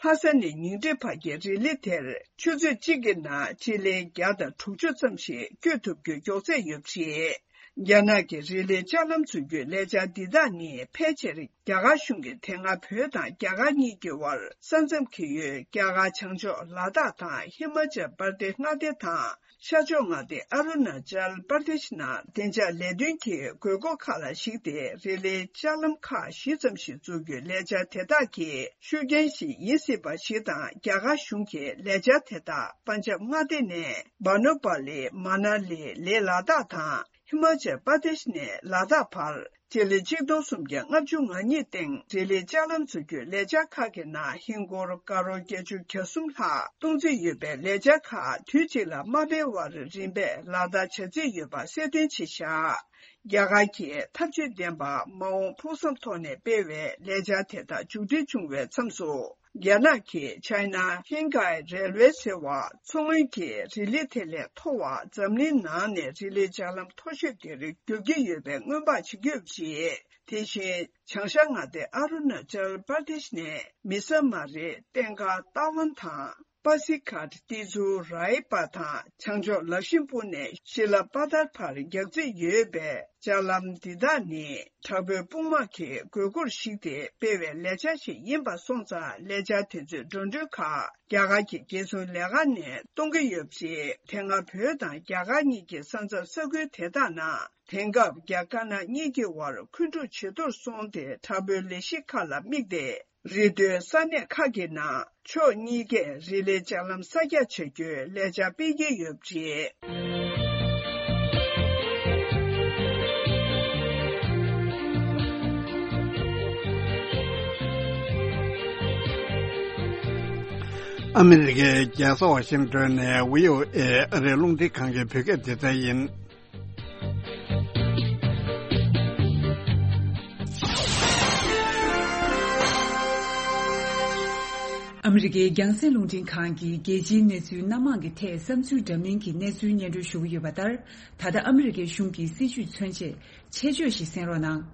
ལྷ་ས་ནས་ཉིང་ཁྲི་བར་གྱི་རི་ལི་དེར་ཆུ་ཚོད་གཅིག་གི་ནང་སྤྱི་ལེ་བརྒྱ་དང་དྲུག་ཅུ་ཙམ་ཞིག་བསྐྱོད་ཐུབ་རྒྱུའི་མགྱོགས་ཚད་ཡོད་པ་རེད། རྒྱ་ནག་གི་རི་ལིའི་ལྕགས་ལམ་འཛུགས་རྒྱུའི་ལས་འཆར་འདི་དག་ནི། ཕལ་ཆེར་རྒྱ་གར་གཞུང་གིས་དེ་སྔ་བོད་དང་རྒྱ་གར་གཉིས་ཀྱི་དབར་ས་མཚམས་ཀྱི་ཡུལ་རྒྱ་གར་བྱང་ཕྱོགས་ལ་དྭགས་དང་ཧི་མ་ཅལ་པར་དེ་མངའ་སྡེ་དང་། ཤར་ཕྱོགས་མངའ་སྡེ་ཨ་རུ་ན་ཅལ་པར་དེཤ་ནང་བདེ་འཇགས་ལས་དོན་གྱི་དགོས་མཁོ་ཁག་ལ་གཞིགས་ཏེ། རི་ལིའི་ལྕགས་ལམ་ཁག་བཞི་ཙམ་ཞིག་འཛུགས་རྒྱུའི་ལས་འཆར་དེ་དག་གི་ཤུགས་རྐྱེན་ཞིག་ཡིན་སྲིད་པ་ཞིག་དང་། རྒྱ་གར་གཞུང་གིས་ལས་འཆར་དེ་དག་པན་ཇབ་མངའ་སྡེ་ནས་བ་ནོ་པ་ལི། མ་ན་ལི། ལེ་ལ་དྭགས་དང་། ཧི་མ་ཅལ་པར་དེཤ་ནས་ལ་དྭགས་བར་སྤྱི་ལེ་གཅིག་སྟོང་སུམ་བརྒྱ་ལྔ་བཅུ་ང་གཉིས་སྟེང་རི་ལི་ལྕགས་ལམ་འཛུགས་རྒྱུའི་ལས་འཆར་ཁག་གི་ནང་ཧིན་སྒོར་ཀ་རོར་བརྒྱད་ཅུ་གྱ་གསུམ་ལྷག་གཏོང་རྩིས་ཡོད་པའི་ལས་འཆར་ཁག་དུས་གཅིག་ལ་མ་སྤེལ་བར་རིམ་པས་ལག་བསྟར་བྱ་རྩིས་ཡོད་པ་གསལ་སྟོན་བྱས་བཞག་རྒྱ་གར་གྱིས་ཐབས་ཇུས་ལྡན་པ་མ་འོངས་ཕུགས་བསམ་ཐོག་ནས་སྤེལ་བའི་ལས་འཆར་དེ་དག་མཇུག་སྒྲིལ་བྱུང་བའི་མཚམས་སུ། རྒྱ་ནག་གིས་China Hengkai Railway ཟེར་བ་མཚོ་སྔོན་གྱི་རི་ལི་དེ་ལས་མཐོ་བ་འཛམ་གླིང་ནང་ནས་རི་ལི་ལྕགས་ལམ་མཐོ་ཤོས་དེར་བསྒྱུར་གྱི་ཡོད་པའི་སྔོན་དཔག་བྱེད་ཀྱི་ཡོད་པ་རེད། དེ་བཞིན་བྱང་ཤར་མངའ་སྡེ་ཨ་རུ་ན་ཅལ་པར་དེཤ་ནས་མི་ས་མ་རི་སྟེང་ཁ་ཏཱ་ཝན་དང་། པ་སི་ཁཱད་ཏི་ཛུ་རའི་པ་དང་བྱང་ཕྱོགས་ལག་ཤིམ་པུ་ནས་ཤི་ལ་པ་ཐར་བར་རྒྱག་རྩིས་ཡོད་པའི་ལྕགས་ལམ་འདི་དག་ནི་དྲག་པོའི་དཔུང་དམག་གི་དགོས་མཁོར་གཞིགས་ཏེ་སྤེལ་བའི་ལས་འཆར་ཞིག་ཡིན་པ་སོང་ཙང་ལས་འཆར་དེ་ཚོའི་འགྲོ་གྲོན་ཁག་རྒྱ་གར་གྱི་རྒྱལ་སྲུང་ལས་ཁང་ནས་གཏོང་གི་ཡོད་པ་རེད། དེ་སྔ་བོད་དང་རྒྱ་གར་གཉིས་ཀྱི་ས་མཚམས་ས་ཁུལ་དེ་དག་ནང་དེང་སྐབས་རྒྱ་དཀར་ནག་གཉིས་ཀྱི་དབར་འཁོན་འཁྲུག་ཇེ་མཐོར་སོང་སྟེ་དྲག་པོའི་ལས་གཞི་ཁག་ལ་དམིགས་ཏེ། རི་མཐོའི་ས་གནས་ཁག་གི་ནང་ཕྱོགས་གཉིས་ཀས་རི་ལི་ལྕགས་ལམ་གསར་རྒྱག་བྱ་རྒྱུའི་ལས་འཆར་སྤེལ་གྱི་ཡོད་པ་རེད། ཨ་མི་རི་ཀའི་རྒྱལ་ས་ཝ་ཤིང་ཏོན་ནས་བྷི་ཨོ་ཨེ་ཨ་རིའི་རླུང་འཕྲིན་ཁང་གི་བོད་སྐད་སྡེ་ཚན་ཡིན། ཨ་མི་རི་ཀའི་རྒྱང་སྲིང་རླུང་འཕྲིན་ཁང་གིས་རྒྱལ་སྤྱིའི་གནས་ཚུལ་སྣ་མང་གི་ཐད་བསམ་ཚུལ་འདྲ་མིན་གྱི་གནས་ཚུལ་སྙན་སྒྲོན་ཞུ་གི་ཡོད་པ་ལྟར། ད་ལྟ་ཨ་མི་རི་ཀའི་གཞུང་གི་སྲིད་བྱུས་མཚོན་ཆེད་ཆེད་བརྗོད་ཞིག་གསན་རོགས་གནང་།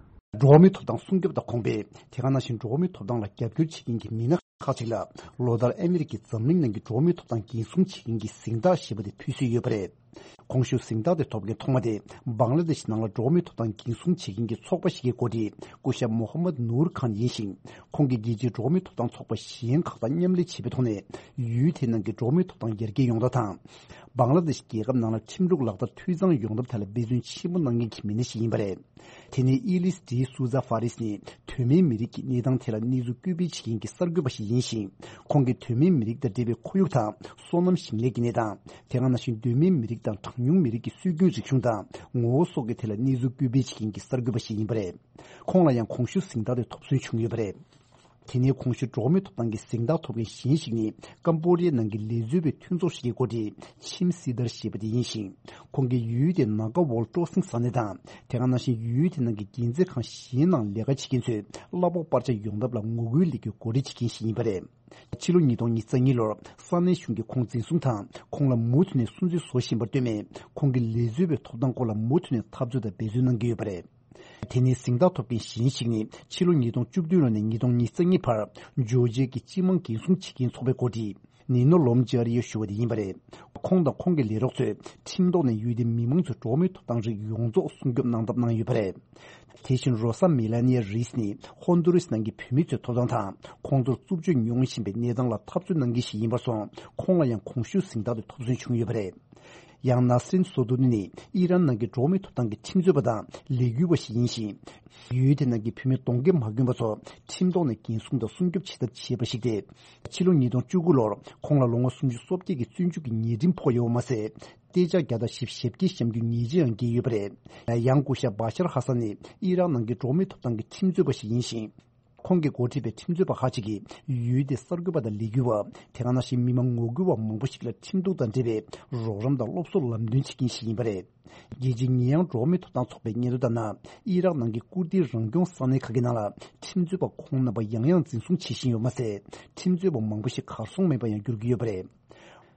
འགྲོ་བ་མིའི་ཐོབ་ཐང་སྲུང་སྐྱོབ་དང་གོང་འཕེལ། དེ་ག་ནང་བཞིན་འགྲོ་བ་མིའི་ཐོབ་ཐང་ལ་རྒྱབ་སྐྱོར་བྱེད་མཁན་གྱི་མི་སྣ་ཁག་ཅིག་ལ་ལོ་ལྟར་ཨ་མི་རི་ཀའི་འཛམ་གླིང་ནང་གི་འགྲོ་བ་མིའི་ཐོབ་ཐང་འགན་སྲུང་བྱེད་མཁན་གྱི་གཟེངས་རྟགས་ཞེས་པ་དེ་ཕུལ་སྲོལ་ཡོད་པ་རེད། གོང་ཞུས་གཟེངས་རྟགས་དེ་ཐོབ་མཁན་ཐོག་མ་དེ་བང་ལ་དེ་ཤི་ནང་ལ་འགྲོ་བ་མིའི་ཐོབ་ཐང་འགན་སྲུང་བྱེད་མཁན་གྱི་ཚོགས་པ་ཞིག་གི་འགོ་ཁྲིད་སྐུ་ཞབས་མོ་ཧམ་མད་ནུར་ཁཱན་ཡིན་ཞིང་། ཁོང་གིས་རྒྱལ་སྤྱིའི་འགྲོ་བ་མིའི་ཐོབ་ཐང་ཚོགས་པ་གཞན་ཁག་དང་མཉམ་ལས་བྱེད་པའི་ཐོག་ནས་ཡུལ་དེའི་ནང་གི་འགྲོ་བ་མིའི་ཐོབ་ཐང་ཡར་རྒྱས་ཡོང་ཐབས་དང་། བང་ལ་དེ་ཤི་རྒྱལ་ཁབ་ནང་ལ་ཁྲིམས་ལུགས་ལག་བསྟར་འཐུས་ཚང་ཡོང་ཐབས་ཐད་ལ་འབད་བརྩོན་ཆེན་པོ་གནང་མཁན་གྱི་མི་སྣ་ཞིག་ཡིན་པ་རེད། དེ་ནས་ཨི་ལིས་ཌི་སུ་ཛ་ཧྥ་རིས་ནི་དོན་མེད་མི་རིགས་ཀྱི་གནས་སྟངས་ཐད་ལ་གནས་ཚུལ་བཀོད་སྤེལ་བྱེད་མཁན་གྱི་གསར་འགོད་པ་ཞིག་ཡིན་ཞིང་། ཁོང་གིས་དོན་མེད་མི་རིགས་དང་འབྲེལ་བའི་ཁོར་ཡུག་དང་སོ་ནམ་ཞིང་ལས་ཀྱི་གནས་སྟངས། དེ་ག་ནང་བཞིན་དོན་མེད་མི་རིགས་དང་གྲངས་ཉུང་མི་རིགས་ཀྱི་སྲོལ་རྒྱུན་རིག་གཞུང་དང་ངོ་བོ་སོགས་ཀྱི་ཐད་ལ་གནས་ཚུལ་བཀོད་སྤེལ་བྱེད་མཁན་གྱི་གསར་འགོད་པ་ཞིག་ཡིན་པ་རེད། ཁོང་ལ་ཡང་གོང་ཞུས་གཟེངས་རྟགས་དེ་ཐོབ་སོན་བྱུང་ཡོད་པ་རེད། དེ་ནས་གོང་ཞུས་འགྲོ་བ་མིའི་ཐོབ་ཐང་གི་གཟེངས་རྟགས་ཐོབ་མཁན་གཞན་ཞིག་ནི་ཀམ་པོ་ཌི་ཡའི་ནང་གི་ལས་བཟོ་བའི་མཐུན་ཚོགས་ཤིག་གི་འགོ་ཁྲིད་ཆིམ་སི་དར་ཞེས་པ་དེ་ཡིན་ཞིང་། ཁོང་གིས་ཡུལ་དེའི་ནཱ་ག་ཝོལ་སྤྲོ་གསེང་ས་གནས་དང་། དེ་ག་ནང་བཞིན་ཡུལ་དེ་ནང་གི་རྒྱལ་མཛེས་ཁང་གཞན་ནང་ལས་ཀ་བྱེད་མཁན་ཚོས་གླ་ཕོགས་སྤར་ཆ་ཡོང་ཐབས་ལ་ངོ་རྒོལ་ལས་འགུལ་འགོ་ཁྲིད་བྱེད་མཁན་ཞིག་ཡིན་པ་རེད། ཕྱི་ལོ་ཉིས་སྟོང་ཉི་ཤུ་རྩ་གཉིས་ལོར་ས་གནས་གཞུང་གིས་ཁོང་འཛིན་བཟུང་དང་ཁོང་ལ་མུ་མཐུད་ནས་སུན་གཙེར་བཟོ་བཞིན་པར་ལྟོས་མེད། ཁོང་གི་ལས་བཟོ་བའི་ཐོབ་ཐང་སྐོར་ལ་མུ་མཐུད་ནས་འཐབ་རྩོད་དང་འབད་བརྩོན་གནང་གི་ཡོད་པ་རེད། དེ་ནས་གཟེངས་རྟགས་ཐོབ་མཁན་གཞན་ཞིག་ནི་ཕྱི་ལོ་ཉིས་སྟོང་བཅུ་བདུན་ལོ་ནས་ཉིས་སྟོང་ཉི་ཤུ་རྩ་གཉིས་བར་ཇོར་ཇི་ཡ་གི་སྤྱི་དམངས་འགན་སྲུང་བྱེད་མཁན་ཚོགས་པའི་འགོ་ཁྲིད་ནི་ནོ་ལོམ་ཇི་ཨ་རི་ཡོ་ཞུ་བ་དེ་ཡིན་པ་རེད། ཁོང་དང་ཁོང་གི་ལས་རོགས་ཚོས་ཁྲིམས་ཐོག་ནས་ཡུལ་དེའི་མི་མང་ཚོའི་འགྲོ་བ་མིའི་ཐོབ་ཐང་རིགས་ཡོངས་རྫོགས་སྲུང་སྐྱོབ་གནང་ཐབས་གནང་ཡོད་པ་རེད། དེ་བཞིན་རོ་ས་མེ་ལ་ནི་ཡ་རིས་ནི་ཧོན་དུ་རིས་ནང་གི་བོད་མི་ཚོའི་ཐོབ་ཐང་དང་ཁོང་ཚོར་རྩུབ་སྤྱོད་མྱོང་བཞིན་པའི་གནས་སྟངས་ལ་འཐབ་རྩོད་གནང་མཁན་ཞིག་ཡིན་པར་སོང་། ཁོང་ལ་ཡང་གོང་ཞུས་གཟེངས་རྟགས་དེ་ཐོབ་སོན་བྱུང་ཡོད་པ་རེད། ཡང་ན་སྲིན་སོ་ཏུ་ནི་ནི་ཨི་རན་ནང་གི་འགྲོ་བ་མིའི་ཐོབ་ཐང་གི་ཁྲིམས་རྩོད་པ་དང་ལས་འགུལ་བ་ཞིག་ཡིན་ཞིང་། ཡུལ་དེ་ནང་གི་བོད་མི་གདོང་རྒྱན་མ་གྱོན་པ་ཚོ་ཁྲིམས་ཐོག་ནས་འགན་སྲུང་དང་སྲུང་སྐྱོབ་བྱེད་ཐབས་བྱས་པ་ཞིག་སྟེ། ཕྱི་ལོ་ཉིས་སྟོང་བཅུ་དགུ་ལོར་ཁོང་ལ་ལོ་ངོ་སུམ་ཅུ་སོ་བརྒྱད་ཀྱི་བཙོན་འཇུག་གི་ཉེས་ཁྲིམས་ཕོག་ཡོད་པ་མ་ཟད། གཏད་ཆགས་བརྒྱ་དང་བཞི་བཅུ་ཞེ་བརྒྱད་བཤམས་རྒྱུའི་ཉེས་ཆད་ཡང་འགེལ་ཡོད་པ་རེད། ཡང་སྐུ་ཞབས་བྷ་ཤར་ཧ་སན་ནི་ཨི་རག་ནང་གི་འགྲོ་བ་མིའི་ཐོབ་ཐང་གི་ཁྲིམས་རྩོད་པ་ཞིག་ཡིན་ཞིང་། ཁོང་གིས་འགོ་ཁྲིད་པའི་ཁྲིམས་རྩོད་པ་ཁག་ཅིག་གིས་ཡུལ་དེའི་གསར་འགོད་པ་དང་ལས་འགུལ་བ། དེ་ག་ནང་བཞིན་མི་མང་ངོ་རྒོལ་བ་མང་པོ་ཞིག་ལ་ཁྲིམས་གཏུག་དང་འབྲེལ་བའི་རོགས་རམ་དང་སློབ་གསོ་ལམ་སྟོན་བྱེད་མཁན་ཞིག་ཡིན་པ་རེད། རྒྱལ་སྤྱིའི་ཉེས་ཡངས་འགྲོ་བ་མིའི་ཐོབ་ཐང་ཚོགས་པའི་སྙན་ཐོ་ལྟར་ན། ཨི་རག་ནང་གི་ཀུར་དིའི་རང་སྐྱོང་ས་གནས་ཁག་གི་ནང་ལ་ཁྲིམས་རྩོད་པ་ཁོང་རྣམ་པ་ཡང་ཡང་འཛིན་བཟུང་བྱེད་བཞིན་ཡོད་མ་ཟད། ཁྲིམས་རྩོད་པ་མང་པོ་ཞིག་གར་སོང་མེད་པ་ཡང་འགྱུར་གྱི་ཡོད་པ་རེད།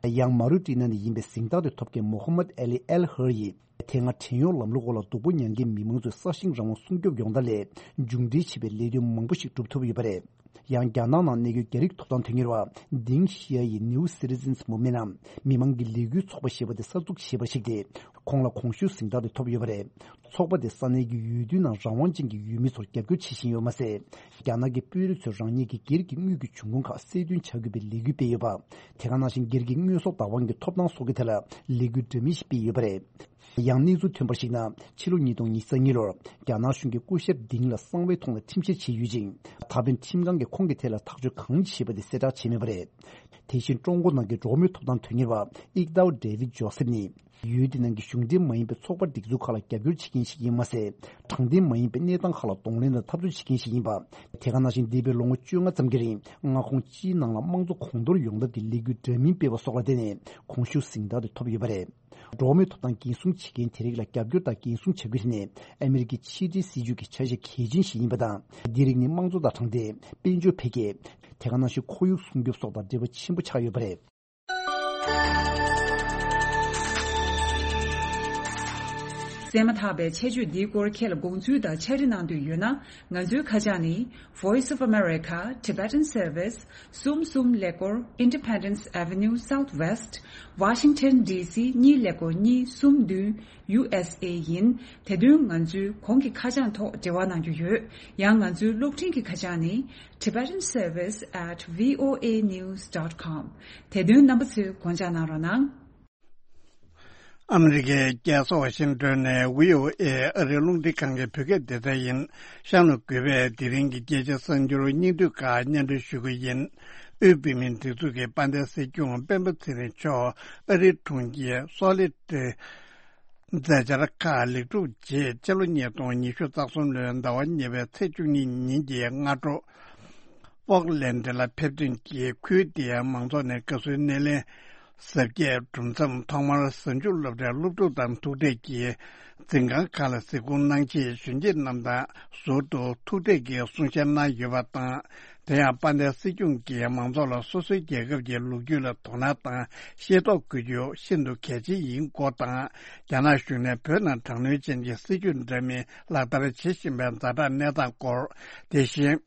ཡང་མ་རུ་ཏི་ན་ནས་ཡིན་པའི་གཟེངས་རྟགས་དེ་ཐོབ་མཁན་མོ་ཧམ་མད་ཨ་ལི་ཨེལ་ཧར་ཡིས། དེ་སྔ་བྲན་གཡོག་ལམ་ལུགས་འོག་ལ་སྡུག་པོ་མྱངས་མཁན་མི་མང་ཚོའི་སྲ་ཞིང་རང་དབང་སྲུང་སྐྱོབ་ཡོང་ཐབས་སླད་མཇུག་འབྲས་ཆེ་བའི་ལས་དོན་མང་པོ་ཞིག་སྒྲུབ་ཐུབ་ཡོད་པ་རེད། ཡང་རྒྱ་ནག་ནང་གནས་སྡོད་རྒྱ་རིགས་ཐོབ་ཐང་དོན་གཉེར་བ་ཌིང་ཤི་ཡ་ཡིས་New Citizens Movement ནམ་མི་མང་གི་ལས་འགུལ་ཚོགས་པ་ཞེས་པ་དེ་གསར་འཛུགས་བྱས་པར་གཞིགས་ཏེ། ཁོང་ལ་གོང་ཞུས་གཟེངས་རྟགས་དེ་ཐོབ་ཡོད་པ་རེད། ཚོགས་པ་དེ་ས་གནས་ཀྱི་ཡུལ་དུས་ནང་རང་དབང་ཅན་གྱི་ཡུལ་མི་ཚོར་རྒྱབ་སྐྱོར་བྱེད་བཞིན་ཡོད་མ་ཟད། རྒྱ་ནག་གི་དཔོན་རིགས་ཚོས་རང་ཉིད་ཀྱི་སྒེར་གྱི་དངུལ་གྱི་འབྱུང་ཁུངས་ཁག་གསལ་སྟོན་བྱ་དགོས་པའི་ལས་འགུལ་སྤེལ་ཡོད་པ། དེ་ག་ནང་བཞིན་སྒེར་གྱི་དངོས་ཟོག་བདག་དབང་གི་ཐོབ་ཐང་སོགས་ཀྱི་ཐད་ལ་ལས་འགུལ་འདྲ་མིན་ཞིག་སྤེལ་ཡོད་པ་རེད། ཡང་གནས་ཚུལ་ཐོན་པར་གཞིགས་ན། ཕྱི་ལོ་ཉིས་སྟོང་ཉི་ཤུ་རྩ་གཉིས་ལོར་རྒྱ་ནག་གཞུང་གིས་སྐུ་ཞབས་ཌིང་ལ་གསང་བའི་ཐོག་ནས་ཁྲིམས་བཤེར་བྱས་ཡོད་ཅིང་། ད་ཕན་ཁྲིམས་ཁང་གིས་ཁོང་གི་ཐད་ལ་ཐག་གཅོད་གང་ཡང་བྱས་པ་དེ་གསལ་བསྒྲགས་བྱས་མེད་པ་རེད། དེ་བཞིན་ཀྲུང་གོ་ནང་གི་འགྲོ་བ་མིའི་ཐོབ་ཐང་དོན་གཉེར་བ་ཨིག་ཏའོ་ཌེ་ཝིད་ཇོ་སེབ་ནི། ཡུལ་དེ་ནང་གི་གཞུང་འབྲེལ་མ་ཡིན་པའི་ཚོགས་པ་སྒྲིག་འཛུགས་ཁག་ལ་རྒྱབ་སྐྱོར་བྱེད་མཁན་ཞིག་ཡིན་མ་ཟད། དྲང་བདེན་མ་ཡིན་པའི་གནས་སྟངས་ཁག་ལ་གདོང་ལེན་དང་འཐབ་རྩོད་བྱེད་མཁན་ཞིག་ཡིན་པ། དེ་ག་ནང་བཞིན་འདས་པའི་ལོ་ངོ་བཅོ་ལྔ་ཙམ་གྱི་རིང་མངའ་ཁོངས་སྤྱིའི་ནང་ལ་དམངས་གཙོ་གོང་མཐོར་ཡོང་ཐབས་ཀྱི་ལས་འགུལ་འདྲ་མིན་སྤེལ་བ་སོགས་ལ་བརྟེན་ནས་གོང་ཞུ་གཟེངས་རྟགས་དེ་ཐོབ་ཡོད་པ་རེད། འགྲོ་བ་མིའི་ཐོབ་ཐང་འགན་སྲུང་བྱེད་མཁན་དེ་རིགས་ལ་རྒྱབ་སྐྱོར་དང་འགན་སྲུང་བྱ་རྒྱུ་དེ་ནི་ཨ་མི་རི་ཀའི་ཕྱི་འབྲེལ་སྲིད་ཇུས་ཀྱི་ཆ་ཤས་གལ་ཆེན་ཞིག་ཡིན་པ་དང་། འདི་རིགས་ནི་དམངས་གཙོ་དང་དྲང་བདེན། དཔལ་འབྱོར་འཕེལ་རྒྱས། དེ་ག་ནང་བཞིན་ཁོར་ཡུག་སྲུང་སྐྱོབ་སོགས་དང་འབྲེལ་བ་ཆེན་པོ་ཆགས་ཡོད་པ་རེད། གསན་མ་ཐག་པའི་ཆེད་བརྗོད་འདིའི་སྐོར་ཁྱེད་ལ་དགོངས་ཚུལ་དང་ཕྱག་བྲིས་གནང་འདོད་ཡོད་ན། ང་ཚོའི་ཁ་བྱང་ནི། Voice of America, Tibetan Service, གསུམ་གསུམ་ཀླད་ཀོར། Independence Avenue Southwest, Washington D C གཉིས་ཀླད་ཀོར་གཉིས་གསུམ་བདུན། U S A ཡིན། དེ་དོན་ང་ཚོའི་གོང་གི་ཁ་བྱང་ཐོག་འབྲེལ་བ་གནང་རྒྱུ་ཡོད། ཡང་ང་ཚོའི་གློག་འཕྲིན་གྱི་ཁ་བྱང་ནི། Tibetan Service at V O A news dot com། དེ་དོན་རྣམ་པ་ཚོས་དགོངས་འཇགས་གནང་རོགས་གནང་། ཨ་མི་རི་ཀའི་རྒྱལ་ས་ཝ་ཤིང་ཏོན་ནས་V O A ཨ་རིའི་རླུང་འཕྲིན་ཁང་གི་བོད་སྐད་སྡེ་ཚན་ཡིན། གཤམ་ལ་གུས་པས་དེ་རིང་གི་རྒྱལ་སྤྱིའི་གསར་འགྱུར་སྙིང་བསྡུས་ཁག་སྙན་སྒྲོན་ཞུ་གི་ཡིན། དབུས་བོད་མིའི་སྒྲིག་འཛུགས་ཀྱི་དཔལ་ལྡན་སྲིད་སྐྱོང་སྤེན་པ་ཚེ་རིང་མཆོག་ཨ་རིའི་གྲོང་ཁྱེར་སོ་ལི་ཏི། མཛད་འཆར་ཁག་ལེགས་གྲུབ་རྗེས་ཕྱི་ལོ་ཉིས་སྟོང་ཉི་ཤུ་རྩ་གསུམ་ལོའི་ཟླ་བ་གཉིས་པའི་ཚེས་བཅུ་གཉིས་ཉིན་གྱི་སྔ་དྲོ། ཕོག་ལན་ཌི་ལ་ཕེབས་ཐོན་གྱིས་ཁུལ་དེའི་མང་ཚོགས་ནས་དགའ་བསུའི་སྣེ་ལེན་གཟབ་རྒྱས་གྲུབ་མཚམས། ཐོག་མར་གཟའ་མཇུག་སློབ་གྲྭའི་སློབ་ཕྲུག་དང་ཐུག་འཕྲད་ཀྱིས་འཛིན་ཁང་ཁག་ལ་གཟིགས་སྐོར་གནང་རྗེས། གཞོན་སྐྱེས་རྣམས་དང་ཟུར་དུ་ཐུག་འཕྲད་ཀྱིས་གསུང་བཤད་གནང་ཡོད་པ་དང་། དེ་ཡང་དཔལ་ལྡན་སྲིད་སྐྱོང་གིས་མང་ཚོགས་ལ་སོ་སོའི་རྒྱལ་ཁབ་ཀྱི་ལོ་རྒྱུས་ལ་དོ་སྣང་དང་ཤེས་རྟོགས་དགོས་རྒྱུ་ཤིན་ཏུ་གལ་ཆེན་ཡིན་སྐོར་དང་། རྒྱ་ནག་གཞུང་ནས་བོད་ནང་དྲག་གནོན་ཅན་གྱི་སྲིད་ཇུས་འདྲ་མིན་ལག་བསྟར་བྱེད་བཞིན་པའི་ཛ་དྲག་གནས་སྟངས་སྐོར། དེ་བཞིན།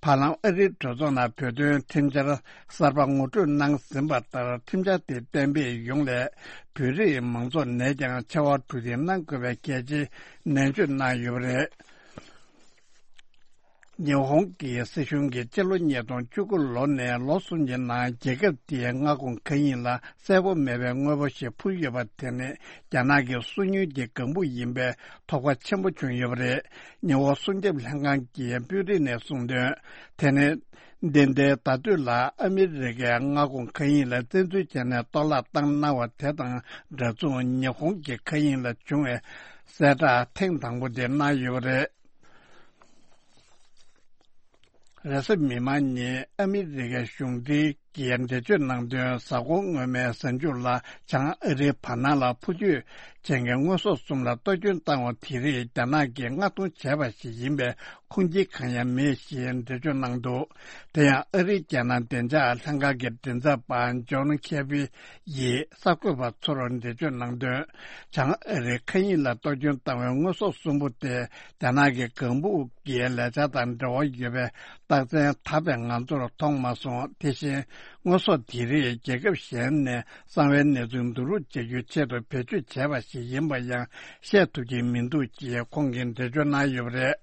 བར་ལམ་ཨ་རིའི་གྲོས་ཚོགས་ནང་བོད་དོན་ཁྲིམས་འཆར་གསར་པ་ངོ་སྤྲོད་གནང་ཟིན་པ་ལྟར། ཁྲིམས་འཆར་དེ་གཏན་འབེབས་ཡོང་སླད་བོད་རིགས་མང་ཚོགས་ནས་ཀྱང་ཕྱར་བ་གྲུ་འདེགས་གནང་དགོས་པའི་གལ་ཆེ་ནན་བརྗོད་གནང་ཡོད་པ་རེད། ཉི་ཧོང་གི་སྲིད་གཞུང་གིས་ཕྱི་ལོ་ཉིས་སྟོང་བཅུ་དགུ་ལོ་ནས་ལོ་གསུམ་གྱི་ནང་རྒྱལ་ཁབ་དེའི་མངའ་ཁོངས་མཁའ་དབྱིངས་ལ་གསལ་པོ་མེད་པའི་དངོས་པོ་ཞིག་འཕུར་ཡོད་པ་དེ་ནི་རྒྱ་ནག་གི་སོ་ཉུལ་གྱི་ལྒང་བུ་ཡིན་པའི་དོགས་པ་ཆེན་པོ་བྱུང་ཡོད་པ་རེད། ཉི་ཧོང་སྲུང་སྐྱོབ་ལྷན་ཁང་གི་དཔོན་རིགས་ནས་གསུངས་དོན། དེ་ནི་འདི་ཟླའི་ཟླ་སྡོད་ལ་ཨ་མི་རི་ཀའི་མངའ་ཁོངས་མཁའ་དབྱིངས་ལ་བཙན་འཛུལ་བྱས་ནས་གཏོར་བརླག་བཏང་གནང་བ་དེ་དང་འདྲ་མཚུངས། ཉི་ཧོང་གི་མཁའ་དབྱིངས་ལ་བྱུང་བའི་གསལ་བསྒྲགས་ཐེངས་དང་པོ་དེ་གནང་ཡོད་པ་རེད། རེས་གཟའ་མིག་དམར་ཉིན་ཨ་མི་རི་ཀའི་གཞུང་འབྲེལ་གྱིས་འགྲེལ་བརྗོད་གནང་དོན། གཟའ་འཁོར་སྔོན་མའི་གཟའ་མཇུག་ལ་བྱང་ཨ་རིའི་བར་སྣང་ལ་འཕུར་སྐྱོད་ཅན་གྱི་དངོས་ཟོག་གསུམ་ལ་གཏོར་སྐྱོན་བཏང་བ་དེ་རིགས་རྒྱ་ནག་གིས་མངགས་གཏོང་བྱས་པ་ཞིག་ཡིན་པའི་ཁུངས་སྐྱེལ་གང་ཡང་མེད་ཞེས་འགྲེལ་བརྗོད་གནང་འདུག་དེ་ཡང་ཨ་རིའི་རྒྱལ་ནང་བདེ་འཇགས་ལྷན་ཁང་གི་མགྲིན་ཚབ་པ་ཇོན་ཁེ་བི་ཡིས་གསར་འགོད་པ་ཚོར་འགྲེལ་བརྗོད་གནང་དོན། བྱང་ཨ་རིའི་མཁའ་དབྱིངས་ལ་གཏོར་སྐྱོན་བཏང་བའི་དངོས་ཟོག་གསུམ་པོ་དེ་རྒྱ་ནག་གི་ལྒང་བུ་གི་ལས་འཆར་དང་འབྲེལ་བ་ཡོད་པའི་རྟགས་མཚན་དག་པའི་ང་ཚོར་མཐོང་མ་སོང་། དེ་བཞིན་དངོས་ཟོག་དེ་རིགས་རྒྱལ་ཁབ་གཞན་ནས་གསང་བའི་གནས་ཚུལ་བསྡུ་རུབ་བྱ་རྒྱུའི་ཆེད་དུ་བེད་སྤྱོད་བྱས་པ་ཞིག་ཡིན་པ་ཡང་བཤད་ཐུབ་ཀྱི་མི་འདུག་ཅེས་ཁོང་གིས་འགྲེལ་བརྗོད་གནང་ཡོད་པ་རེད།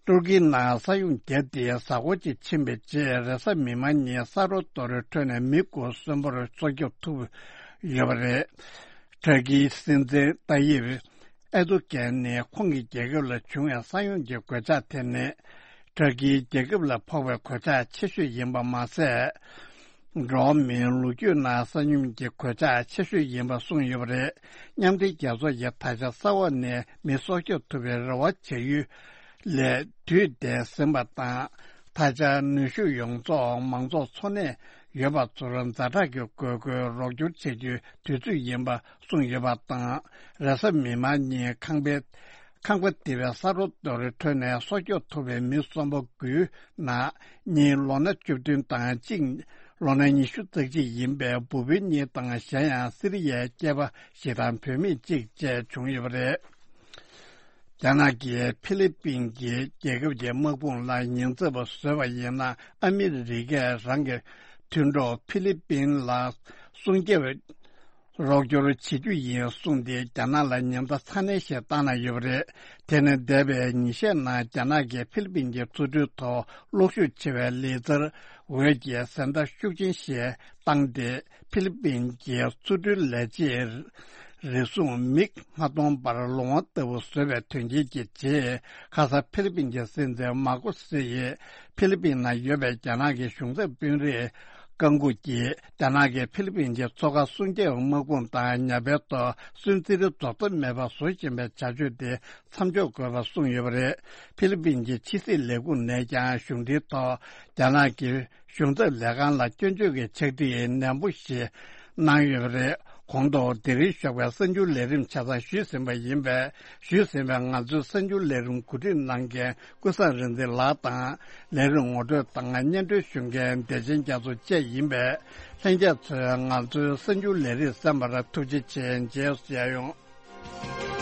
ཏུར་ཀིའི་ནང་ས་ཡོམ་བརྒྱབ་སྟེ་གཟའ་འཁོར་གཅིག་ཕྱིན་པའི་རྗེས། རེས་གཟའ་མིག་དམར་ཉིན་ས་རོ་རྡོ་རོལ་ཁྲོད་ནས་མི་དགུ་གསོན་པོར་སྲོག་སྐྱོབ་ཐུབ་ཡོད་པ་རེད། ཏུར་ཀིའི་སྲིད་འཛིན་ཏཱ་ཡིབ་ཨེར་དོ་གྷན་ནི་ཁོང་གི་རྒྱལ་ཁབ་ལ་བྱུང་བའི་ས་ཡོམ་གྱི་གོད་ཆག་དེ་ནི་ཏུར་ཀིའི་རྒྱལ་ཁབ་ལ་ཕོག་པའི་གོད་ཆག་ཆེ་ཤོས་ཡིན་པ་མ་ཟད། འགྲོ་བ་མིའི་ལོ་རྒྱུས་ནང་ས་ཡོམ་གྱི་གོད་ཆག་ཆེ་ཤོས་ཡིན་པ་གསུངས་ཡོད་པ་རེད། མཉམ་འབྲེལ་རྒྱལ་ཚོགས་ཀྱིས་ད་ཆ་ས་འོག་ནས་མི་སྲོག་སྐྱོབ་ཐུབ་པའི་རེ་བ་བྱ་ཡུལ་ལས་དུས་འདས་ཟིན་པ་དང་། ད་ཆ་ནུས་ཤུགས་ཡོངས་རྫོགས་མང་ཚོགས་འཚོ་གནས་ཡོད་པ་ཚོར་ཛ་དྲག་གི་དགོས་མཁོའི་རོགས་སྐྱོར་བྱ་རྒྱུའི་དུས་ཚོད་ཡིན་པ་གསུངས་ཡོད་པ་དང་། རེས་གཟའ་མིག་དམར་ཉིན་ཁང་པའི་ཁང་པ་དེ་བའི་ས་རོ་རྡོ་རོལ་ཁྲོད་ནས་སྲོག་སྐྱོབ་ཐུབ་པའི་མི་གསོན་པོ་དགུའི་ནང་གཉིས་ལོ་ན་བཅུ་བདུན་དང་གཅིག་ལོ་ན་ཉི་ཤུ་རྩ་གཅིག་ཡིན་པའི་བུ་སྤུན་གཉིས་དང་། གཞན་ཡང་སི་རི་ཡའི་སྐྱེས་པ་ཞིག་དང་བུད་མེད་གཅིག་བཅས་བྱུང་ཡོད་པ་རེད། རྒྱ་ནག་གིས་ཧྥི་ལི་པིན་གྱི་རྒྱལ་ཁབ་ཀྱི་དམག་དཔུང་ལ་ཉེན་ཚབས་པ་བཟོས་པ་ཡིན་ན། ཨ་མི་རི་ཀས་རང་གི་མཐུན་གྲོགས་ཧྥི་ལི་པིན་ལ་སྲུང་སྐྱོབ་རོགས་སྐྱོར་བྱེད་རྒྱུ་ཡིན་གསུངས་ཏེ། རྒྱ་ནག་ལ་ཉེན་བརྡ་ཚ་ནན་ཞིག་བཏང་གནང་ཡོད་པ་རེད། དེ་ནི་འདས་པའི་ཉིན་ཤས་ནང་རྒྱ་ནག་གིས་ཧྥི་ལི་པིན་གྱི་མཚོ་གྲུའི་ཐོག་གློག་ཤུགས་ཆེ་བའི་ལི་ཙར་འོད་ཀྱི་གཟེངས་རྟགས་ཤུགས་ཆེན་ཞིག་བཏང་སྟེ། ཧྥི་ལི་པིན་གྱི་མཚོ་གྲུའི་ལས་བྱེད་ རེ་ཟུང་མིག་མ་མཐོང་བར་ལོང་བ་ལྟ་བུ་བཟོས་པའི་དོན་རྐྱེན་གྱི་རྗེས། ཁ་ས་ཕི་ལི་པིན་གྱི་སྲིད་འཛིན་མཱ་ཀོ་སི་ཡིས་ཕི་ལི་པིན་ནང་ཡོད་པའི་རྒྱ་ནག་གི་གཞུང་ཚབ་དཔོན་རིགས་བཀའ་འགུག་གིས། རྒྱ་ནག་གིས་ཕི་ལི་པིན་གྱི་མཚོ་ཁ་སྲུང་སྐྱོབ་དམག་དཔུང་དང་ཉ་པའི་ཐོག་སུན་གཙེར་རྡོག་རྩ་མེད་པར་བཟོ་བཞིན་པའི་བྱ་སྤྱོད་དེ་མཚམས་འཇོག་དགོས་པ་གསུངས་ཡོད་པ་རེད། ཕི་ལི་པིན་གྱི་ཕྱི་སྲིད་ལས་ཁུངས་ནས་ཀྱང་གཞུང་འབྲེལ་ཐོག་རྒྱ་ནག་གི་གཞུང་ཚབ་ལས་ཁང་ལ་སྐྱོན་བརྗོད་ཀྱི་ཕྱག་བྲིས་ནན་པོ་ཞིག་གནང་ཡོད་པ་རེད། གོང་དུ་དེ་རིང་ཞོགས་པའི་གསར་འགྱུར་ལས་རིམ་ཆ་ཚང་ཞུས་ཟིན་པ་ཡིན་པས། ཞུས་ཟིན་པའི་ང་ཚོའི་གསར་འགྱུར་ལས་རིམ་གོ་སྒྲིག་གནང་མཁན་ཀུན་བཟང་རིག་འཛིན་ལགས་དང་། ལས་རིམ་ངོ་སྤྲོད་དང་སྙན་སྒྲོན་ཞུ་མཁན་བདེ་ཆེན་རྒྱ་མཚོ་བཅས་ཡིན་པས། ལྷན་རྒྱས་ཚོས་ང་ཚོའི་གསར་འགྱུར་ལས་རིམ་གསན་པར་ཐུགས་རྗེ་ཆེ། རྗེས་སུ་མཇལ་ཡོང་།